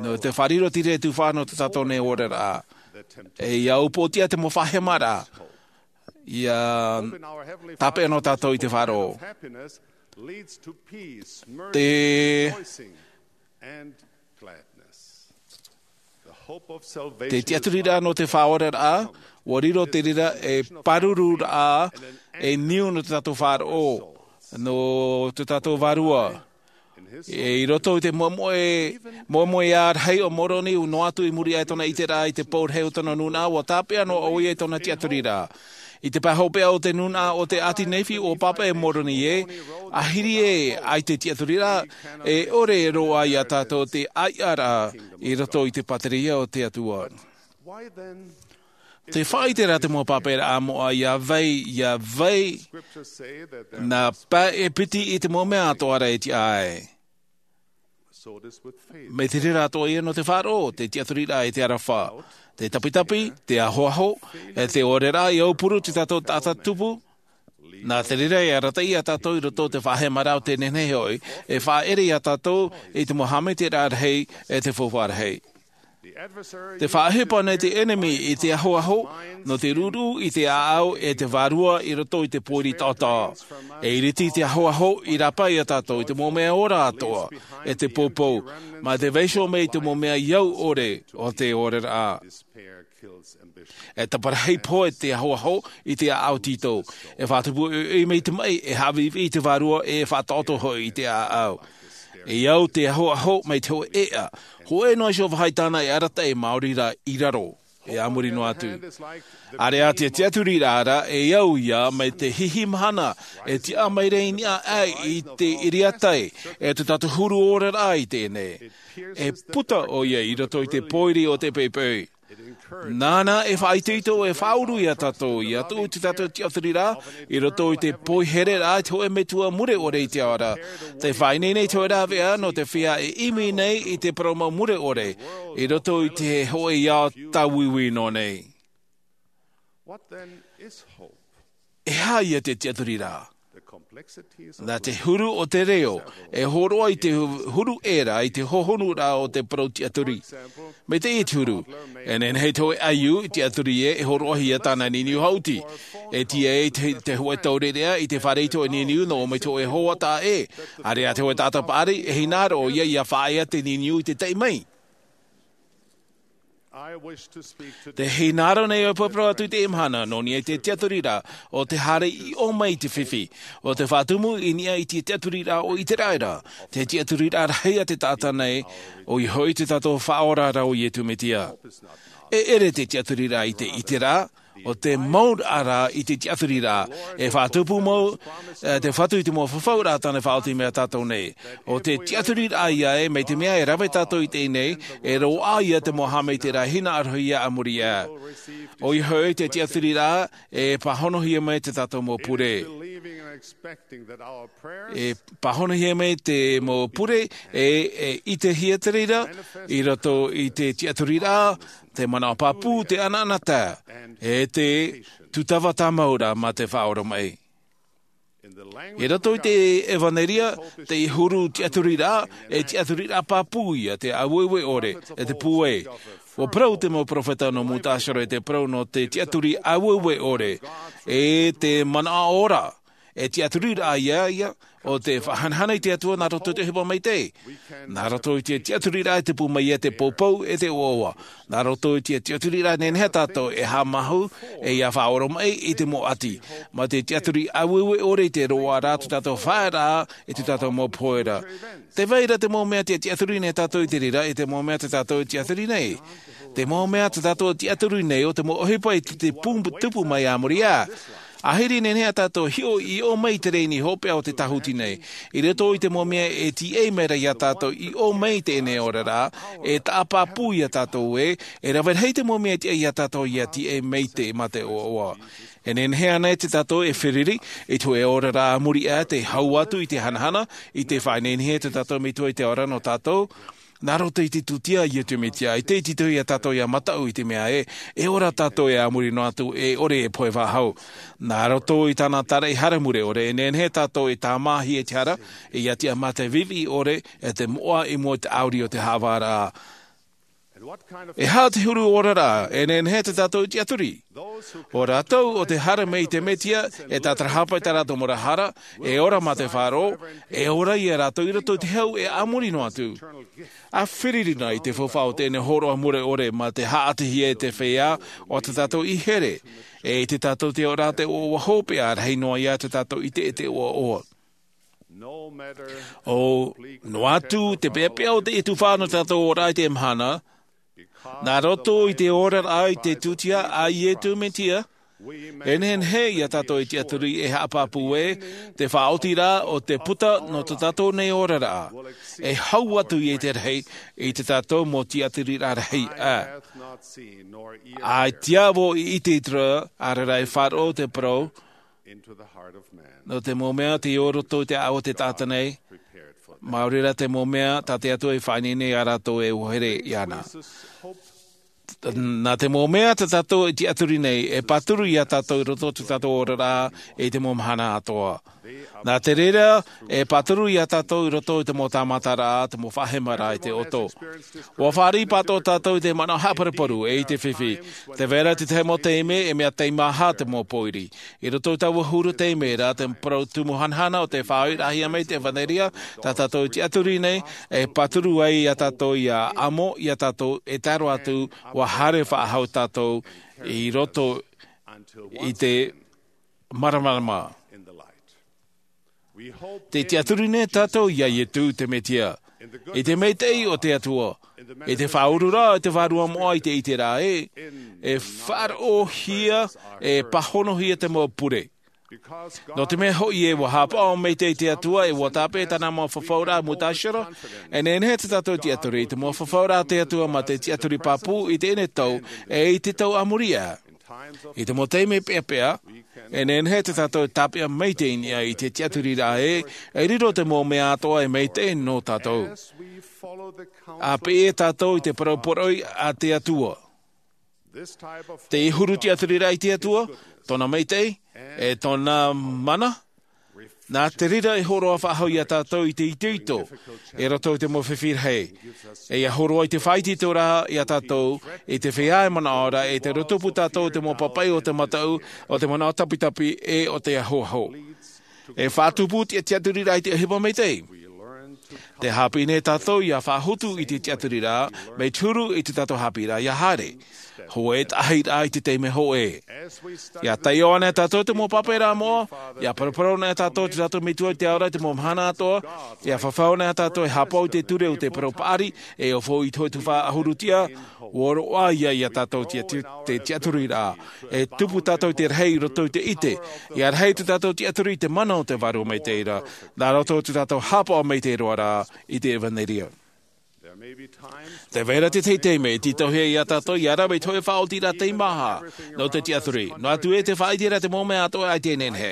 nō te faʻariro i te reira e tufaʻa nō tō tātou nei oraraʻa. E ʻia upoʻotiʻa te mau faʻahemaraʻa, ʻia tāpeʻa noa tātou i te faʻaroʻo. Te Te tiʻaturiraʻa nō te faʻaoraraʻa, ʻua riro te reira ei pārururaʻa, ei niu nō tō tātou faʻaroʻo, nō tō tātou vārua. E, i roto i te moemoeā rahi o Moroni, noa atu i muri aʻe i tōna ʻiteraʻa i te pou rahi o tōna nūnaʻa, ʻua tāpeʻa noa ʻoia i tōna tiʻaturiraʻa. I te pae hopeʻa o te nūnaʻa o te ʻāti Nephi, ʻua pāpaʻi Moroni ē, ʻahiri ē, ʻaita e tiʻaturiraʻa, e ʻore roa ia tātou te ʻāiʻa ra i roto i te pātireia o te Atua. Te faʻaʻite ra te mau pāpaʻiraʻa moʻa, ia vai, ia vai, nā pae e piti i te mau mea atoʻa ra e tiʻa ai. Mai te reira atoʻa ia nō te faʻaroʻo, te tiʻaturiraʻa e te aroha, te tapitapi, te ahoaho, e te ʻōreraʻa, ia aupuru te tātou taʻata tupu. Nā te reira e arataʻi ia tātou i roto i te faʻahemaraʻa o te nehenehe hoʻi, e faʻaʻere ia tātou i te mau haʻamaitaʻiraʻa rahi, e te faufaʻa rahi. Te faʻaʻohipa nei te ʻenemi i te ahoaho, nō te ruʻuruʻu i te ʻāʻau e te vārua i roto i te pōiri taʻotaʻo. E iriti te ahoaho i rāpae ia tātou i te mau mea ora atoʻa, e te poupou, mā te vaiiho mai i te mau mea i au ʻore o te ʻōreraʻa. E taparahi pohe te ahoaho i te ʻāʻau tītau. E faʻatupu ʻoiʻoi mai te maʻi, e haʻaviʻiviʻi i te vārua, e faʻataʻoto hoʻi i te ʻāʻau. E au te ahoaho mai te hōʻē ʻēʻa. Hōʻē noa iho vāhi tāna e arataʻi maori ra i raro, e a muri noa atu. ʻĀreʻa te tiʻaturiraʻa ra, e au ia mai te hihi mahana, e tiʻa mai ra i niʻa aʻe i te ʻiriatai, e tō tātou huru ʻōreraʻa i teie nei. E puta ʻoia i roto i te pōiri o te poipoi. Nāna e faʻaitoito, e faʻauru ia tātou, ia tuʻu te tātou tiʻaturiraʻa i roto i te poihereraʻa i te hōʻē metua mure ʻore i te ao ra. Te faʻaineine i te hōʻē rāveʻa nō te feiā e ʻimi nei i te parau mau mure ʻore i roto i te hōʻē ao tāuiui nō nei. E aha ia te tiʻaturiraʻa? Nā te huru o te reo, e hōroʻa i te huru ʻē ra i te hohonuraʻa o te parau tiʻaturi. Mai teie te huru, e nehenehe te hōʻē ʻaiū i tiʻaturi ē, e hōroʻahia tāna niniu haʻuti. E tīaʻi te, te hōʻē taureʻareʻa i te fare i te hōʻē niniu nō ʻō mai te hōʻē hoa taʻa ʻē. ʻĀreʻa te hōʻē taʻata paʻari, e hinaʻaro ʻoia ia faʻaea te niniu i te taʻi mai. Te hinaʻaro nei au e parau atu i teie mahana, nō niʻa i te tiʻaturiraʻa o te haere i ʻō mai i te fifi, o te faʻatumu i niʻa i te tiʻaturiraʻa o ʻĪteraʻera, te tiʻaturiraʻa rahi a te taʻata nei, ʻoia hoʻi te tātou Faʻaora ra ʻo Iesu Mesia. E ʻere te tiʻaturiraʻa i te ʻiteraʻa, ʻo te mauraʻa ra i te tiʻaturiraʻa, e faʻatupu mau, e, te Fatu i te mau fafauraʻa tāna e faʻaoti mai ia tātou nei. ʻO te tiʻaturiraʻa ïa ē, mai te mea e rave tātou i teie nei, e roaʻa ïa te mau haʻamaitaʻiraʻa hinaʻarohia a muri aʻe. ʻOia hoʻi te tiʻaturiraʻa, e pāhonohia mai te tātou mau pure. E pāhonohia mai te mau pure, e, e ʻitehia te reira, i roto i te tiʻaturiraʻa, te manaʻo pāpū, te ʻanaʻanatae, e te tūtava tāmau ra mā te faʻaoromaʻi. I roto i te ʻEvaneria, te huru tiʻaturiraʻa, e tiʻaturiraʻa pāpū ïa, te aueue ʻore, e te pūai. ʻUa parau te mau perofeta nō mūtaʻa iho ra i te parau nō te tiʻaturi aueue ʻore, e te manaʻo ora, e tiʻaturiraʻa ïa, ïa, ʻo te faʻahanahana i te Atua nā roto i te ʻohipa maitaʻi. Nā roto i te tiʻaturiraʻa e tupu mai ai te poupou e te ʻoaʻoa. Nā roto i te tiʻaturiraʻa e nehenehe tātou e haʻamāuruuru, e ʻia faʻaoromaʻi i te mau ʻati. Mā te tiʻaturi aueue ʻore i te roaʻa ra tō tātou faʻaearaʻa, e tō tātou mau pohe ra. Tē vai ra te mau mea te tiʻaturi nei tātou i te reira, e te mau mea tō tātou e tiʻaturi nei. Te mau mea tō tātou e tiʻaturi nei, ʻo te mau ʻohipa i te, te pū-, tupu mai a muri aʻe. ʻAhiri nehenehe tātou e hiʻo i ʻō mai i te rēni hopeʻa o te tāhuti nei. I roto i te mau mea e tīaʻi mai ra ia tātou i ʻō mai i teie nei oraraʻa, e taʻa pāpū ia tātou ē, e rave rahi te mau mea e tiʻa ia tātou ʻia tīaʻi mai te, mā te ʻoaʻoa. E nehenehe ānei te tātou e feruri i te hōʻē oraraʻa a muri aʻe, te hau atu i te hanahana, i te faʻaineine tō tātou Metua i te ao ra nō tātou, nā roto i te tūtia a Iesu Mesia, ʻaita e tītauhia tātou ʻia mataʻu i te mea ē, e ora tātou ē a muri noa atu, e ʻore e pohe faʻahou. Nā roto i tāna tāraʻehara mure ʻore, e nehenehe tātou e tāmāhia i te hara, e ʻia tiʻa mā te viʻiviʻi ʻore, e te moʻa i mua i te ʻāuri o te haʻavāraʻa. E aha te huru oraraʻa e nehenehe tātou e tiʻaturi? ʻO rātou ʻo tē haere mai i te Mesia, e tātarahapa i tā rātou mau hara, e ora mā te faʻaroʻo, e ora ia rātou i roto i te hau ʻē a muri noa atu. A fāriʻi i te faufaʻa o teie nei hōroʻa mure ʻore mā te haʻatihia e te feiā o tā tātou i here. E ʻite tātou te ora te ʻoaʻoa hopeʻa rahi noa ia tā tātou i te ʻoaʻoa. ʻO noa atu te peapea o te tuhaʻa nō tātou ora i te mahana, nā roto i te oraraʻa i te tūtia a iesu mesia, e nehenehe ia tātou e tiaturi e haʻapāpū ē te faʻaotiraʻa o te puta nō tā tātou nei oraraʻa e hau atu i te rahi i tā tātou mau tiaturiraʻa rahi. ʻA tiaʻi i te ʻite i te rā ʻaore rā e faʻaroʻo te parau nō te mau mea tei ō roto i te ʻāʻau o te taʻata nei, mā reira te mau mea tā te atua i faʻaineine ia rātou e ʻoaʻoa iāna. Nā te mau mea tā tātou i tiaturi nei e pāturu ia tātou i roto i tā tātou oraraʻa i te mau mahana atoʻa. Nā te reira e pāturu ia tātou i roto i te mau tāmataraʻa te mau faʻahemaraʻa i te ʻoto. Ua fāriʻi pātoʻa tātou i te manaʻo haʻaparuparu e i te fifi. Te vera te tahi mau taime e mea teimaha te mau pōiri i roto i taua huru taime rā te parau tumu hanahana o te faʻaʻohipahia mai te evanelia tā tātou i tiaturi nei e pāturu ai ia tātou ia amo ia tātou e taro atu ua haere faʻahou tātou i roto i te māramarama. Te tiaturi nei tātou ia iesu te mesia i te maitaʻi o te atua i te faʻaururaʻa i te vārua moʻa i te ʻite rā ē e faʻaroʻohia e pāhonohia te mau pure. Nō te mea hoʻi e ua haʻapaʻo maitaʻi te atua e ua tāpeʻa tāna mau fafauraʻa mutashara. E nehenehe tā tātou tiaturi i te mau fafauraʻa te atua mā te tiaturi pāpū i teie nei tau e i te tau a muri aʻe. I te mau taime peapea e nehenehe tā tātou e tāpeʻa maitaʻi i niʻa i te tiaturiraʻa ē e riro te mau mea atoʻa e maitaʻi nō tātou. A pēʻe tātou i te parau poroʻi a te atua, te huru tiaturiraʻa i te atua, tōna maitaʻi e tōna mana, nā te reira e hōroʻa faʻahou ia tātou i te itoito i roto i te mau fifi rahi. E ia hōroʻa i te faʻaitoitoraʻa ia tātou i te feiā e manaʻo ra e te rotopū tātou o te mau papaʻi o te mataʻu o te manaʻo tapitapi e o te ahoaho. E faʻatupu te tiaturiraʻa i te ʻohipa maitaʻi. Te haʻapiʻi nei tātou ia faʻahotu i te tiaturiraʻa mai te huru i te tātou haʻapiʻiraʻa ia haere hōʻē taʻahiraʻa i te taime hōʻē. Ia taiʻo ana e tātou te mau pāpaʻiraʻa moʻa ia paraparau ana e tātou te tātou metua i te ao ra i te mau mahana atoʻa. Ia fafau ana e tātou e haʻapaʻo i te ture o te parau paʻari e ofo i te hōʻē tuhaʻa ʻahuru tiʻa. Ua roaʻa ia ia tātou te tiaturiraʻa e tupu tātou i te rahi i roto i te ʻite ia rahi tā tātou tiaturi i te mana o te vārua maitaʻi ra nā roto tā tātou haʻapaʻo maitaʻi roa ra i te evanelia. Te vai ra te tahi taime e tītauhia ia tātou ia rave i te hōʻē faʻaotiraʻa teimaha nō te tiaturi noa atu ē te faʻaʻiteraʻa te mau mea atoʻa ʻaita e nehenehe.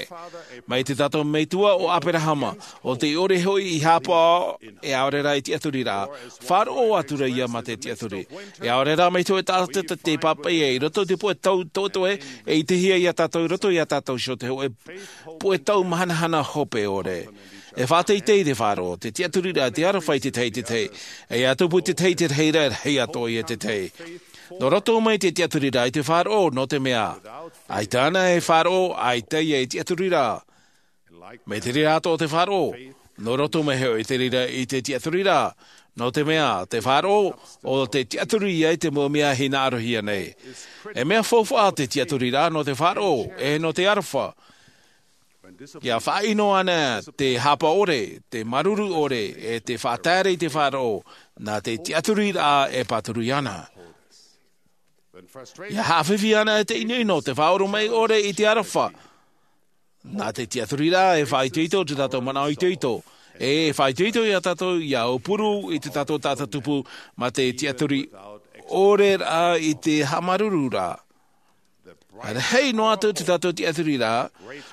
Mai te tātou metua o aperahama, o te ʻore hoʻi i haʻapaʻo e ʻaore rā i tiaturiraʻa, faʻaroʻo atu ra ia mā te tiaturi. E ʻaore rā mai te hōʻē taʻata te pāpaʻi i roto i te puʻe tau toetoe e ʻitehia ia tātou i roto ia tātou iho te hōʻē puʻe tau mahanahana hope ʻore. E faʻateitei te faʻaroʻo te tiaturiraʻa te aroha i te tahi i te tahi. E ia tupu te tahi i te rahi ra e rahi atoʻa ia te tahi. Nō roto mai te tiaturiraʻa i te faʻaroʻo nō te mea ʻaita ana e faʻaroʻo ʻaita ia e tiaturiraʻa. Mai te reira atoʻa te faʻaroʻo nō roto mai hoʻi te reira i te tiaturiraʻa. Nō te mea te faʻaroʻo o te tiaturi ia i te mau mea hinaʻarohia nei. E mea faufaʻa te tiaturiraʻa nō te faʻaroʻo e nō te aroha. Ia faʻaʻino ana te hapa ʻore, te māuruuru ʻore e te faʻataere i te faʻaroʻo nā te tiaturiraʻa e pāturu iāna. Ia haʻafifi ana e te ʻinoʻino te faʻaʻoromaʻi ʻore i te aroha. Nā te tiaturiraʻa e faʻaitoito te tātou manaʻo itoito e faʻaitoito ia tātou ia aupuru i te tātou taʻata tupu mā te tiaturi ʻore rā i te haʻamāuruuru rā. Rahi noa atu te tātou tiaturiraʻa,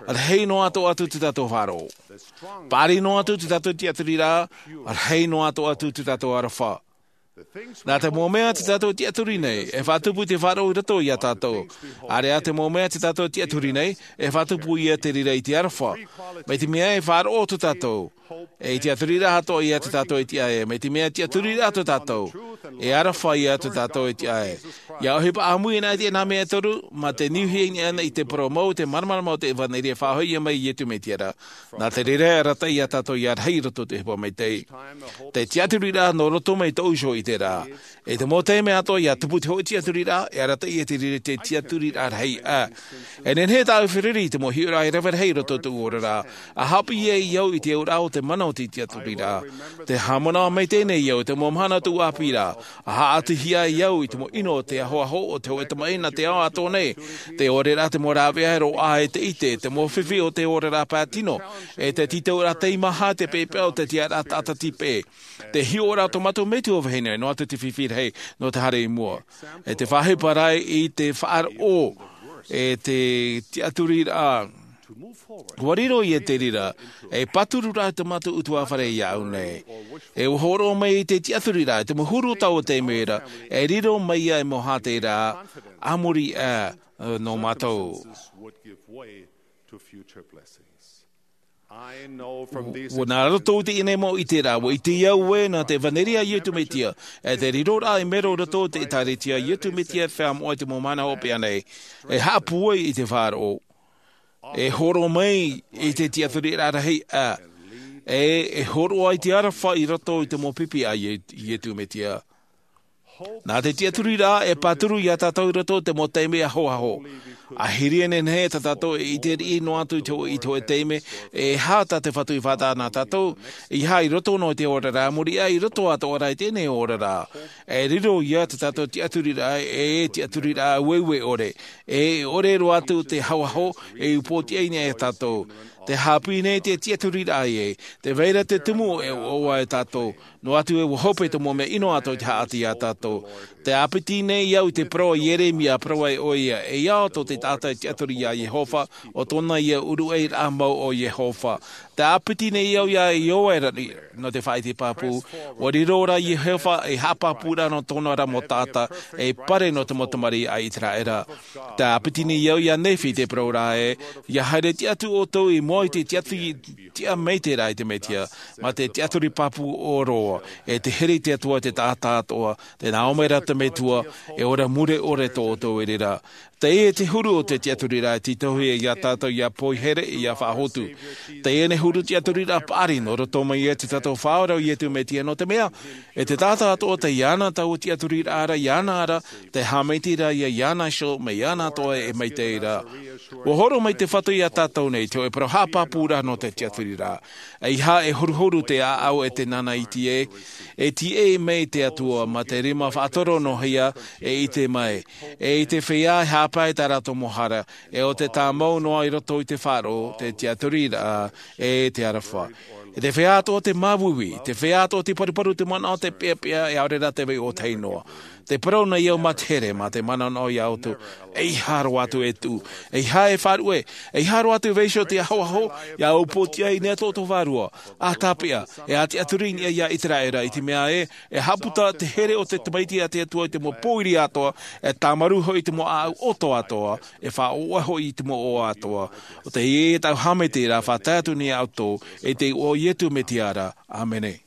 rahi noa atu atu te tātou faʻaroʻo. Pari noa atu te tātou tiaturiraʻa, rahi noa atu atu te tātou aroha. Nā te mau mea te tātou tiaturi nei e faʻatupu i te faʻaroʻo i roto ia tātou. Area te mau mea te tātou tiaturi nei e faʻatupu ia te reira i te aroha. Mai te mea e faʻaroʻo tō tātou e i te tiaturiraʻa atoʻa ia te tātou e tiʻa e mai te mea tiaturiraʻa tō tātou. E aroha ia tā tātou e tiʻa ai. ʻIa ʻohipa ʻāmui anaʻe i teie nei mea e toru, mā te niuhia anaʻe i te parau mau, te māramarama o te ʻevanelia e faʻahoʻi mai Iesu Mesia ra. Nā te reira e arataʻi ia tātou ʻia rahi i roto i te ʻohipa maitaʻi. Te tiʻaturiraʻa nō roto mai tōʻu iho i te reira. E te mau taime atoʻa ʻia tupu te hōʻē tiʻaturiraʻa, e arataʻi ia te reira te tiʻaturiraʻa rahi ā. E nehenehe tāʻu e feruri i te mau hiʻoraʻa e rave rahi i roto i tōʻu oraraʻa. ʻA haʻapiʻi ai au i te auraʻa o te mana o te tiʻaturiraʻa. Tē haʻamanaʻo maitaʻi nei au i te mau mahana o tōʻu ʻāpīraʻa. ʻA haʻatuhia ai au i te mau ʻino o te ahoaho o te hōʻē tamaʻi nā te ao atoʻa nei. Te ʻore ra te mau rāveʻa e roaʻa e te ʻite, te mau fifi o te oraraʻa pae tino, e te tītauraʻa teimaha, te peʻapeʻa o te tiʻaraʻa taʻata tīpeʻe. Te hiʻoraʻa o tō mātou Metua vahine, noa atu te fifi rahi nō te haere i mua. E te faʻaʻohipa ra i te faʻaroʻo, e te tiʻaturiraʻa. ʻUa riro ia te reira, e pāturu ra tō mātou ʻutuāfare iāʻu nei. E ʻua hōroʻa mai i te tiʻaturiraʻa, te mau huru o taua taime ra, e riro mai ia e mau hātearaʻa, a muri aʻe, nō mātou. ʻUa nā roto i teie nei mau ʻiteraʻa, ʻua ʻite au ē, nā te ʻevanelia a Iesu Mesia, e te riroraʻa i mero i roto i te ʻĒkālesia a Iesu Mesia e feiā moʻa i te mau mahana hopeʻa nei, e haʻapūai i te faʻaroʻo. E hōroʻa mai i te tiʻaturiraʻa rahi ā, e, e hōroʻa i te aroha i roto i te mau pipi a Ie-, Iesu Mesia. Nā te tiʻaturiraʻa e pāturu ia tātou i roto i te mau taime ahoaho. ʻA hiri e nehenehe tā tātou e ʻite riʻi noa atu i te hō-, i te hōʻē taime, e aha tā te Fatu i faʻataʻa nā tātou, e aha i roto noa i te oraraʻa, a muri aʻe i roto atoʻa ra i teie nei oraraʻa. E riro ia tā tātou tiʻaturiraʻa, e tiʻaturiraʻa ueue ʻore. E ʻore roa atu te ahoaho, e upootiʻa i niʻa ia tātou. Tē haʻapiʻi nei te tiʻaturiraʻa ē, tē vai ra te tumu e ʻoaʻoa ia tātou. Noa atu ē ʻua hope te mau mea ʻino atoʻa i te haʻati ia tātou. Tē ʻāpiti nei au i te parau a Ieremia, parau ai ʻoia, e ia tō te taʻata e tiʻaturi ia Iehova, ʻo tōna ia ʻuruʻairaʻa mau ʻo Iehova. Tē ʻāpiti nei au ia Ioere, nō te faʻaʻite pāpū, ʻua riro ra Iehova ei haʻapāpūraʻa nō tōna ra mau taʻata, ei pare nō te mau tamariʻi a Iseraela. Tē ʻāpiti nei au ia Nephi te parau ra ē, ʻia haere tiʻa atu ʻoutou i mua i te tiʻaturi, tiʻa maitaʻi ra i te Mesia, mā te tiʻaturi pāpū ʻōroa, e te here i te Atua i te taʻata atoʻa, tē nā ʻō mai ra te Metua, e ora mure ʻore tō ʻoutou reira. Teie te huru o te tiʻaturiraʻa e tītauhia ia tātou ʻia poihere, ʻia faʻahotu. Teie nei huru tiʻaturiraʻa paʻari nō roto mai ia tā tātou Faʻaora ʻo Iesu Mesia, nō te mea, e te taʻata atoʻa tei iāna taua tiʻaturiraʻa ra, iāna ra, tē haʻamaitaʻi ra ia iāna iho, mai iāna atoʻa e maitaʻi ra. ʻUa hōroʻa mai te Fatu ia tātou nei, te hōʻē parau haʻapāpūraʻa nō te tiʻaturiraʻa. ʻEiaha e horuhoru te ʻāʻau e te nānaiti ē, e tīaʻi mai te Atua, mā te rima faʻatorohia, e ʻite mai. E i te feiā e haʻapae i tā rātou mau hara, e ʻo te tāmau noa i roto i te faʻaroʻo, te tiʻaturiraʻa, e te aroha. E te feiā atoʻa te māuiui, te feiā atoʻa te paruparu, te manaʻo, te peʻapeʻa, e ʻaore rā te vai ʻōtahi noa. Tē parau nei au mā te here, mā te manaʻo ia ʻoutou, ʻeiaha roa atu e tuʻu, ʻeiaha e faʻaruʻe, ʻeiaha roa atu e vaiiho i te ahoaho, ʻia upootiʻa i niʻa i tō ʻoutou vārua, ʻa tāpeʻa, e ʻa tiʻaturi i niʻa ia Iseraela, i te mea ē, e haʻaputa te here o te Tamaiti a te Atua i te mau pōiri atoʻa, e tāmarū hoʻi i te mau ʻāʻau ʻoto atoʻa, e faʻaʻoʻe hoʻi i te mau ʻoaʻoa atoʻa. ʻO teie tāʻu haʻamaitaʻiraʻa, faʻatae atu nei ia ʻoutou, i te iʻoa o Iesu Mesia ra. ʻĀmene.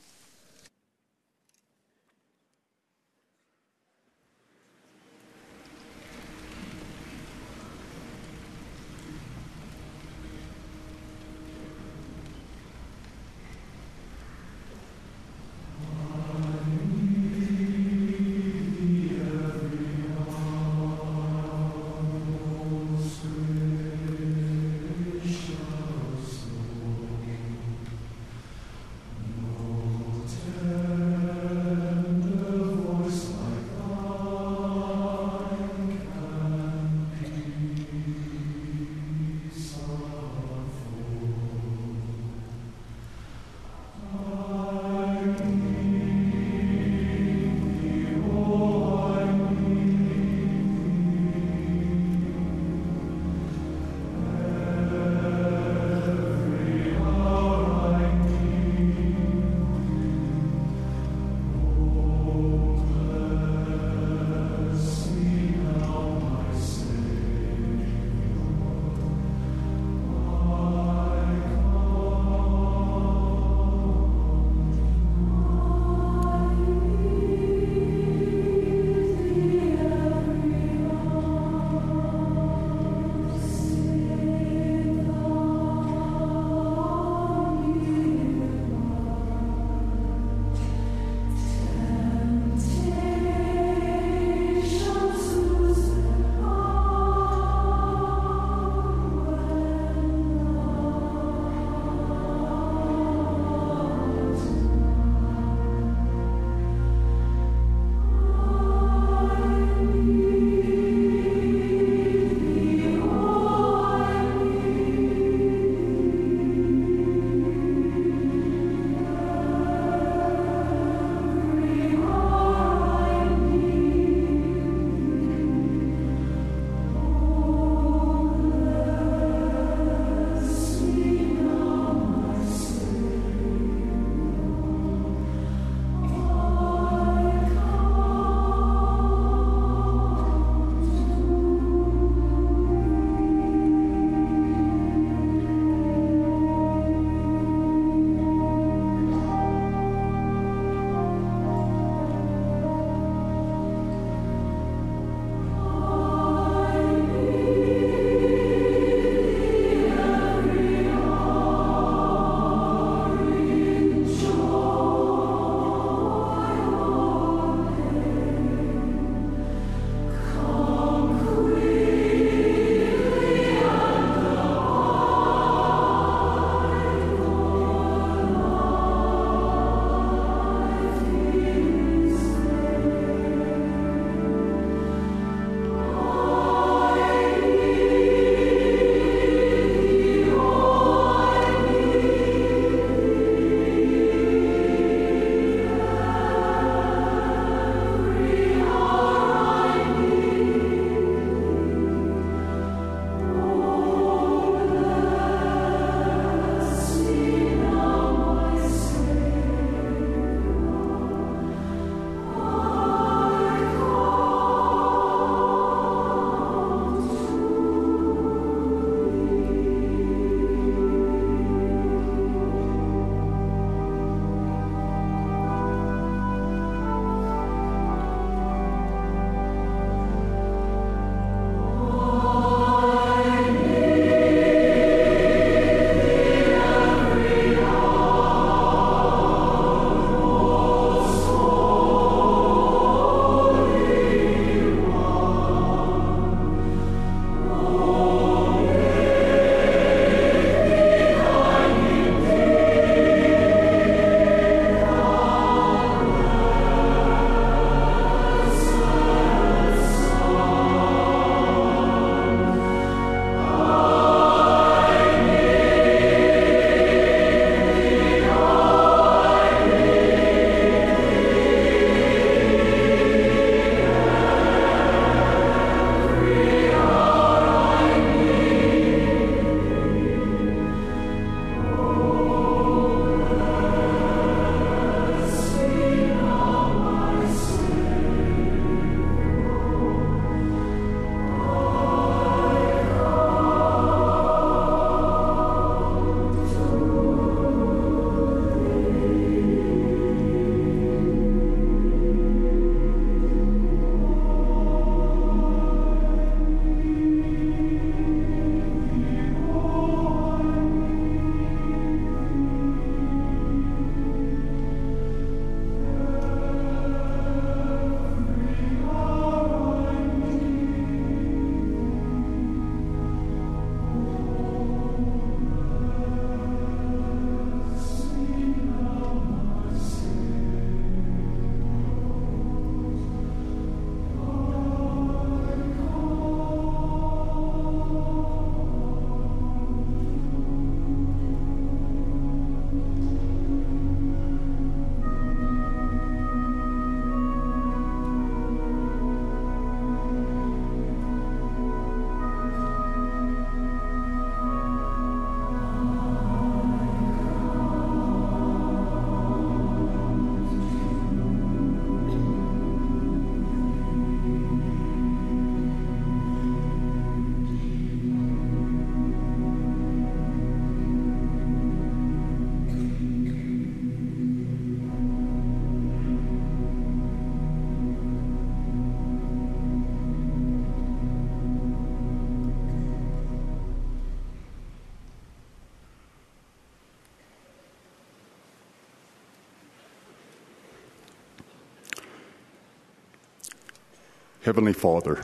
Heavenly Father,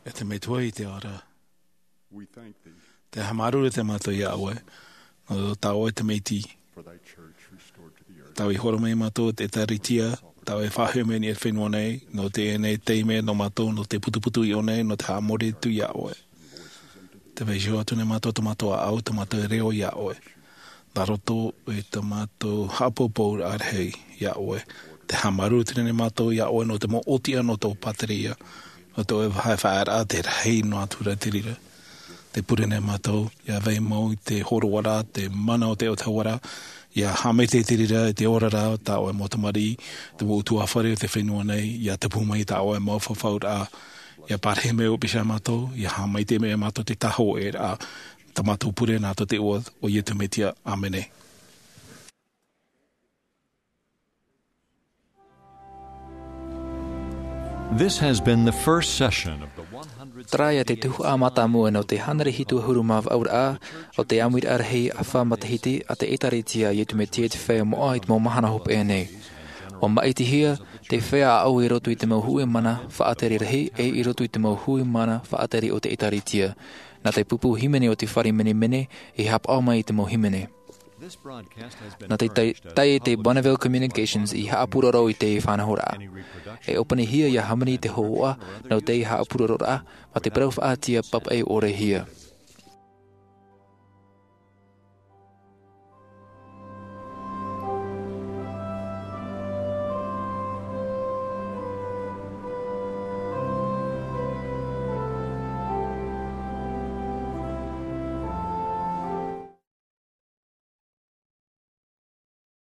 E te Metua i te ao ra, we thank thee te haʻamāuruuru te mātou iā ʻoe, nō tā ʻoe te Meiti, for thy church restored to the earth. Tāʻu i horo mai mātou te ʻĒtārētia, tāʻu e faʻahoʻi mai i te fenua nei, nō teie nei taime nō mātou, nō te putuputu i ʻō nei, nō te haʻamori atu iā ʻoe. Te vaiiho atu nei mātou, tō mātou ʻāʻau, tō mātou reo iā ʻoe. Nā roto i tō mātou haʻapoupouraʻa rahi iā ʻoe. Te haʻamāuruuru atu nei mātou iā ʻoe nō te mau ʻōtiʻa nō tō pāteria, nō tō ʻoe vāhi faʻaearaʻa te rahi noa atu ra te reira. Te pure nei mātou, ʻia vai mau i te hōroaraʻa, te mana o te autahuʻaraʻa, ʻia haʻamaitaʻi te reira i te oraraʻa o tā ʻoe mau tamariʻi, te mau ʻutuāfare o te fenua nei, ʻia tupu mai tā ʻoe mau fafauraʻa, ʻia parahi mai ʻoe pēsā mātou, ʻia haʻamaitaʻi mai mātou te tāhōʻēraʻa, tā mātou pure nā tō te iʻoa o Iesu Mesia. ʻĀmene. This has been the first session of the one hundred. Terā ia te tuhaʻa mātāmua nō te hānere hitu ʻahuru mā vaʻu ra o te ʻāmuiraʻa rahi ʻāfa matahiti a te ʻĒtārētia a Iesu Mesia i te feiā moʻa i te mau mahana hopeʻa nei. ʻUa māʻitihia te feiā ʻāʻau i roto i te mau hui mana faʻatere rahi e i roto i te mau hui mana faʻatere o te ʻĒtārētia. Nā te pupu hīmene o te fare menemene i haʻapaʻo mai i te mau hīmene. Nā te tai, tai te Bonneville Communications i haʻapuroro i te faʻanahoraʻa. E ʻōpanihia ʻia hāmani te hōhoʻa nō te haʻapurororaʻa, mā te parau faʻaʻite papaʻi ʻore hia.